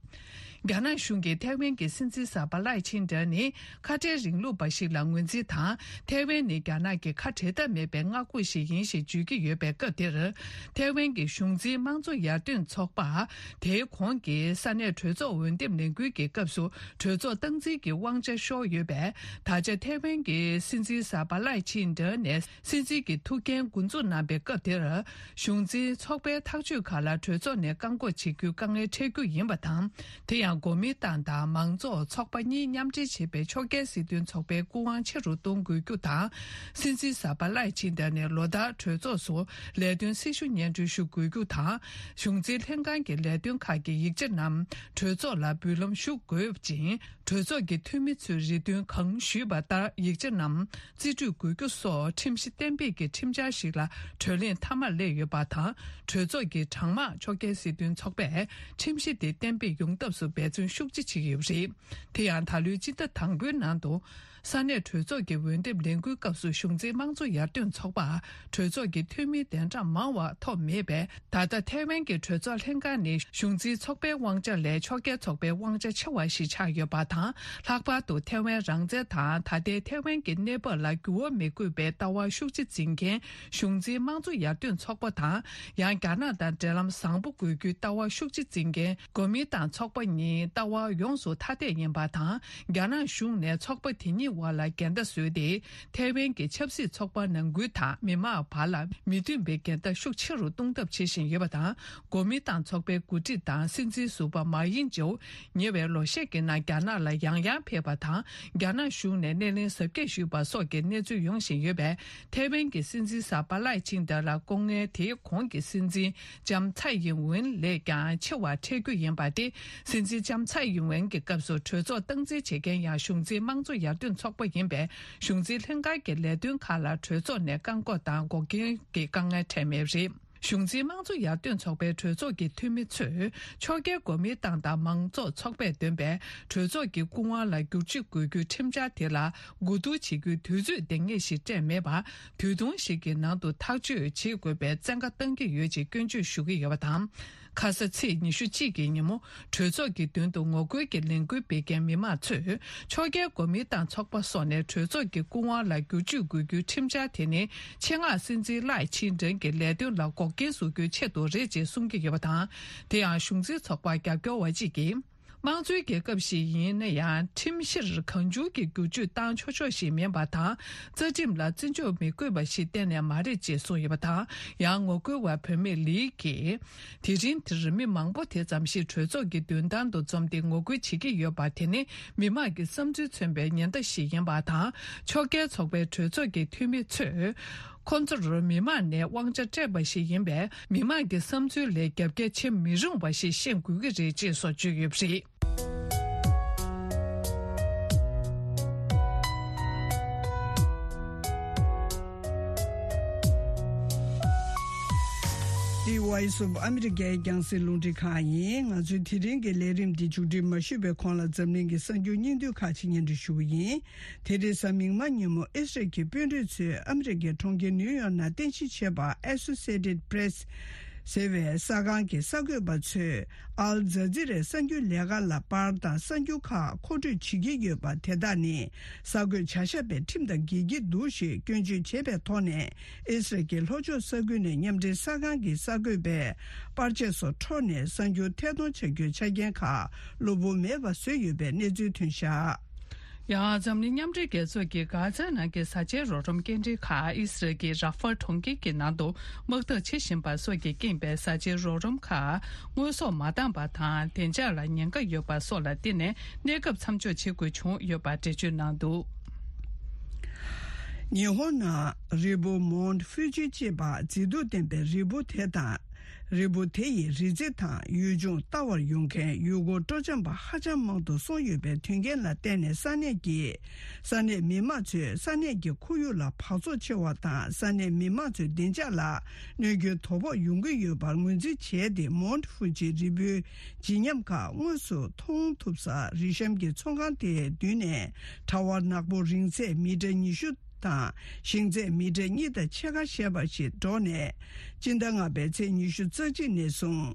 རྒྱ་ནག་གཞུང་གིས་ཐའེ་ཝན་གྱི་སྲིད་འཛིན་གསར་པ་ལའེ་ཆིན་ཏེ་ནི་ཁ་བྲལ་རིང་ལུགས་པ་ཞིག་ལ་ངོས་འཛིན་དང་། ཐའེ་ཝན་ནི་རྒྱ་ནག་གི་ཁ་བྲལ་ཐབས་མེད་པའི་མངའ་ཁོངས་ཤིག་ཡིན་ཞེས་བརྗོད་ཀྱི་ཡོད་པའི་སྐབས་དེར། ཐའེ་ཝན་གྱི་གཞུང་འཛིན་དམངས་གཙོ་ཡར་ཐོན་ཚོགས་པ་དེའི་གོང་གི་ས་གནས་གྲོས་ཚོགས་འོས་འདེམས་ལས་འགུལ་གྱི་སྐབས་སུ་གྲོས་ཚོགས་སྟངས་འཛིན་གྱི་དབང་ཆ་ཤོར་ཡོད་པས། ད་ཆ་ཐའེ་ཝན་གྱི་སྲིད་འཛིན་གསར་པ་ལའེ་ཆིན་ཏེ་ནས་སྲིད་འཛིན་གྱི་ཐུགས་འགན་འགོ་འཛུགས་གནང་པའི་སྐབས་དེར། གཞུང་འཛིན་ཚོགས་པའི་ཐག་གཅོད་ཁག་ལ་གྲོས་ཚོགས་ནས་བཀག་འགོག་བྱེད་རྒྱུའི་དཀའ་ངལ་འཕྲད་རྒྱུ་ཡིན་པ་དང་། དེ་ཡང་གོ་མིན་ཏང་དང་མང་གཙོ་ཚོགས་པ་གཉིས་མཉམ་འབྲེལ་བྱས་པའི་ཕྱོགས་འགལ་སྲིད་དོན་ཚོགས་པའི་སྐུ་དབང་ཆེ་རུ་གཏོང་དགོས་རྒྱུ་དང་། སྲིད་འཛིན་གསར་པ་ལའེ་ཆིན་ཏེ་ནས་ལོ་ལྟར་གྲོས་ཚོགས་སུ་ལས་དོན་སྲི་ཞུ་སྙན་སྒྲོན་ཞུ་དགོས་རྒྱུ་དང་། གཞུང་འཛིན་ལྷན་ཁང་གི་ལས་དོན་ཁག་གི་ཡིག་ཆ་རྣམས་གྲོས་ཚོགས་ལ་འབུལ་ལམ་ཞུ་དགོས་ཅིང་། གྲོས་ཚོགས་ཀྱི་འཐུས་མི་ཚོས་རེ་འདུན་གང་ཞུས་པ་ལྟར་ཡིག་ཆ་རྣམས་རྩིས་སྤྲོད་དགོས་རྒྱུ་སོགས་ཁྲིམས་གཞི་གཏན་འབེབས་ཀྱི་ཁྲིམས་འཆར་ཞིག་ལ་གྲོས་གླེང་མཐའ་མར་སླེབས་ཡོད་པ་དང་། གྲོས་ཚོགས་ཀྱི་གྲངས་མང་ཕྱོགས་འགལ་སྲིད་དོན་ཚོགས་པས་ཁྲིམས་གཞི་དེ་གཏན་འབེབས་ཡོང་ཐབས་སུ་འབད་བརྩོན་ཤུགས་ཆེ་བྱེད་ཀྱི་ཡོད་པ་རེད། དེ་ཡང་ད་ལོའི་སྤྱི་ཟླ་དང་པོའི་ནང་དུ། ས་གནས་གྲོས་ཚོགས་ཀྱི་འོས་འདེམས་ལས་འགུལ་སྐབས་སུ་གཞུང་འཛིན་དམངས་གཙོ་ཡར་ཐོན་ཚོགས་པར་གྲོས་ཚོགས་ཀྱི་འཐུས་མི་གདན་གྲངས་མང་བ་ཐོབ་མེད་པས། ད་ལྟ་ཐའེ་ཝན་གྱི་གྲོས་ཚོགས་ལྷན་ཁང་ནི་གཞུང་འཛིན་ཚོགས་པའི་དབང་ཆ་ལས་ཕྱོགས་འགལ་ཚོགས་པའི་དབང་ཆ་ཆེ་བ་ཞིག་ཆགས་ཡོད་པ་དང་། ལྷག་པར་དུ་ཐའེ་ཝན་རང་བཙན་དང་ད་ལྟའི་ཐའེ་ཝན་གྱི་གནས་བབ་ལ་འགྱུར་བ་མི་དགོས་པའི་ལྟ་བ་ཤུགས་ཆེ་འཛིན་མཁན་གཞུང་འཛིན་དམངས་གཙོ་ཡར་ཐོན་ཚོགས་པ་དང་། ཡང་རྒྱ་ནག་དང་འབྲེལ་ལམ་བཟང་པོ་དགོས་རྒྱུའི་ལྟ་བ་ཤུགས་ཆེ་འཛིན་མཁན་གོ་མིན་ཏང་ཚོགས་པ་གཉིས་ལྟ་བ་ཡོངས་སུ་ཐ་དད་ཡིན་པ་དང་། རྒྱ་ནག་གཞུང་ནས་ཚོགས་པ་དེ་གཉིས་བར་ལ་འགལ་ཟླ་བཟོས་ཏེ། ཐའེ་ཝན་གྱི་ཆབ་སྲིད་ཚོགས་པ་ནང་ཁུལ་དང་མི་མང་བར་ལ་མི་མཐུན་པའི་འགལ་ཟླ་ཤུགས་ཆེ་རུ་གཏོང་ཐབས་བྱེད་བཞིན་ཡོད་པ་དང་། གོ་མིན་ཏང་ཚོགས་པའི་འགོ་ཁྲིད་དང་སྲིད་འཛིན་ཟུར་པ་མ་ཡིན་ཅིའུ་ཉེ་བའི་ལོ་ཤས་ཀྱི་ནང་རྒྱ་ནག་ལ་ཡང་ཡང་ཕེབས་པ་དང་། རྒྱ་ནག་གཞུང་ནས་སྣེ་ལེན་གཟབ་རྒྱས་ཞུས་པ་སོགས་ཀྱི་གནས་ཚུལ་ཡོང་བཞིན་ཡོད་པས། ཐའེ་ཝན་གྱི་སྲིད་འཛིན་གསར་པ་ལའེ་ཆིང་ཏེ་ལ་སྐུ་ངལ་དེའི་གོང་གི་སྲིད་འཛིན་ལྕམ་ཚའེ་ཡིན་ཝེན་ལས་ཀྱང་ཆེ་བ་འཕྲད་རྒྱུ་ཡིན་པ་སྟེ། སྲིད་འཛིན་ལྕམ་ཚའེ་ཡིན་ཝེན་གྱི་སྐབས་སུ་གྲོས་ཚོགས་སྟངས་འཛིན་བྱེད་མཁན་ཡང་གཞུང་འཛིན་དམངས་གཙོ་ཡར་ཐོན་ཚོགས་པ་ཡིན་པས། གཞུང་འཛིན་ལྷན་ཁང་གི་ལས་དོན་ཁག་ལ་གྲོས་ཚོགས་ནས་བཀག་འགོག་དང་འགོག་རྐྱེན་གྱི་དཀའ་ངལ་འཕྲད་མེད་པ་རེད། གཞུང་འཛིན་དམངས་གཙོ་ཡར་ཐོན་ཚོགས་པའི་གྲོས་ཚོགས་ཀྱི་འཐུས་མི་ཚོས། ཕྱོགས་འགལ་གོ་མིན་ཏང་དང་མང་གཙོ་ཚོགས་པས་འདོན་པའི་གྲོས་ཚོགས་ཀྱི་སྐུ་དབང་ལ་བསྒྱུར་བཅོས་དགོས་རྒྱུའི་ཁྲིམས་འཆར་དེ་ལ་གོ་བསྡུར་བྱེད་རྒྱུའི་དུས་ཚོད་འདང་ངེས་ཤིག་སྤྲད་མེད་པར། དུས་ཐུང་ཞིག་གི་ནང་དུ་ཐག་གཅོད་བྱེད་དགོས་པའི་བཙན་བཀའ་བཏང་གི་ཡོད་ཅེས་སྐྱོན་བརྗོད་ཞུ་གི་ཡོད་པ་དང་། ཁ་ས་ཚེས་ཉི་ཤུ་གཅིག་གི་ཉིན་མོ་གྲོས་ཚོགས་ཀྱི་མདུན་དུ་ངོ་རྒོལ་གྱི་ལས་འགུལ་སྤེལ་མཁན་མི་མང་ཚོས། ཕྱོགས་འགལ་གོ་མིན་ཏང་ཚོགས་པ་སོགས་ནས་གྲོས་ཚོགས་ཀྱི་སྐུ་དབང་ལ་བསྒྱུར་བཅོས་དགོས་རྒྱུའི་ཁྲིམས་འཆར་དེ་ནི། ཆེད་མངགས་སྲིད་འཛིན་ལའེ་ཆིང་ཏེ་གི་ལས་དོན་ལ་འགོག་རྐྱེན་བཟོ་རྒྱུའི་ཆེད་དུ་རེད་ཅེས་གསུང་གི་ཡོད་པ་དང་། དེ་ཡང་གཞུང་འཛིན་ཚོགས་པར་རྒྱབ་སྐྱོར་བ་གཅིག་གིས། དམངས་གཙོའི་རྒྱལ་ཁབ་ཞིག་ཡིན་ན་ཡང་། ཁྲིམས་གཞིར་གང་བྱུང་གི་བསྒྱུར་བཅོས་བཏང་ཆོག་ཆོག་ཞིག་མིན་པ་དང་། རྩ་ཁྲིམས་ལ་བརྩི་འཇོག་མི་དགོས་པ་ཞིག་གཏན་ནས་མ་རེད་ཅེས་གསུངས་ཡོད་པ་དང་། ཡང་ངོ་རྒོལ་བ་བུད་མེད་ལི་གིས། དེ་རིང་འདིར་མི་མང་པོ་དེ་ཙམ་ཞིག་གྲོས་ཚོགས་ཀྱི་མདུན་ཐང་དུ་འཛོམས་ཏེ་ངོ་རྒོལ་བྱེད་ཀྱི་ཡོད་པ་དེ་ནི་མི་མང་གི་བསམ་ཚུལ་མཚོན་པའི་ཉེན་བརྡ་ཞིག་ཡིན་པ་དང་། ཕྱོགས་འགལ་ཚོགས་པའི་གྲོས་ཚོགས་ཀྱི་འཐུས་མི་ཚོས། ཁོ་ཚོར་མི་མང་ནས་དབང་ཆ་སྤྲད་པ་ཞིག་ཡིན་པས། མི་མང་གི་བསམ་ཚུལ་ལས་རྒྱབ་འགལ་བྱེད་མི་རུང་བ་ཞིག་ཤེས་དགོས་ཀྱི་རེད་ཅེས་སོགས་བརྗོད་ཡོད་པ་རེད། འདི་Voice of America་རྒྱང་སྲིང་རླུང་འཕྲིན་ཁང་ཡིན། ང་ཚོའི་དེ་རིང་གི་ལས་རིམ་འདི་མཇུག་སྒྲིལ་མ་ཞུས་པའི་གོང་ལ་འཛམ་གླིང་གི་གསར་འགྱུར་སྙིང་བསྡུས་ཁག་ཅིག་སྙན་སྒྲོན་ཞུ་གི་ཡིན། དེ་རིང་གཟའ་མིག་དམར་ཉིན་མོ་ཨི་སི་རལ་གྱི་དཔོན་རིགས་ཚོས་ཨ་མི་རི་ཀའི་གྲོང་ཁྱེར་ནིའུ་ཡོག་ནང་རྟེན་གཞི་བྱས་པ་Associated Press་ཟེར་བའི་གསར་ཁང་གི་གསར་འགོད་པ་ཚོས་ཨལ་ཛ་ཛི་རའི་གསར་འགྱུར་ལས་ཁང་ལ་པར་དང་གསར་འགྱུར་ཁག་མཁོ་སྤྲོད་བྱེད་ཀྱི་ཡོད་པ་དེ་དག་ནི་གསར་འགོད་བྱ་གཞག་པའི་ཁྲིམས་དང་འགལ་གྱི་འདུག་ཞེས་སྐྱོན་བརྗོད་བྱས་པའི་ཐོག་ནས་ཨི་སི་རལ་གྱི་ལྷོ་ཕྱོགས་ས་ཁུལ་ནས་མཉམ་འབྲེལ་གསར་ཁང་གི་གསར་འགོད་པས་པར་ཆས་སོགས་འཕྲོག་ནས་གསར་འགྱུར་ཐད་གཏོང་བྱ་རྒྱུའི་ཆ་རྐྱེན་ཁག་གློ་བུར་མེད་པ་བཟོས་ཡོད་པའི་གནས་ཚུལ་ཐོན་བཞག་ཡང་འཛམ་གླིང་མཉམ་འབྲེལ་རྒྱལ་ཚོགས་ཀྱིས་གྷ་ཛ་ནང་གི་བཟའ་བཅའི་རོགས་རམ་སྐྱེལ་འདྲེན་ཁག་ཨི་སི་རལ་གྱི་ར་ཧྥ་གྲོང་ཁྱེར་གྱི་ནང་དུ་དམག་འཐབ་བྱེད་བཞིན་པ་སོགས་ཀྱིས་རྐྱེན་པས་བཟའ་བཅའི་རོགས་རམ་ཁག་དངོས་ཟོག་མ་འདང་བ་དང་བདེ་འཇགས་ལ་ཉེན་ཁ་ཡོད་པ་སོགས་ལ་བརྟེན་ནས་གནས་སྐབས་མཚམས་འཇོག་བྱེད་དགོས་བྱུང་ཡོད་པ་འགྲེལ་བརྗོད་གནང་འདུག་ཉི་ཧོང་ནང་རི་བོ་མོན་ཧྥུ་ཇི་ཅེས་པ་མཛེས་སྡུག་ལྡན་པའི་རི་བོ་དེ་དང་། རི་བོ་དེ་ཡི་རི་རྩེ་དང་ཡུལ་ལྗོངས་ལྟ་བར་ཡོང་མཁན་ཡུལ་སྐོར་སྤྲོ་འཆམ་པ་ཧ་ཅང་མང་དུ་སོང་ཡོད་པའི་དོན་རྐྱེན་ལ་བརྟེན་ནས་ས་གནས་ཀྱི་ས་གནས་མི་མང་ཚོས་ས་གནས་ཀྱི་ཁོར་ཡུག་ལ་འབག་བཙོག་ཆེ་བ་དང་ས་གནས་མི་མང་ཚོའི་བདེ་འཇགས་ལ་གནོད་སྐྱོན་དོ་ཕོག་ཡོང་གི་ཡོད་པར་ངོས་འཛིན་བྱས་ཏེ་མོན་ཧྥུ་ཇི་རི་བོའི་བརྗིད་ཉམས་ཁག་དངོས་སུ་མཐོང་ཐུབ་ས་རི་གཤམ་གྱི་ཚོང་ཁང་དེའི་མདུན་ནས་གྲྭ་བ་ནག་པོ་རིང་ཚད་མི་ཊར་ཉི་ཤུ། དང་ཤིང་ཚད་མི་ཊར་གཉིས་དང་ཕྱེད་ཀ་བཞེས་པ་ཞིག་འགྲོགས་ནས་སྤྱི་ཟླ་ལྔ་པའི་ཚེས་ཉི་ཤུ་རྩ་གཅིག་ནས་བཟུང་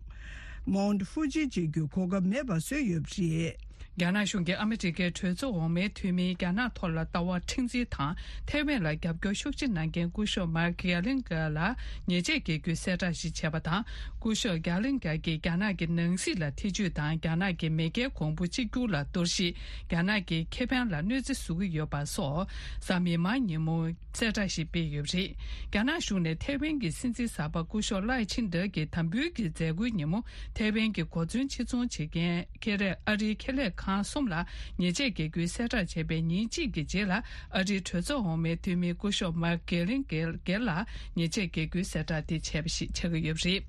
མོན་ཧྥུ་ཇི་མཇལ་རྒྱུའི་གོ་སྐབས་མེད་པ་བཟོས་ཡོད་པ་རེད། རྒྱ་ནག་གཞུང་གིས་ཨ་མི་རི་ཀའི་གྲོས་ཚོགས་འོག་མའི་འཐུས་མིས་རྒྱ་ནག་ཐོག་ལ་ལྟ་བ་མཁྲེགས་འཛིན་དང་ཐའེ་ཝན་ལ་རྒྱབ་སྐྱོར་ཤུགས་ཆེ་གནང་མཁན་སྐུ་ཞབས་མཱར་གྷེ་ལིང་གྷེ་ལ་ཉེས་ཆད་འགེལ་རྒྱུའི་གསལ་བསྒྲགས་ཤིག་བྱས་པ་དང་། སྐུ་ཞབས་གྷེ་ལིང་གྷེ་ཀྱིས་རྒྱ་ནག་གི་ནང་སྲིད་ལ་ཐེ་ཇུས་དང་རྒྱ་ནག་གི་མེས་རྒྱལ་གོང་བུ་གཅིག་གྱུར་ལ་གཏོར་བཤིག་རྒྱ་ནག་གི་ཁེ་ཕན་ལ་གནོད་འཚེ་བཟོ་གི་ཡོད་པ་སོགས་གཟའ་མིག་དམར་ཉིན་མོ་གསལ་བསྒྲགས་ཤིག་སྤེལ་ཡོད་པ་རེད། རྒྱ་ནག་གཞུང་ནས་ཐའེ་ཝན་གྱི་སྲིད་འཛིན་གསར་པ་སྐུ་ཞབས་ལའེ་ཆིང་ཏེ་གྱི་དམ་འབུལ་གྱི་མཛད་སྒོའི་ཉིན་མོ་ཐའེ་ཝན་གྱི་གོ་མཚོན་ཕྱིར་ཚོང་བྱེད་མཁན་ཁེ་ལས་ཨ་རིའི་ཁེ་ལས་ཁང་གསུམ་ལ་ཉེས་ཆད་འགེལ་རྒྱུའི་གསལ་བསྒྲགས་བྱས་པའི་ཉིན་གཅིག་གི་རྗེས་ལ་ཨ་རིའི་གྲོས་ཚོགས་འོག་མའི་འཐུས་མི་སྐུ་ཞབས་མཱར་གྷེ་ལིང་གྷེ་ལ་ཉེས་ཆད་འགེལ་རྒྱུའི་གསལ་བསྒྲགས་དེ་བྱས་པ་ཞིག་ཆགས་ཀྱི་ཡོད་པ་རེད།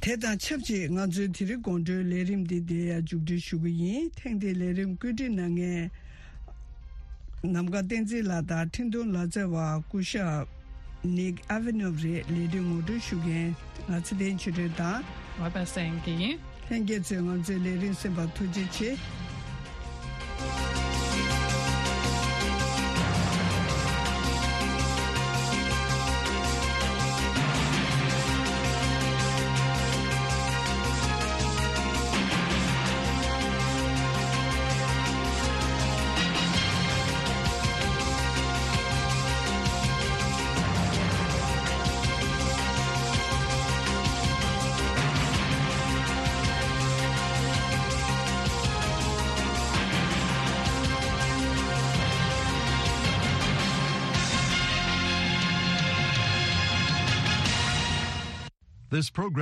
དེ་དང་ཆབས་ཅིག་ང་ཚོའི་དེ་རིང་དགོང་དྲོའི་ལས་རིམ་འདི་འདིར་ཡང་མཇུག་སྒྲིལ་ཞུ་གི་ཡིན། ཐེངས་འདིའི་ལས་རིམ་བཀོད་སྒྲིག་གནང་མཁན་ནམ་མཁའ་བསྟན་འཛིན་ལགས་དང་འཕྲིན་གཏོང་ལག་རྩལ་བ་སྐུ་ཞབས་ནིག་ཨ་ཝི་ནོབ་རེད། ལས་རིམ་ངོ་སྤྲོད་ཞུ་མཁན་ང་ཚེ་བརྟན་ཆོས་སྒྲོན་དང་། ཝེ་པ་སངས་གི་ཡིན། ལྷན་རྒྱས་ཚོས་ང་ཚོའི་ལས་རིམ་གསན་པར་ཐུགས་རྗེ་ཆེ། This program